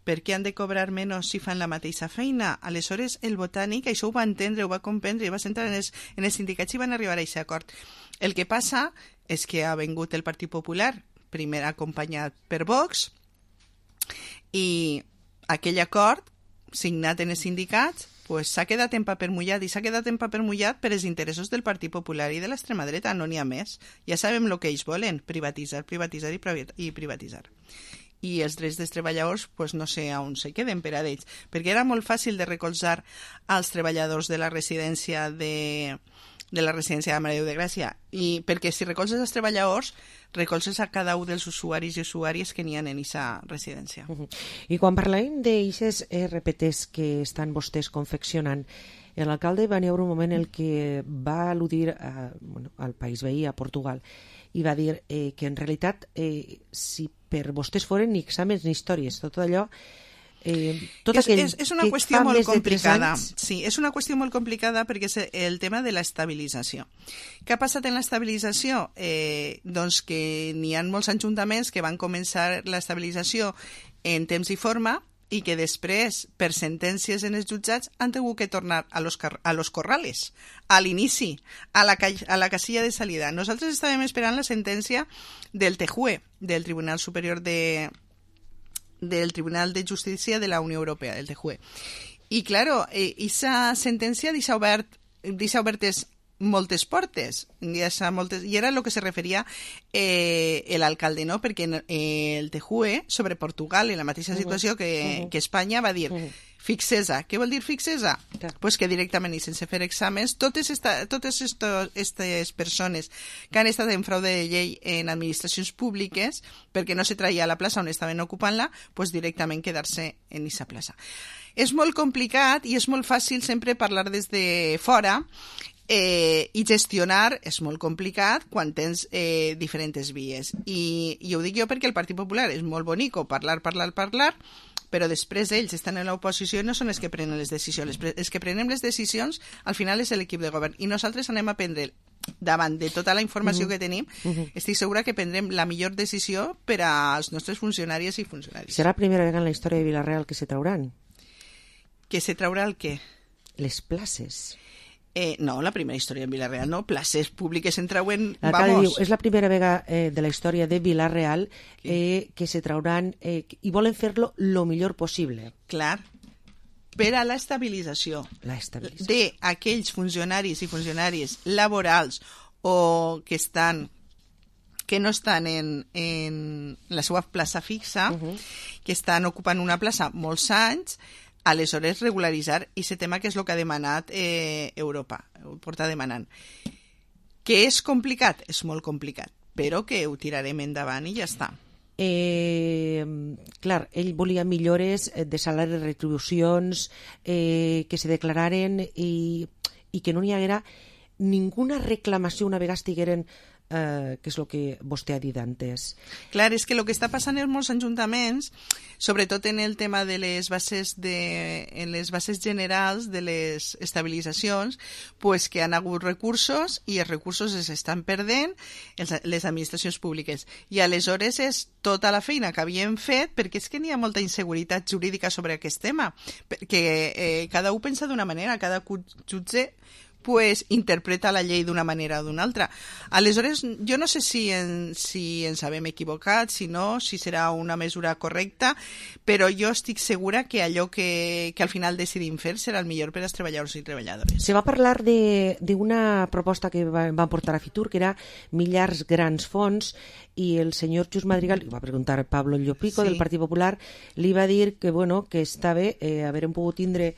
Per què han de cobrar menys si fan la mateixa feina? Aleshores, el Botànic això ho va entendre, ho va comprendre, va sentar en els sindicats i van arribar a aquest acord. El que passa és que ha vingut el Partit Popular, primer acompanyat per Vox, i aquell acord signat en els sindicats s'ha quedat en paper mullat, i s'ha quedat en paper mullat per els interessos del Partit Popular i de l'extrema dreta, no n'hi ha més. Ja sabem el que ells volen, privatitzar i privatitzar. I els drets dels treballadors no sé on se queden per a ells, perquè era molt fàcil de recolzar als treballadors de la residència de la Mare de Déu de Gràcia, i perquè si recolzes els treballadors recolzes a cada un dels usuaris i usuàries que n'hi ha en aquesta residència. I quan parlem d'aixes RPTs que estan vostès confeccionant, l'alcalde va haver un moment en què va al·ludir al país veí, a Portugal, i va dir que en realitat si per vostès foren ni exàmens ni històries, tot allò és una qüestió molt complicada. Sí, és una qüestió molt complicada perquè és el tema de l'estabilització. Què ha passat en l'estabilització? Doncs que n'hi ha molts ajuntaments que van començar l'estabilització en temps i forma i que després, per sentències en els jutjats, han hagut que tornar a los corrales, a l'inici, a la casilla de salida. Nosaltres estàvem esperant la sentència del TJUE, del Tribunal Superior del Tribunal de Justícia de la Unió Europea, del TJUE. I, claro, esa sentència deixa obertes moltes portes, i era el que se referia l'alcalde, no? Perquè el TJUE sobre Portugal, en la mateixa situació que Espanya, va dir fixesa. Què vol dir fixesa? Pues que directament i sense fer exàmens totes aquestes persones que han estat en fraude de llei en administracions públiques perquè no se traia a la plaça on estaven ocupant-la, pues directament quedar-se en aquesta plaça. És molt complicat i és molt fàcil sempre parlar des de fora i gestionar és molt complicat quan tens diferents vies. I ho dic jo perquè el Partit Popular és molt bonico parlar, però després ells estan en l'oposició i no són els que prenen les decisions. Els que prenem les decisions al final és l'equip de govern i nosaltres anem a prendre davant de tota la informació que tenim, estic segura que prendrem la millor decisió per als nostres funcionaris i funcionaris. Serà la primera vegada en la història de Vila-real que se trauran? Que se traurà el què? Les places. No, la primera història en Vila-real no, places públiques en trauen, vamos. És la primera vegada de la història de Vila-real que se trauran i volen fer-lo lo millor possible. Clar, per a l'estabilització d'aquells funcionaris i funcionàries laborals o que no estan en la seva plaça fixa, que estan ocupant una plaça molts anys, aleshores regularitzar aquest tema que és el que ha demanat Europa, ho porta demanant. Que és complicat? És molt complicat, però que ho tirarem endavant i ja està. Clar, ell volia millores de salari, retribucions, que se declararen i que no n'hi haguera ninguna reclamació una vegada estigueren que és el que vostè ha dit antes. Clar, és que el que està passant en molts ajuntaments, sobretot en el tema de les bases generals de les estabilitzacions, pues que han hagut recursos i els recursos es estan perdent les administracions públiques. I aleshores és tota la feina que havíem fet, perquè és que n'hi ha molta inseguretat jurídica sobre aquest tema, perquè cada un pensa d'una manera, cada jutge pues interpreta la llei d'una manera o d'una altra. Aleshores, jo no sé si ens havem equivocat, si no, si serà una mesura correcta, però jo estic segura que allò que al final decidim fer serà el millor per als treballadors i treballadores. Se va parlar d'una proposta que van portar a Fitur, que era Millars Grans Fons, i el senyor Just Madrigal, li va preguntar a Pablo Llopico, del Partit Popular, li va dir que, bueno, que està bé haverem pogut tindre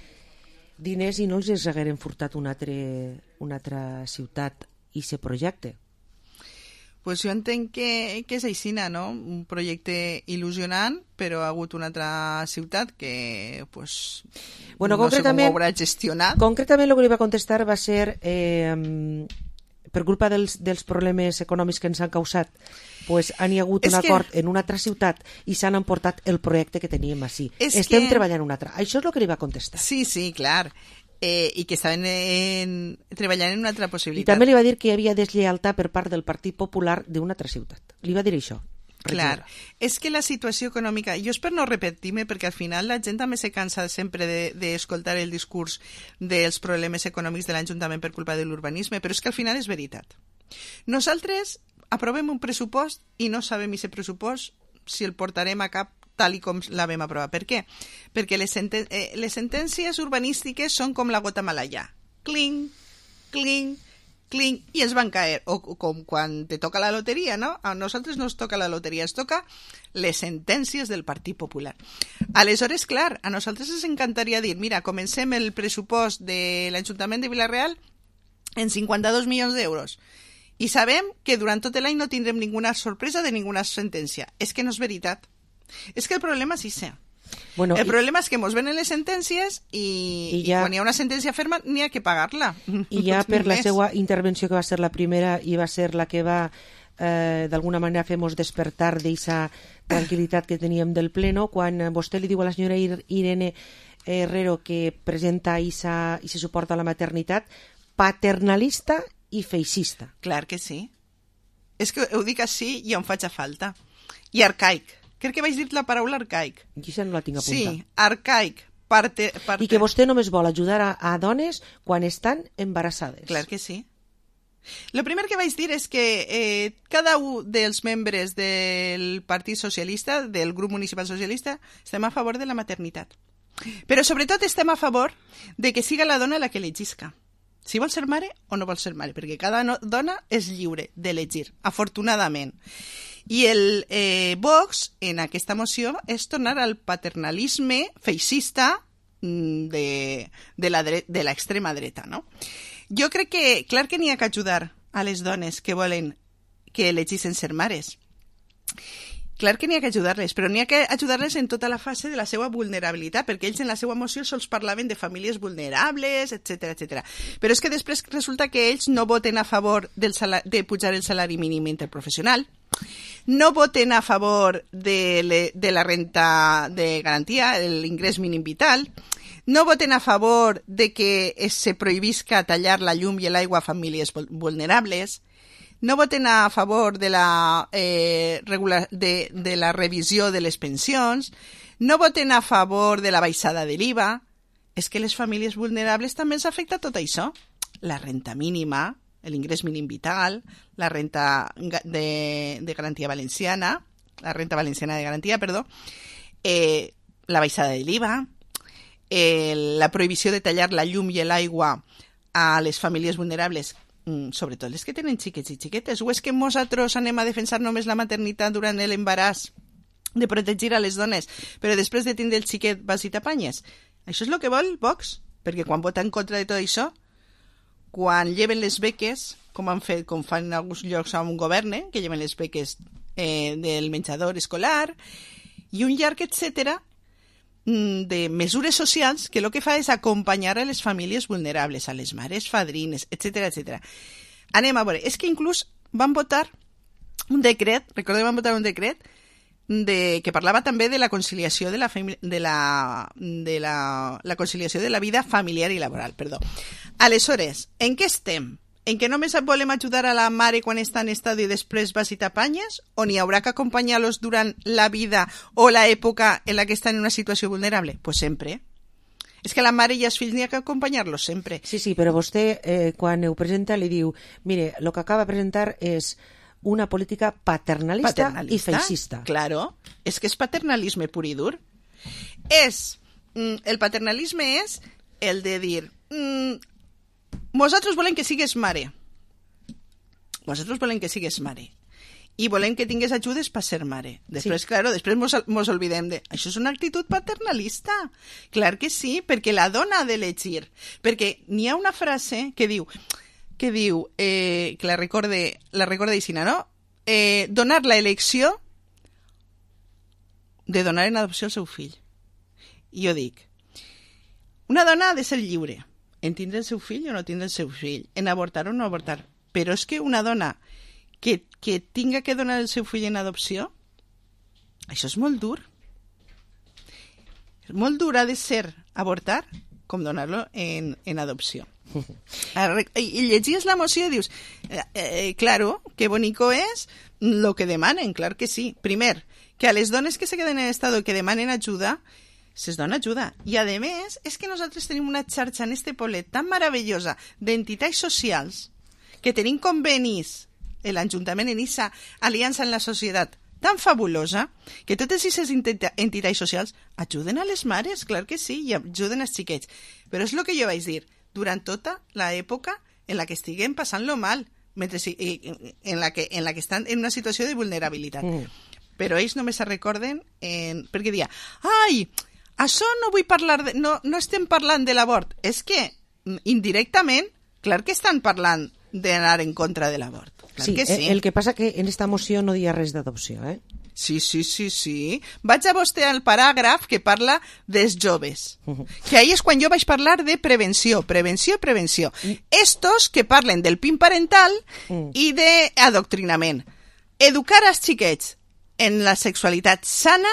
diners i no els hagueren furtat una altra ciutat i aquest projecte. Pues jo entenc que és aixina, no? Un projecte il·lusionant, però ha hagut una altra ciutat que pues, bueno, no sé com ho haurà gestionat. Concretament el que li va contestar va ser per culpa dels problemes econòmics que ens han causat, pues han hi hagut un acord en una altra ciutat i s'han emportat el projecte que teníem així. Estem treballant en una altra. Això és el que li va contestar. Sí, clar. I que estaven treballant en una altra possibilitat. I també li va dir que hi havia deslleialtat per part del Partit Popular d'una altra ciutat. Li va dir això. Clar, és que la situació econòmica, jo és per no repetir-me, perquè al final la gent també se cansa sempre d'escoltar el discurs dels problemes econòmics de l'Ajuntament per culpa de l'urbanisme, però és que al final és veritat. Nosaltres aprovem un pressupost i no sabem si el pressupost si el portarem a cap tal i com la vam aprovar. Per què? Perquè les sentències urbanístiques són com la gota malaya. Cling, cling, cling, i ens van caer. O com quan te toca la loteria, no? A nosaltres no ens toca la loteria, ens toca les sentències del Partit Popular. Aleshores, clar, a nosaltres ens encantaria dir, mira, comencem el pressupost de l'Ajuntament de Vila-real en 52 milions d'euros. I sabem que durant tot l'any no tindrem ninguna sorpresa de ninguna sentència. És que no és veritat. És que el problema és això. Bueno, el problema és que ens venen les sentències i quan hi ha una sentència ferma n'hi ha que pagar-la. I ja per la seva intervenció, que va ser la primera i va ser la que va d'alguna manera fer-nos despertar d'aquesta tranquil·litat que teníem del pleno, quan vostè li diu a la senyora Irene Herrero que presenta i se suporta la maternitat, paternalista i feixista. Clar que sí. És que ho dic així i em faig a falta. I arcaic. Crec que vaig dir la paraula arcaic. I això no la tinc apuntat. Sí, arcaic. I que vostè només vol ajudar a dones quan estan embarassades. Clar que sí. El primer que vaig dir és que cada un dels membres del Partit Socialista, del grup municipal socialista, estem a favor de la maternitat. Però sobretot estem a favor de que siga la dona la que elegisca. Si vol ser mare o no vol ser mare, perquè cada dona és lliure d'elegir, afortunadament. I el Vox, en aquesta moció, és tornar al paternalisme feixista de l'extrema dreta, no? Jo crec que, clar que n'hi ha que ajudar a les dones que volen que elegissin ser mares. Clar que n'hi ha que ajudar-les, però n'hi ha que ajudar-les en tota la fase de la seva vulnerabilitat, perquè ells en la seva moció sols parlaven de famílies vulnerables, etc. Però és que després resulta que ells no voten a favor de pujar el salari mínim interprofessional, no voten a favor de la renta de garantia, l'ingrés mínim vital, no voten a favor de que se prohibisca tallar la llum i l'aigua a famílies vulnerables, no voten a favor de la revisió de les pensions, no voten a favor de la baixada de l'IVA. És que les famílies vulnerables també ens afecta tot això. La renta mínima, l'ingrés mínim vital, la renta de garantia valenciana, la renta valenciana de garantia, perdó, la baixada de l'IVA, la prohibició de tallar la llum i l'aigua a les famílies vulnerables, sobretot les que tenen xiquets i xiquetes, o és que nosaltres anem a defensar només la maternitat durant l'embaràs, de protegir a les dones, però després de tindre el xiquet vas i t'apanyes? Això és el que vol Vox, perquè quan vota en contra de tot això, quan lleven les beques, com fan en alguns llocs on governen, que lleven les beques del menjador escolar, i un llarg etcètera de mesures socials que el que fa és acompanyar a les famílies vulnerables, a les mares fadrines, etc. Anem a veure, és que inclús van votar un decret, van votar un decret que parlava també de la conciliació de la conciliació de la vida familiar i laboral, perdó. Aleshores, en què estem? En què només volem ajudar a la mare quan està en estat i després vas i t'apanyes? O n'hi haurà que acompanyar-los durant la vida o l'època en la que estan en una situació vulnerable? Pues sempre. És que la mare i els fills n'hi ha que acompanyar-los sempre. Sí, però vostè, quan ho presenta, li diu, mire, el que acaba de presentar és una política paternalista i feixista. Claro, és que és paternalisme pur i dur. El paternalisme és el de dir nosaltres volem que sigues mare. Nosaltres volem que sigues mare. I volem que tingues ajudes per ser mare. Després, claro, després mos olvidem de... Això és una actitud paternalista. Clar que sí, perquè la dona ha d'elegir. Perquè n'hi ha una frase que diu que la recorde Isina, no? Donar la elecció de donar en adopció el seu fill. I jo dic, una dona ha de ser lliure en tindre el seu fill o no tindre el seu fill, en avortar o no avortar. Però és que una dona que tinga que donar el seu fill en adopció, això és molt dur. Molt dur ha de ser avortar com donar-lo en adopció. I llegies la moció i dius, claro, que bonico és lo que demanen, clar que sí. Primer, que a les dones que se queden en estado i que demanen ajuda, se'ls dona ajuda. I a més, és que nosaltres tenim una xarxa en este poblet tan meravellosa d'entitats socials que tenim convenis l'Ajuntament en aquesta aliança en la societat tan fabulosa que totes aquestes entitats socials ajuden a les mares, clar que sí, i ajuden als xiquets. Però és el que jo vaig dir, durant tota l'època en la que estiguem passant-lo mal, en la que estan en una situació de vulnerabilitat. Però ells només se recorden perquè diuen, ai, això no vull parlar, no estem parlant de l'abort. És que, indirectament, clar que estan parlant d'anar en contra de l'abort. Sí, que sí, el que passa que en esta moció no diia res d'adopció, eh? Sí. Vaig a vostè al paràgraf que parla dels joves. Que ahí és quan jo vaig parlar de prevenció. Estos que parlen del PIN parental i d'adoctrinament. Educar als xiquets en la sexualitat sana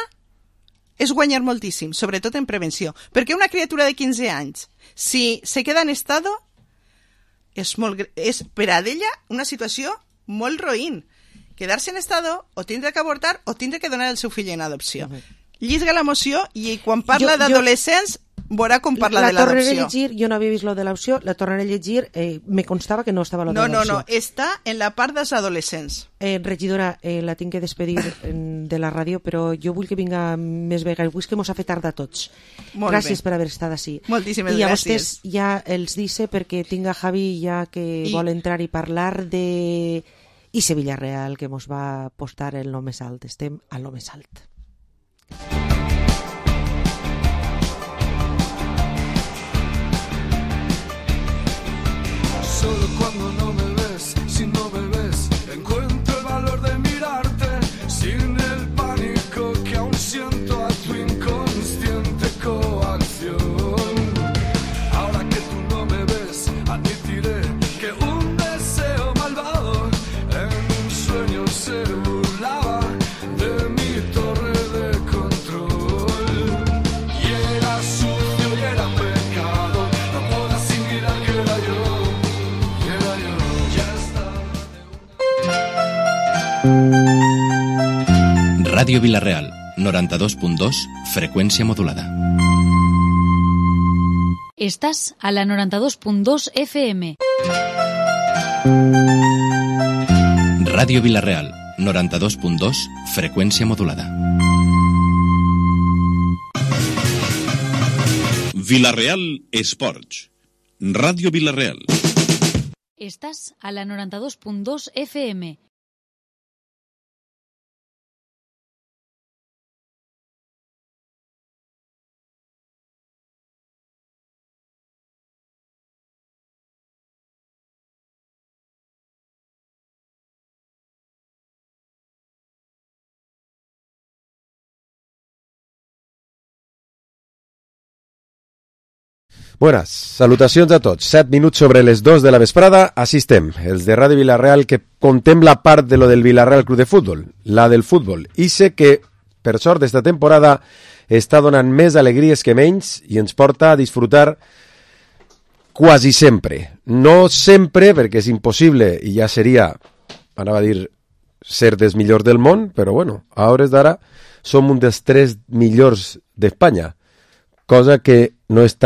és guanyar moltíssim, sobretot en prevenció. Perquè una criatura de 15 anys, si se queda en estado, és per a ella una situació molt roïn. Quedar-se en estado, o tindre que avortar, o tindre que donar el seu fill en adopció. Llisga la moció i quan parla d'adolescents veurà com parla de l'adopció. La tornaré a llegir, jo no havia vist lo de l'adopció, la tornaré a llegir, me constava que no estava lo de l'adopció. No, està en la part dels adolescents. Regidora, la tinc que despedir de la ràdio, però jo vull que vinga més vegades, vull que mos ha fet tard a tots. Gràcies per haver estat així. Moltíssimes gràcies. I a vostès ja els dice, perquè tinc a Javi ja que vol entrar i parlar de... I Sevilla Real, que mos va postar el no més alt. Estem a lo més alt. Solo cuando no me ves, si no me ves, encuentro el valor de mirarte, sin el pánico que aún siento a tu inconsciente coacción. Ahora que tú no me ves, admitiré que un deseo malvado en un sueño se burlaba de mi torre de control. Y era sucio y era pecado, no moda sin mirar que era yo. Ràdio Vila-real, 92.2, freqüència modulada. Estàs a la 92.2 FM. Ràdio Vila-real, 92.2, freqüència modulada. Vila-real Esports. Ràdio Vila-real. Estàs a la 92.2 FM. Buenas, salutacions a tots. 7 minuts sobre les 2 de la vesprada. Així estem, els de Ràdio Vila-real, que contem la part de lo del Vila-real Club de Futbol, la del futbol. I sé que, per sort, esta temporada està donant més alegries que menys i ens porta a disfrutar quasi sempre. No sempre, perquè és impossible i ja seria, anava a dir, ser dels millors del món, però bueno, a hores d'ara som un dels 3 millors d'Espanya, cosa que no està